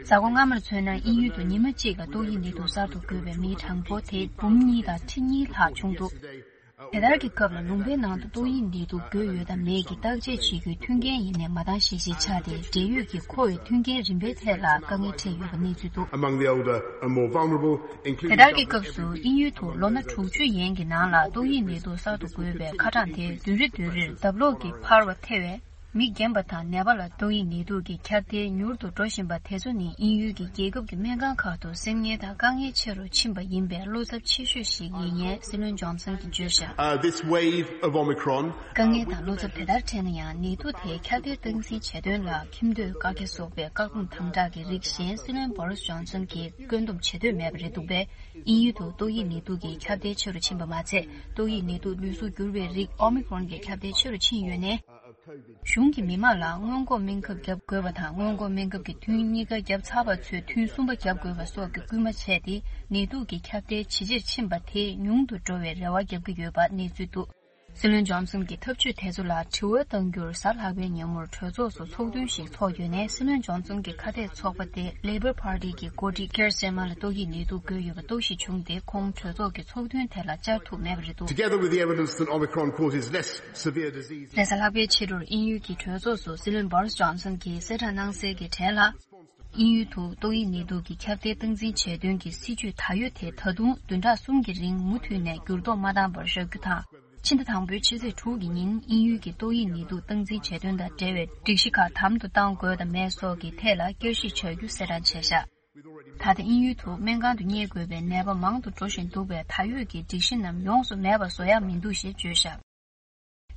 གཟའ་འཁོར་སྔ་མར་མཚོན་ན། དབྱིན་ཡུལ་དུ་ཉི་མ་གཅིག་ལ་ཏོག་དབྱིབས་ནད་དུག་གསར་དུ་འགོས་པའི་མིའི་གྲངས་འབོར་དེ་འབུམ་གཉིས་དང་ཁྲི་གཉིས་ལྷག་བྱུང་འདུག། དེ་ལྟར་གྱི་སྐབས་ལ་ལུང་པའི་ནང་དུ་ཏོག་དབྱིབས་ནད་དུག་འགོས་ཡོད་དམ་མེད་ཀྱི་བརྟག་དཔྱད་བྱེད་རྒྱུའི་མཐུན་རྐྱེན་ཡིན་ནའི་མ་འདང་ཞིག་ཞིག་ཆགས་ཏེ། འབྲེལ་ཡོད་ཀྱི་མཁོ་བའི་མཐུན་རྐྱེན་རིམ་པའི་ཐད་ལ་དཀའ་ངལ་འཕྲད་ཡོད་པ་གནས་ཚུལ་འདུག། Among the older and more vulnerable, including དེ་ལྟར་གྱི་སྐབས་སུ་དབྱིན་ཡུལ་དུ་ལོ་ན་དྲུག་ཅུ་ཡན་གྱི་ནང་ལ་ཏོག་དབྱིབས་ནད་དུག་གསར་དུ་འགོས་པའི་ཁ་གྲངས་དེ་བདུན་རེ་བདུན་རེར་ལྡབ་ལོག་གིས་འཕར་བ་ཐེ་བས། མི་རྒན་པ་དང་ནད་པ་ལ་ཏོག་དབྱིབས་ནད་དུག་གི་ཁྱབ་གདལ་མྱུར་དུ་འགྲོ་བཞིན་པ་དེ་ཚོ་ནི་དབྱིན་ཡུལ་གྱི་རྒྱལ་ཁབ་ཀྱི་སྨན་ཁང་ཁག་ཏུ་སེམས་ངལ་དང་དཀའ་ངལ་ཆེ་རུ་ཕྱིན་པ་ཡིན་པའི་བློ་འཚབ་ཆེ་ཤོས་ཤིག་ཡིན་ངེས་སྲིད་བློན་ཇོན་སན་གྱིས་བརྗོད་བཞག། Uh, this wave of Omicron དཀའ་ངལ་དང་བློ་འཚབ་དེ་ལྟར་འཕྲད་ན་ཡང་། ནད་དུག་དེ་ཁྱབ་གདལ་སྟངས་འཛིན་བྱེད་དོན་ལ་ཁྱིམ་སྡོད་བཀག་རྒྱ་སོགས་པའི་བཀག་སྡོམ་དམ་དྲག་གི་རིགས་གཞན་སྲིད་བློན་Boris Johnson གྱིས་བཀོད་འདོམས་བྱེད་འདོད་མེད་པ་རེད་འདུག་པས། དབྱིན་ཡུལ་དུ་ཏོག་དབྱིབས་ནད་དུག་གི་ཁྱབ་གདལ་ཆེ་རུ་ཕྱིན་པ་མ་ཚད། ཏོག་དབྱིབས་ནད་དུག་ལུས་གཟུགས་འགྱུར་བའི་རིགས་Omicron གྱི་ཁྱབ་གདལ་ཆེ་རུ་ཕྱིན་ཡོད་ནས། གཞུང་གིས་མི་མང་ལ་སྔོན་འགོག་སྨན་ཁབ་བརྒྱབ་དགོས་པ་དང་། སྔོན་འགོག་སྨན་ཁབ་ཀྱི་ཐུན་གཉིས་ཀ་བརྒྱབ་ཚར་བ་ཚོས་ཐུན་གསུམ་པ་བརྒྱབ་དགོས་པ་སོགས་ཀྱི་སྐུལ་མ་བྱས་ཏེ། ནད་དུག་གི་ཁྱབ་གདལ་ཇེ་ཆེར་ཕྱིན་པ་དེ་ཉུང་དུ་འགྲོ་བའི་རེ་བ་བརྒྱབ་ཀྱི་ཡོད་པ་གནས་ཚུལ་འདུག། སྲིད་བློན་ཇོན་སན་གྱིས་ཐབས་ཇུས་དེ་ཚོ་ལ་དྲི་བ་བཏང་རྒྱུར། གཟའ་ལྷག་པའི་ཉིན་མོར་གྲོས་ཚོགས་སུ་ཚོགས་ཐུན་ཞིག་ཚོགས་ཡོད་ནས། སྲིད་བློན་ཇོན་སན་གྱི་ཁ་གཏད་ཚོགས་པ་སྟེ་Labor Party གྱི་འགོ་ཁྲིད་ཀིར་སི་ཊར་སི་ཊར་མར་ལ་ཏོག་དབྱིབས་ནད་དུག་འགོས་ཡོད་པ་རྟོག་ཞིབ་བྱུང་སྟེ། ཁོང་གྲོས་ཚོགས་ཀྱི་ཚོགས་ཐུན་དེ་ལ་བཅར་ཐུབ་མེད་པ་རེད་འདུག། Together with the evidence that Omicron causes less severe disease རེས་གཟའ་ལྷག་པའི་ཕྱི་དྲོར་དབྱིན་ཡུལ་གྱི་གྲོས་ཚོགས་སུ་སྲིད་བློན་Boris Johnson གྱིས་གསལ་བསྒྲགས་གནང་གསལ་གྱི་གྲས་ལ། དབྱིན་ཡུལ་དུ་ཏོག་དབྱིབས་ནད་དུག་གི་ཁྱབ་གདལ་སྟངས་འཛིན་བྱེད་དོན་གྱི་སྲིད་ཇུས་ད་ཡོད་དེ། ད་དུང་བདུན་ཕྲག་གསུམ་གྱི་རིང་མུ་མཐུད་ནས་འགྱུར་ལྡོག་མ་བཏང་བར་བཞག་རྒྱུ་དང་། ཕྱི་ཟླ་དང་པོའི་ཕྱི་ཚེས་དྲུག་གི་ཉིན་དབྱིན་ཡུལ་གྱི་ཏོག་དབྱིབས་ནད་དུག་སྟངས་འཛིན་བྱེད་དོན་དང་འབྲེལ་བའི་སྒྲིག་གཞི་ཁག་དམ་དུ་གཏང་དགོས་དང་མེད་སོགས་ཀྱི་ཐད་ལ་བསྐྱར་ཞིབ་བྱ་རྒྱུ་གསལ་བསྒྲགས་བྱས་བཞག། ད་ལྟ་དབྱིན་ཡུལ་དུ་སྨན་ཁང་དུ་གཉེར་དགོས་པའི་ནད་པ་མང་དུ་འགྲོ་བཞིན་འདུག་པས། ད་ཡོད་ཀྱི་སྒྲིག་གཞི་རྣམས་ཡོངས་སུ་མེད་པ་བཟོ་ཡག་མི་འདུག་ཞེས་བརྗོད་བཞག།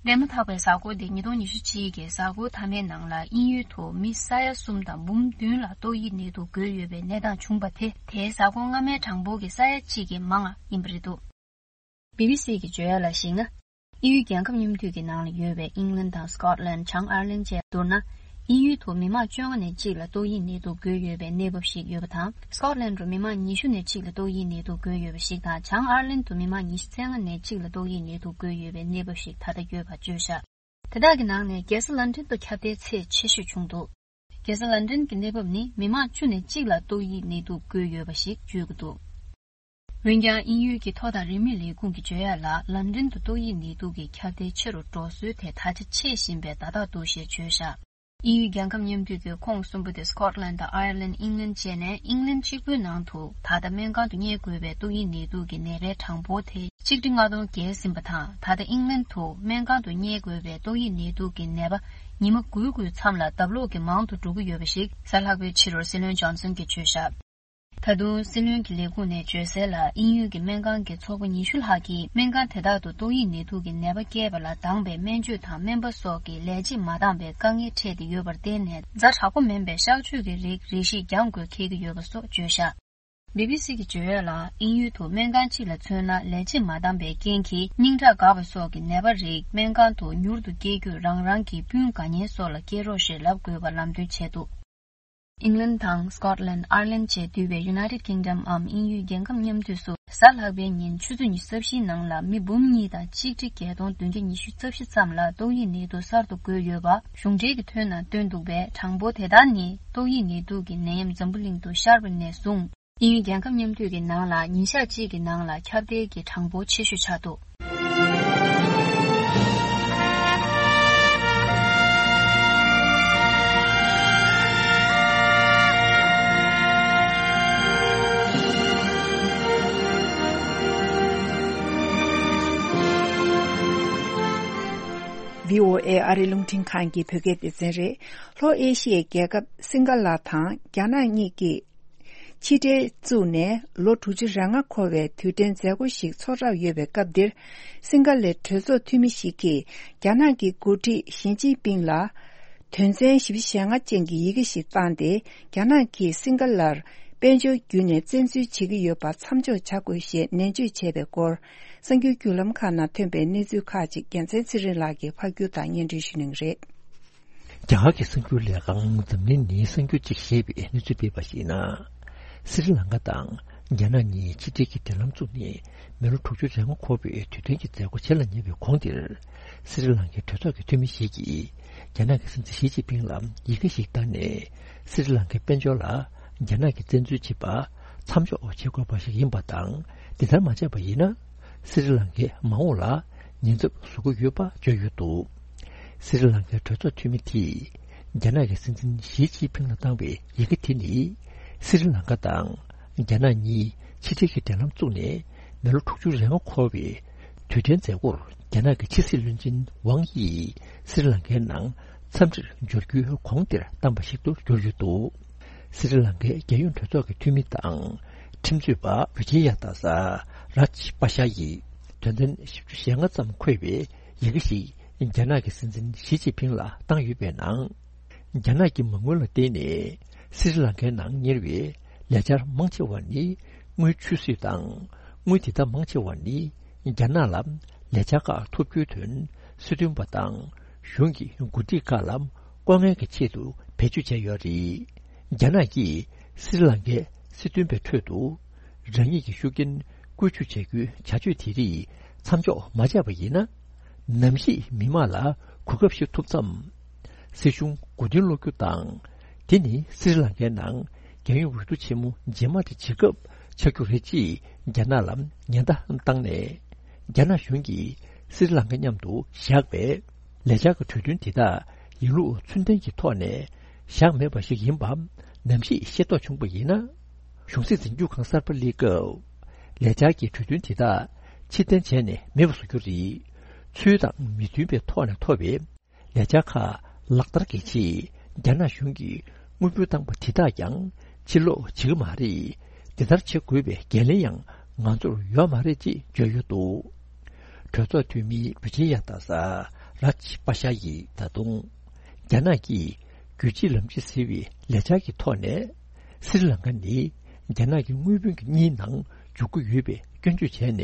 འདས་མ་ཐག་པའི་གཟའ་འཁོར་འདི་ཉིས་སྟོང་ཉི་ཤུ་གཅིག་གི་གཟའ་འཁོར་མཐའ་མའི་ནང་ལ་དབྱིན་ཡུལ་དུ་མི་ས་ཡ་གསུམ་དང་འབུམ་བདུན་ལ་ཏོག་དབྱིབས་ནད་དུག་འགོས་ཡོད་པའི་གནས་སྟངས་བྱུང་བ་དེ། དེའི་གཟའ་འཁོར་སྔ་མའི་གྲངས་འབོར་གྱི་ས་ཡ་གཅིག་གི་མང་བ་ཡིན་པ་རེད་འདུག། བི་བི་སི་གི་བརྗོད་ཡག་ལ་གཞིགས་ན། དབྱིན་ཡུལ་རྒྱལ་ཁབ་མཉམ་འདུས་ཀྱི་ནང་ལ་ཡོད་པའི་ཨིང་ལན་དང་སི་ཀོཊ་ལན། བྱང་ཨར་ལན་བཅས་བསྡུར་ན། དབྱིན་ཡུལ་དུ་མི་མང་བཅོ་ལྔ་ནས་གཅིག་ལ་ཏོག་དབྱིབས་ནད་དུག་འགོས་ཡོད་པའི་གནས་བབ་ཞིག་ཡོད་པ་དང་། སི་ཀོཊ་ལན་དུ་མི་མང་ཉི་ཤུ་ནས་གཅིག་ལ་ཏོག་དབྱིབས་ནད་དུག་འགོས་ཡོད་པ་ཞིག་དང་། བྱང་ཨར་ལན་དུ་མི་མང་ཉི་ཤུ་རྩ་ལྔ་ནས་གཅིག་ལ་ཏོག་དབྱིབས་ནད་དུག་འགོས་ཡོད་པའི་གནས་བབ་ཞིག་ད་ལྟ་ཡོད་པ་བརྗོད་བཞག། དེ་དག་གི་ནང་ནས་རྒྱལ་ས་ལན་ཀྲན་དུ་ཁྱབ་གདལ་ཚད་ཆེ་ཤོས་བྱུང་འདུག། རྒྱལ་ས་ལན་ཀྲན་གྱི་གནས་བབ་ནི་མི་མང་བཅུ་ནས་གཅིག་ལ་ཏོག་དབྱིབས་ནད་དུག་འགོས་ཡོད་པ་ཞིག་བརྗོད་ཀྱི་འདུག། འོན་ཀྱང་དབྱིན་ཡུལ་གྱི་ཐོ་དང་རིན་མེད་ལས་ཁུངས་ཀྱི་བརྗོད་ཡག་ལ། ལན་ཀྲན་དུ་ཏོག་དབྱིབས་ནད་དུག་གི་ཁྱབ་གདལ་ཆེ་རུ་འགྲོ་སྲོལ་དེ་ད་ཆ་ཆད་བཞིན་པའི་བརྡ་རྟགས་འདུག་ཞེས་བརྗོད་བཞག། དབྱིན་ཡུལ་རྒྱལ་ཁབ་མཉམ་འདུས་ཀྱི་ཁོངས་གསུམ་པོ་དེ་སི་ཀོཊ་ལན་དང་ཨའེར་ལན། ཨིང་ལན་བཅས་ནས། ཨིང་ལན་གཅིག་པུའི་ནང་དུ་ད་ལྟ་སྨན་ཁང་དུ་གཉེར་དགོས་པའི་ཏོག་དབྱིབས་ནད་དུག་གི་ནད་པའི་གྲངས་འབོར་དེ་གཅིག་ཁྲི་ལྔ་སྟོང་བརྒལ་ཟིན་པ་དང་། ད་ལྟ་ཨིང་ལན་དུ་སྨན་ཁང་དུ་གཉེར་དགོས་པའི་ཏོག་དབྱིབས་ནད་དུག་གི་ནད་པ་ཉི་མ་དགུའི་དགུའི་མཚམས་ལ་ལྡབ་ལོག་གིས་མང་དུ་འགྲོ་གི་ཡོད་པ་ཞིག་གཟའ་ལྷག་པའི་ཕྱི་དྲོར་སྲིད་བློན་ཇོན་སན་གྱིས་བརྗོད་བཞག། ད་དུང་སྲིད་བློན་གྱི་ལས་ཁུངས་ནས་བརྗོད་གསལ་ལ། དབྱིན་ཡུལ་གྱི་སྨན་ཁང་གི་ཚོགས་པ་ཉི་ཤུ་ལྷག་གིས་སྨན་ཁང་དེ་དག་ཏུ་ཏོག་དབྱིབས་ནད་དུག་གི་ནད་པ་བསྐྱེད་པ་ལ་འདང་བའི་སྨན་བཅོས་དང་སྨན་པ་སོགས་ཀྱི་ལས་བྱེད་མ་འདང་བའི་དཀའ་ངལ་འཕྲད་དེ་ཡོད་པར་བརྟེན་ནས། ཛ་དྲག་པོ་མིན་པའི་གཤག་བཅོས་ཀྱི་རིགས་རེ་ཞིག་རྒྱག་དགོས་འཁེལ་གྱི་ཡོད་པ་སོགས་བརྗོད་བཞག། བི་བི་སི་གི་བརྗོད་ཡག་ལ། དབྱིན་ཡུལ་དུ་སྨན་ཁང་གཅིག་ལ་མཚོན་ན། ལས་བྱེད་མ་འདང་བའི་རྐྱེན་གྱིས་སྙིང་ཁྲག་འགག་པ་སོགས་ཀྱི་ནད་པ་རིགས་སྨན་ཁང་དུ་མྱུར་དུ་སྐྱེལ་རྒྱུར་རང་རང་གི་སྤུན་དགའ་ཉེ་སོགས་ལ་སྐྱེལ་རོགས་ཞེས་ལབ་དགོས་པ་ལམ་སྟོན་བྱས་འདུག། ཨིང་ལན་དང་སྐོཊ་ལན། ཨར་ལན་བཅས་འདུས་པའི་United Kingdom འམ་དབྱིན་ཡུལ་རྒྱལ་ཁབ་མཉམ་འདུས་སུ། གཟའ་ལྷག་པའི་ཉིན་ཆུ་ཚོད་ཉི་ཤུ་རྩ་བཞིའི་ནང་ལ་མི་འབུམ་གཉིས་དང་ཆིག་ཁྲི་བརྒྱད་སྟོང་བདུན་བརྒྱ་ཉི་ཤུ་རྩ་བཞི་ཙམ་ལ་ཏོག་དབྱིབས་ནད་དུག་གསར་དུ་འགོས་ཡོད་པ། གཞུང་འབྲེལ་གྱི་ཐོ་ནང་བཏོན་འདུག་པས། གྲངས་འབོར་དེ་དག་ནི་ཏོག་དབྱིབས་ནད་དུག་གི་ནད་ཡམས་འཛམ་བུ་གླིང་དུ་ཤར་བ་ནས་བཟུང་། དབྱིན་ཡུལ་རྒྱལ་ཁབ་མཉམ་འདུས་ཀྱི་ནང་ལ་ཉིན་ཞག་གཅིག་གི་ནང་ལ་ཁྱབ་གདལ་གྱི་གྲངས་འབོར་ཆེ་ཤོས་ཆགས་འདུག། བྷི་ཨོ་ཨེ་ཨ་རིའི་རླུང་འཕྲིན་ཁང་གི་བོད་སྐད་སྡེ་ཚན་རེད། ལྷོ་ཨེ་ཤི་ཡའི་རྒྱལ་ཁབ་སིང་ག་ལ་དང་རྒྱ་ནག་གཉིས་ཀྱིས་ཕྱི་འབྲེལ་བཙུགས་ནས་ལོ་དྲུག་ཅུ་རེ་ལྔ་འཁོར་བའི་དུས་དྲན་མཛད་སྒོ་ཞིག་ཚོགས་གྲབས་ཡོད་པའི་སྐབས་འདིར། སིང་ག་ལའི་གྲོས་ཚོགས་འཐུས་མི་ཞིག་གིས་རྒྱ་ནག་གི་འགོ་ཁྲིད་ཞི་ཅིན་ཕིང་ལ་དོན་ཚན་བཞི་བཅུ་ཞེ་ལྔ་ཅན་གྱི་ཡི་གེ་ཞིག་བཏང་སྟེ། རྒྱ་ནག་གིས་སིང་ག་ལར་དཔལ་འབྱོར་བརྒྱུད་ནས་བཙན་འཛུལ་བྱེད་ཀྱི་ཡོད་པ་མཚམས་འཇོག་བྱ་དགོས་ཞེས་ནན་བརྗོད་བྱས་པའི་སྐོར། གསར་འགྱུར་བརྒྱུད་ལམ་ཁག་ནང་ཐོན་པའི་གནས་ཚུལ་ཁག་ཅིག་རྒྱལ་མཚན་ཚེ་རིང་ལགས་ཀྱིས་ཕབ་སྒྱུར་དང་སྙན་སྒྲོན་ཞུ་གནང་གི་རེད། རྒྱ་གར་གྱི་གསར་འགྱུར་ལས་ཁང་འཛམ་གླིང་ནས་གསར་འགྱུར་གཅིག་ཞེས་པའི་གནས་ཚུལ་སྤེལ་བར་གཞིགས་ན། སི་རི་ལང་ཀ་དང་རྒྱ་ནག་གཉིས་ཕྱི་འབྲེལ་གྱི་འབྲེལ་ལམ་བཙུགས་ནས་མི་ལོ་དྲུག་ཅུ་རེ་ལྔ་འཁོར་བའི་དུས་དྲན་གྱི་མཛད་སྒོ་བྱེད་ལ་ཉེ་བའི་གོང་དེར། སི་རི་ལང་ཀའི་གྲོས་ཚོགས་ཀྱི་འཐུས་མི་ཞིག་གིས་རྒྱ་ནག་གི་སྲིད་འཛིན་ཞི་ཅིན་ཕིང་ལ་ཡི་གེ་ཞིག་བཏང་ནས། སི་རི་ལང་ཀའི་དཔལ་འབྱོར་ལ་རྒྱ་ནག་གིས་བཙན་འཛུལ་བྱེད་པ་མཚམས་འཇོག་བྱེད་དགོས་པ་ཞིག་ཡིན་པ་དང་། འདི་ལྟར་མ་བྱས་པ་ཡིན་ན། སི་རི་ལང་ཀའི་མ་འོངས་ལ་ཉེན་ཚབས་བཟོ་གི་ཡོད་པ་བརྗོད་ཡོད་འདུག། སི་རི་ལང་ཀའི་གྲོས་ཚོགས་འཐུས་མི་དེས་རྒྱ་ནག་གི་སྲིད་འཛིན་ཞི་ཅིན་ཕིང་ལ་བཏང་བའི་ཡི་གེ་དེ་ནི། སི་རི་ལང་ཀ་དང་རྒྱ་ནག་གཉིས་ཕྱི་འབྲེལ་གྱི་འབྲེལ་ལམ་བཙུགས་ནས་མི་ལོ་དྲུག་ཅུ་རེ་ལྔ་འཁོར་བའི་དུས་དྲན་མཛད་སྒོར་རྒྱ་ནག་གི་ཕྱི་སྲིད་བློན་ཆེན་ཝང་དབྱི་ཡིས་སི་རི་ལང་ཀའི་ནང་འཚམས་འདྲིར་འབྱོར་རྒྱུའི་གོང་དེར་བཏང་བ་ཞིག་ཏུ་གྱུར་ཡོད་འདུག། སི་རི་ལང་ཀའི་རྒྱལ་ཡོངས་གྲོས་ཚོགས་ཀྱི་འཐུས་མི་དང་ཁྲིམས་རྩོད་པ་བི་ཇི་ཡ་དཱ་ས་རཱཇ་པ་ཤ་ཡིས་དོན་ཚན་བཞི་བཅུ་ཞེ་ལྔ་ཙམ་འཁོད་པའི་ཡི་གེ་ཞིག་རྒྱ་ནག་གི་སྲིད་འཛིན་ཞི་ཅིན་ཕིང་ལ་བཏང་ཡོད་པའི་ནང་། རྒྱ་ནག་གི་མ་དངུལ་ལ་བརྟེན་ནས་སི་རི་ལང་ཀའི་ནང་གཉེར་བའི་ལས་འཆར་མང་ཆེ་བ་ནི་དངུལ་ཆུད་ཟོས་དང་། དངུལ་དེ་དག་མང་ཆེ་བ་ནི་རྒྱ་ནག་ལ་ལས་འཆར་ཁག་ཐོབ་རྒྱུའི་དོན་སྲིད་དོན་པ་དང་གཞུང་གི་འགོ་ཁྲིད་ཁག་ལ་ལྐོག་རྔན་གྱི་ཆེད་དུ་བེད་སྤྱོད་བྱས་ཡོད་རེད། རྒྱ་ནག་གིས་སི་རི་ལང་ཀའི་སྲིད་དོན་པའི་ཁྲོད་དུ་རང་ཉིད་ཀྱི་ཤུགས་རྐྱེན་བཀོལ་སྤྱོད་བྱ་རྒྱུའི་བྱ་སྤྱོད་དེ་རིགས་མཚམས་འཇོག་མ་བྱས་པ་ཡིན་ན། ནམ་ཞིག་མི་དམངས་ལ་གོ་སྐབས་ཤིག་ཐོབ་མཚམས། སྲིད་གཞུང་མགོ་རྟིང་སློག་རྒྱུ་དང་། དེ་ནི་སི་རི་ལང་ཀའི་ནང་རྒྱལ་ཡོངས་འོས་བསྡུ་ཆེན་མོ་རྗེས་མ་དེ་བྱེད་སྐབས་ཆགས་རྒྱུ་རེད་ཅེས་རྒྱ་ནག་ལ་ཉེན་བརྡ་བཏང་ནས། རྒྱ་ནག་གཞུང་གིས་སི་རི་ལང་ཀ་མཉམ་དུ་བཞག་པའི་ལས་འཆར་གྱི་གྲོས་མཐུན་དེ་དག་ཡིན་ལུགས་ཚུལ་ལྡན་གྱི་ཐོག་ནས་བཞག་མེད་པ་ཞིག་ཡིན་པ་ནམ་ཞིག་ཤེས་རྟོགས་བྱུང་བ་ཡིན་ན། གཞུང་སྲིད་འཛིན་སྐྱོང་ཁང་གསར་པ་སླེབས་སྐབས། ལས་འཆར་གྱི་གྲོས་མཐུན་དེ་དག་ཕྱིར་འཐེན་བྱས་ནས་མེད་པ་བཟོ་རྒྱུ་རེད། ཚུལ་དང་མི་མཐུན་པའི་ཐོག་ནས་ཐོབ་པའི་ལས་འཆར་ཁག་ལག་བསྟར་གྱི་ཆེད་རྒྱ་ནག་གཞུང་གིས་དངུལ་འབོར་བཏང་པ་དེ་དག་ཀྱང་ཕྱིར་སློག་བྱེད་ཀྱི་མ་རེད། དེ་ལྟར་བྱེད་དགོས་པའི་འགན་ལེན་ཡང་ང་ཚོར་ཡོད་མ་རེད་ཅེས་བརྗོད་ཡོད་འདུག། གྲོས་ཚོགས་འཐུས་མི་བི་ཇི་ཡ་དཱ་ས་རཱཇ་པ་ཤ་ཡིས་ད་དུང་རྒྱ་ནག་གིས་རྒྱུད་གཅིག་ལམ་གཅིག་ཟེར་བའི་ལས་འཆར་གྱི་ཐོག་ནས། སི་རི་ལང་ཀ་ནི་རྒྱ་ནག་གི་དངུལ་བུན་གྱི་གཉིས་ནང་འཇུག་གི་ཡོད་པའི་སྐྱོན་བརྗོད་བྱས་ནས།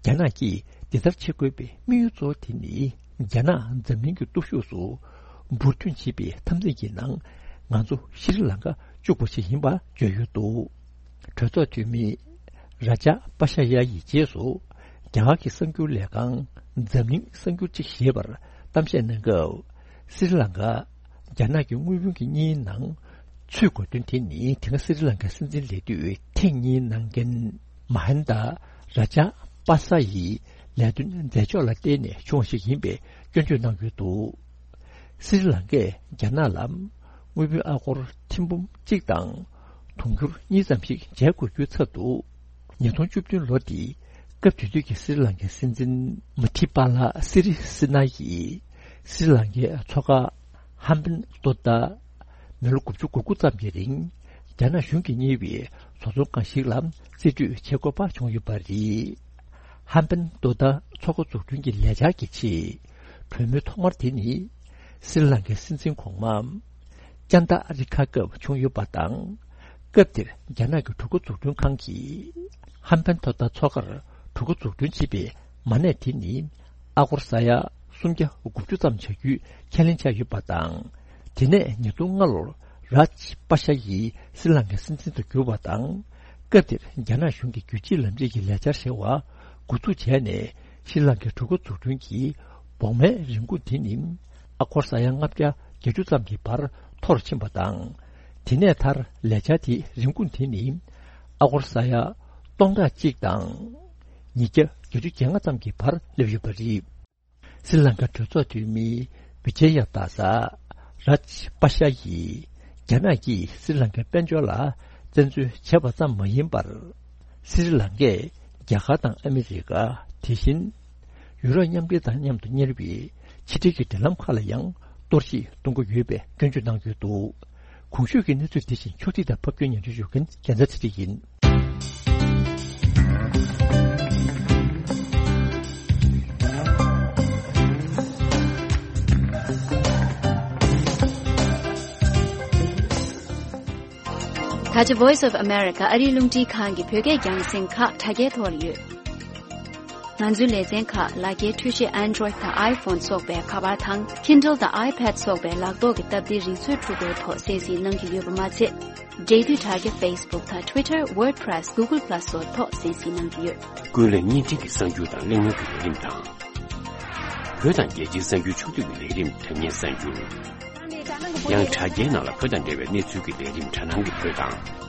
རྒྱ་ནག་གིས་འདི་ལྟར་བྱེད་དགོས་པའི་དམིགས་ཡུལ་གཙོ་བོ་དེ་ནི། རྒྱ་ནག་འཛམ་གླིང་གི་སྟོབས་ཤུགས་སུ་འབུར་ཐོན་བྱེད་པའི་འཐབ་འཛིང་གི་ནང་ང་ཚོ་ཤྲི་ལང་ཀ་བཅུག་པ་ཞིག་ཡིན་པ་བརྗོད་ཡོད་འདུག། གྲོས་ཚོགས་འཐུས་མི་རཱ་ཇཱ་པ་ཤ་ཡ་ཡི་རྗེས་སུ། རྒྱ་གར་གྱི་གསར་འགྱུར་ལས་ཁང་འཛམ་གླིང་གསར་འགྱུར་གཅིག་ཞེས་པར་གཏམ་བཤད་གནང་སྐབས། སི་རི་ལང་ཀ་རྒྱ་ནག་གི་དངུལ་བུན་གྱི་གཉིས་ནང་ཚུད་དགོས་དོན་དེ་ནི། དེ་སྔ་སི་རི་ལང་ཀའི་སྲིད་འཛིན་ལས་དུས་ཐེངས་གཉིས་གནང་མཁན་མ་ཧན་ད་རཱ་ཇཱ་པ་ས་ཡི་ལས་དོན་མཛད་ཕྱོགས་ལ་བརྟེན་ནས་བྱུང་བ་ཞིག་ཡིན་པའི་སྐྱོན་བརྗོད་གནང་ཡོད་འདུག། སི་རི་ལང་ཀས་རྒྱ་ནག་ལ་དངུལ་བུན་ཨ་སྒོར་ཐེར་འབུམ་གཅིག་དང་དུང་ཕྱུར་གཉིས་ཙམ་ཞིག་འཇལ་དགོས་རྒྱུའི་ཚབ་ཏུ། ཉིས་སྟོང་བཅུ་བདུན་ལོ་དེའི་སྐབས་དེ་དུས་ཀྱི་སི་རི་ལང་ཀའི་སྲིད་འཛིན་མ་ཐི་པ་ལ་སི་རི་སི་ན་ཡིས་སི་རི་ལང་ཀའི་མཚོ་ཁ་ཧམ་བན་ཏོ་ཏ་མི་ལོ་དགུ་བཅུ་གོ་དགུ་ཙམ་གྱི་རིང་ རྒྱ་ནག་གཞུང་གིས་གཉེར་བའི་བཟོ་ཚོང་ཁང་ཞིག་ལ་རྩིས་སྤྲོད་བྱེད་དགོས་པ་བྱུང་ཡོད་པ་རེད། ཧམ་པན་ཏོ་ཏཱ་མཚོ་ཁ་འཛུགས་སྐྲུན་གྱི་ལས་འཆར་གྱི་ཆེད། གྲོས་མོལ་ཐོག་མར་དེ་ནི་སྲི་ལང་ཀའི་སྲིད་འཛིན་གོང་མ་ཅན་ཏ་ཨ་རི་ཁ་སྐབས་བྱུང་ཡོད་པ་དང་། སྐབས་དེར་རྒྱ་ནག་གི་གྲུ་ཁ་འཛུགས་སྐྲུན་ཁང་གིས་ཧམ་པན་ཏོ་ཏཱ་མཚོ་ཁར་གྲུ་ཁ་འཛུགས་སྐྲུན་བྱེད་པའི་མ་གནས་དེ་ནི་ཨ་སྒོར་ས་ཡ་སུམ་བརྒྱ་དགུ་བཅུ་ཙམ་བྱ་རྒྱུའི་ཁས་ལེན་བྱས་ཡོད་པ་དང་། དེ་ནས་ཉིས་སྟོང་ལྔ་ལོར་རཱཇ་པ་ཤ་ཡིས་སྲི་ལང་ཀའི་སྲིད་འཛིན་དུ་གྱུར་བ་དང་། སྐབས་དེར་རྒྱ་ནག་གཞུང་གིས་རྒྱུད་གཅིག་ལམ་རིམ་གྱི་ལས་འཆར་ཟེར་བ་འགོ་འཛུགས་བྱས་ནས། ཤྲི་ལང་ཀའི་གྲུ་ཁ་འཛུགས་སྐྲུན་གྱི་བོགས་མའི་རིན་གོང་དེ་ནི་ཨ་སྒོར་ས་ཡ་ལྔ་བརྒྱ་བརྒྱད་ཅུ་ཙམ་གྱི་བར་མཐོ་རུ་ཕྱིན་པ་དང་། དེ་ནས་མཐར་ལས་འཆར་དེའི་རིན་གོང་དེ་ནི་ཨ་སྒོར་ས་ཡ་སྟོང་ཕྲག་གཅིག་དང་ཉིས་བརྒྱ་བརྒྱད་ཅུ་གྱ་ལྔ་ཙམ་གྱི་བར་སླེབས་ཡོད་པ་རེད། སྲི་ལང་ཀ་གྲོས་ཚོགས་འཐུས་མི་བི་ཇེ་ཡ་དཱ་ས་རཱཇ་པ་ཤ་ཡིས་རྒྱ་ནག་གིས་སྲི་ལང་ཀའི་དཔལ་འབྱོར་ལ་བཙན་འཛུལ་བྱས་པ་ཙམ་མ་ཡིན་པར། སྲི་ལང་ཀས་རྒྱ་གར་དང་ཨ་མི་རི་ཀ། དེ་བཞིན་ཡུ་རོབ་མཉམ་འབྲེལ་དང་མཉམ་དུ་གཉེར་བའི་ཕྱི་འབྲེལ་གྱི་འབྲེལ་ལམ་ཁག་ལ་ཡང་གཏོར་བཤིག་གཏོང་གི་ཡོད་པའི་སྐྱོན་བརྗོད་གནང་གི་ཡོད་འདུག་གོང་ཞུས་ཀྱི་གནས་ཚུལ་དེ་བཞིན་ཕྱོགས་སྒྲིག་དང་ཕབ་སྒྱུར་སྙན་སྒྲོན་ཞུ་མཁན་རྒྱལ་མཚན་ཚེ་རིང་ཡིན། ད་ཆ་Voice of America ཨ་རིའི་རླུང་འཕྲིན་ཁང་གི་བོད་སྐད་རྒྱང་སྲིང་ཁག་དྲ་རྒྱའི་ཐོག་ལ་ཡོད། ང་ཚོའི་ལེ་ཚན་ཁག་ལག་འཁྱེར་འཕྲུལ་ཆས་Android་དང་iPhone་སོགས་པའི་ཁ་པར་དང་Kindle་དང་iPad་སོགས་པའི་ལག་ཐོག་གི་སྟབས་བདེའི་རིག་མཛོད་འཕྲུལ་འཁོར་ཐོག་གསན་གཟིགས་གནང་གི་ཡོད་པ་མ་ཚད། འབྲེལ་མཐུད་དྲ་རྒྱ་Facebook་དང་Twitter, WordPress, Google Plus་སོགས་ཐོག་གསན་གཟིགས་གནང་གི་ཡོད། ཀུན་གླེང་བརྙན་འཕྲིན་གྱི་གསར་འགྱུར་དང་གླེང་མོལ་གྱི་ལས་རིམ་དང་། བོད་དང་རྒྱལ་སྤྱིའི་གསར་འགྱུར་ཕྱོགས་བསྡུས་ཀྱི་ལས་རིམ་དྲ་བརྙན་གསར་འགྱུར། ཡང་དྲ་རྒྱའི་ནང་ལ་བོད་དང་འབྲེལ་བའི་གནས་ཚུལ་གྱི་ལས་རིམ་དྲ་སྣང་གི་བོད་དང་།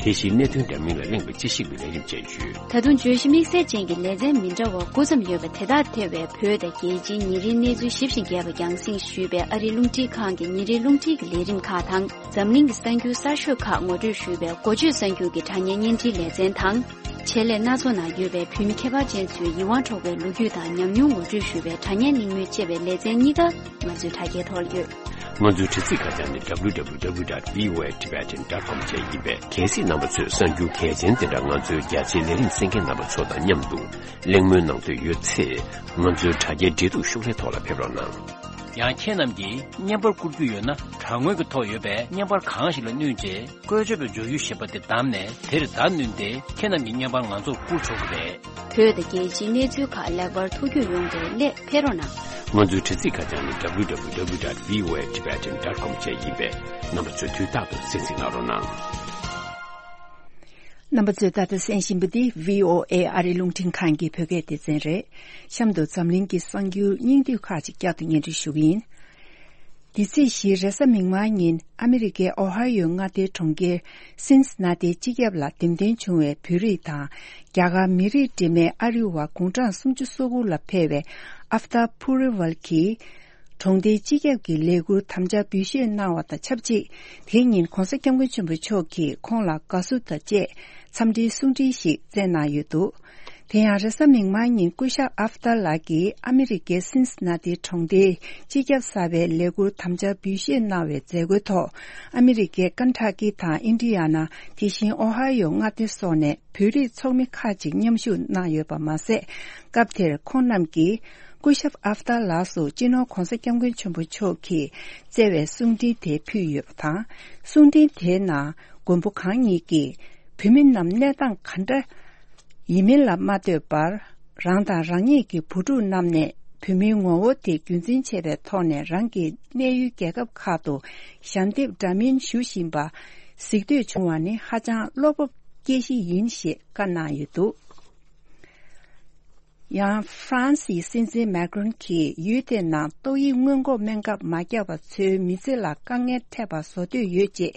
དེ་བཞིན་གནད་དོན་འདྲ་མིན་ལ་གླེང་བའི་དཔྱད་ཞིབ་ཀྱི་ལས་རིམ་བཅས་ཡོད། ད་དུང་བརྗོད་གཞི་དམིགས་བསལ་ཅན་གྱི་ལེ་ཚན་མི་འདྲ་བ་དགུ་ཙམ་ཡོད་པ་དེ་དག་ཐེ་བའི་བོད་དང་རྒྱལ་སྤྱིའི་ཉིན་རེའི་གནས་ཚུལ་ཞིབ་ཅིང་རྒྱས་པ་རྒྱང་སྲིང་ཞུས་པའི་ཨ་རིའི་རླུང་འཕྲིན་ཁང་གི་ཉིན་རེའི་རླུང་འཕྲིན་གྱི་ལས་རིམ་ཁག་དང་། འཛམ་གླིང་གི་གསར་འགྱུར་གསར་ཤོས་ཁག་ངོ་སྤྲོད་ཞུས་པའི་འགོ་བརྗོད་གསར་འགྱུར་གྱི་དྲ་བརྙན་བརྙན་འཕྲིན་ལེ་ཚན་དང་། ཆེད་ལས་སྣ་ཚོགས་ནང་ཡོད་པའི་བོད་མི་ཁྱད་པར་ཅན་ཚོའི་ཡིད་དབང་འཕྲོག་པའི་ལོ་རྒྱུས་དང་ཉམས་མྱོང་ངོ་སྤྲོད་ཞུ་བའི་དྲ་བརྙན་གླེང་མོལ་བཅས་པའི་ལེ་ཚན་གཉིས་ཀ་ང་ཚོའི་དྲ་རྒྱའི་ཐོག་ལ་ཡོད། ང་ཚོའི་དྲ་ཚིགས་ཁ་བྱང་ནི་W W W dot V O A Tibetan dot com བཅས་ཡིན་པས། གལ་སྲིད་རྣམ་པ་ཚོས་གསར་འགྱུར་གལ་ཆེན་དེ་འདྲ་ང་ཚོའི་རྒྱ་ཆེའི་ལས་རིམ་གསན་མཁན་རྣམ་པ་ཚོ་དང་མཉམ་དུ་གླེང་མོལ་གནང་འདོད་ཡོད་ཚེ། ང་ཚོའི་དྲ་རྒྱའི་འབྲེལ་གཏུག་ཤོག་ལྷེ་ཐོག་ལ་ཕེབས་རོགས་གནང་། ཡང་ཁྱེད་རྣམས་ཀྱིས་བརྙན་པར་བསྐུར་རྒྱུ་ཡོད་ན། དྲ་ངོས་ཀྱི་ཐོག་ཡོད་པའི་བརྙན་པར་གང་ཞིག་ལ་བསྣུན་རྗེས། བཀོལ་སྤྱོད་པའི་མཇུག་ཡུ་ཞེས་པ་དེ་བདམས་ནས། དེར་བརྡ་བསྣུན་ཏེ། ཁྱེད་རྣམས་ཀྱི་བརྙན་པར་ང་ཚོར་བསྐུར་ཆོག་གི་རེད། བོད་དང་རྒྱལ་སྤྱིའི་གནས་ཚུལ་ཁག་ལེགས་པར་ཐུགས་རྒྱུས་ཡོང་བའི་སླད་ཕེབས་རོགས་གནང་། ང་ཚོའི་དྲ་ཚིགས་ཁ་བྱང་ནི་W W W dot V O A Tibetan dot com བཅས་ཡིན་པས། རྣམ་པ་ཚོས་དུས་རྟག་ཏུ་གསན་གཟིགས་གནང་རོགས་གནང་། རྣམ་པ་ཚོས་ད་ལྟ་གསན་བཞིན་པ་འདི་V O A ཨ་རིའི་རླུང་འཕྲིན་ཁང་གི་བོད་སྐད་སྡེ་ཚན་རེད། གཤམ་དུ་འཛམ་གླིང་གི་གསར་འགྱུར་སྙིང་བསྡུས་ཁག་ཅིག་བསྐྱར་དུ་སྙན་སྒྲོན་ཞུ་གི་ཡིན། འདི་ཚེས་བཞི་རེས་གཟའ་མིག་དམར་ཉིན་ཨ་མི་རི་ཀའི་ཨོ་ཧའི་ཡོ་མངའ་སྡེའི་གྲོང་ཁྱེར་སིན་སི་ན་ཏིའི་སྤྱི་ཁྱབ་ལ་འདེམས་ཐོན་བྱུང་བའི་བོད་རིགས་དང་རྒྱ་གར་མི་རིགས་འདྲེས་མའི་ཨ་རི་བ་དགུང་གྲངས་སུམ་ཅུ་སོ་དགུ་ལ་ཕེབས་པའི་ཨབ་ཏཱ་ཕུ་རི་ཝལ་གྱིས། གྲོང་སྡེའི་སྤྱི་ཁྱབ་ཀྱི་ལས་ཁུར་དམ་བཅའ་འབུལ་བཞེས་གནང་བ་དང་ཆབས་ཅིག་དེ་ཉིན་༧གོང་ས་༧སྐྱབས་མགོན་ཆེན་པོ་མཆོག་གིས་ཁོང་ལ་དགའ་བསུ་དང་བཅས་འཚམས་འདྲིའི་གསུང་འཕྲིན་ཞིག་བསྩལ་གནང་ཡོད་འདུག་དེ་ཡང་རེས་གཟའ་མིག་དམར་ཉིན་སྐུ་ཞབས་ཨབ་ཏཱ་ལགས་ཀྱིས་ཨ་མི་རི་ཀའི་སིན་སི་ན་ཏི་གྲོང་སྡེའི་སྤྱི་ཁྱབ་གསར་པའི་ལས་ཁུར་དམ་བཅའ་འབུལ་བཞེས་གནང་བའི་མཛད་སྒོའི་ཐོག་ཨ་མི་རི་ཀའི་ཀན་ཊ་ཀི་དང་ཨིན་ཌི་ཡ་ན། དེ་བཞིན་ཨོ་ཧའི་ཡོ་མངའ་སྡེ་སོགས་ནས་བོད་རིགས་ཚོགས་མི་ཁག་ཅིག་མཉམ་ཞུགས་གནང་ཡོད་པ་མ་ཟད། སྐབས་དེར་ཁོང་རྣམས་ཀྱིས་སྐུ་ཞབས་ཨབ་ཏཱ་ལགས་སུ་སྤྱི་ནོར་༧གོང་ས་༧སྐྱབས་མགོན་ཆེན་པོ་མཆོག་གིས་བསྩལ་བའི་གསུང་འཕྲིན་དེ་ཕུལ་ཡོད་པ་དང་། གསུང་འཕྲིན་དེའི་ནང་མགོན་པོ་གང་ཉིད་ཀྱིས་བོད་མི་རྣམས་གནས་སྟངས་ག་འདྲ་ཡིན་མིན་ལ་མ་ལྟོས་པར། རང་དང་རང་ཉིད་ཀྱི་བུ་ཕྲུག་རྣམས་ནས་བོད་མིའི་ངོ་བོ་དེ་རྒྱུན་འཛིན་བྱེད་པའི་ཐོག་ནས་རང་གི་གནས་ཡུལ་རྒྱལ་ཁབ་ཁག་ཏུ་ཞལ་འདེབས་འདྲ་མིན་ཞུ་བཞིན་པ་གཟིགས་འདོད་བྱུང་བ་ནི་ཧ་ཅང་བློ་སྤོབས་སྐྱེ་གཞི་ཡིན་ཞེས་བཀའ་གནང་ཡོད་འདུག་ཡང་ཧྥ་རན་སིའི་སྲིད་འཛིན་མེ་ཀྲོན་གྱིས་ཡུལ་དེའི་ནང་ཏོག་དབྱིབས་སྔོན་འགོག་སྨན་ཁབ་མ་བརྒྱབ་པ་ཚོའི་མི་ཚེ་ལ་དཀའ་ངལ་འཕྲད་པ་བཟོ་འདོད་ཡོད་ཅེས་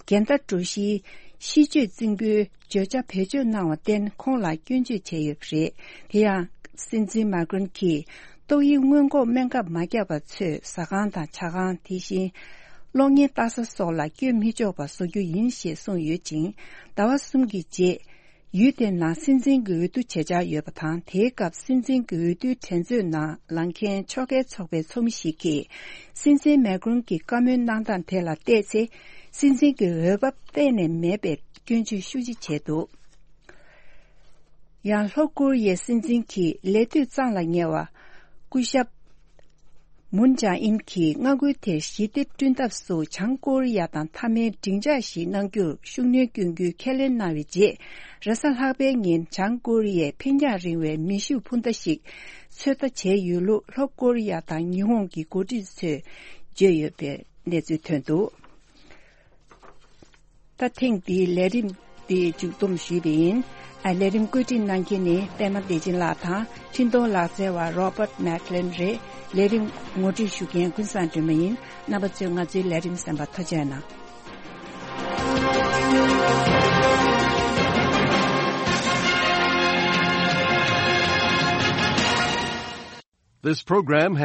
འགལ་ཟླ་གྲོ་བཞིའི་ཤིས་བརྗོད་རྩིང་པོའི་བརྗོད་བྱ་བེད་སྤྱོད་གནང་བར་བརྟེན་ཁོང་ལ་སྐྱོན་བརྗོད་བྱས་ཡོད་པ་རེད། དེ་ཡང་སྲིད་འཛིན་མེ་ཀྲོན་གྱིས་ཏོག་དབྱིབས་སྔོན་འགོག་སྨན་ཁབ་མ་བརྒྱབ་པ་ཚོས་ཟ་ཁང་དང་ཇ་ཁང་། དེ་བཞིན་གློག་བརྙན་ལྟ་ས་སོགས་ལ་བསྐྱོད་མི་ཆོག་པ་བཟོ་རྒྱུ་ཡིན་ཞེས་གསུངས་ཡོད་ཅིང་། ཟླ་བ་གསུམ་གྱི་རྗེས། ཡུལ་དེའི་ནང་སྲིད་འཛིན་གྱི་འོས་བསྡུ་བྱེད་འཆར་ཡོད་པ་དང་། དེའི་སྐབས་སྲིད་འཛིན་གྱི་འོས་བསྡུའི་འགྲན་རྩོད་ནང་ལངས་མཁན་ཕྱོགས་འགལ་ཚོགས་པའི་ཚོགས་མི་ཞིག་གིས་སྲིད་འཛིན་མེ་ཀྲོན་གྱི་བཀའ་མོལ་གནང་སྟངས་དེ་ལ་བལྟས་ཚེ། སྲིད་འཛིན་གྱི་འོས་བབ་གཏན་ནས་མེད་པའི་སྐྱོན་བརྗོད་ཤུགས་ཆེ་བྱས་འདུག། ཡང་ལྷོ་ཀོ་རི་ཡའི་སྲིད་འཛིན་གྱི་ལས་དུས་གཙང་ལ་ཉེ་བ་སྐུ་ཞབས་མུན་ཅང་ཨིན་གྱིས་མངའ་ཁུལ་དེར་ཞི་བདེ་བསྐྲུན་ཐབས་སུ་བྱང་ཀོ་རི་ཡ་དང་མཐའ་མའི་འབྲིང་ཆགས་ཤིག་གནང་རྒྱུར་ཤུགས་སྣོན་སྐྱོན་རྒྱུའི་ཁས་ལེན་གནང་བའི་རྗེས། རེས་གཟའ་ལྷག་པའི་ཉིན་བྱང་ཀོ་རི་ཡས་འཕེན་རྒྱང་རིང་བའི་མེ་ཤུགས་འཕུར་མདའ་ཞིག་ཚོད་ལྟ་བྱས་ཡོད་ལུགས་ལྷོ་ཀོ་རི་ཡ་དང་ཉི་ཧོང་གི་འགོ་ཁྲིད་ཚོས་བརྗོད་ཡོད་པའི་གནས་ཚུལ་ཐོན་འདུག། ད་ཐེངས་འདིའི་ལས་རིམ་འདི་མཇུག་བསྡོམས་ཞུས་པ་ཡིན། ཨ། ལས་རིམ་བཀོད་སྒྲིག་གནང་མཁན་ནི་པད་མ་བདེ་ཆེན་ལགས་དང་འཕྲིན་གཏོང་ལག་རྩལ་བ་Robert McLean་རེད། ལས་རིམ་ངོ་སྤྲོད་ཞུ་མཁན་ཀུན་བཟང་སྒྲོལ་མ་ཡིན། རྣམ་པ་ཚོས་ང་ཚོའི་ལས་རིམ་གསན་པར་ཐུགས་རྗེ་གནང་། This program has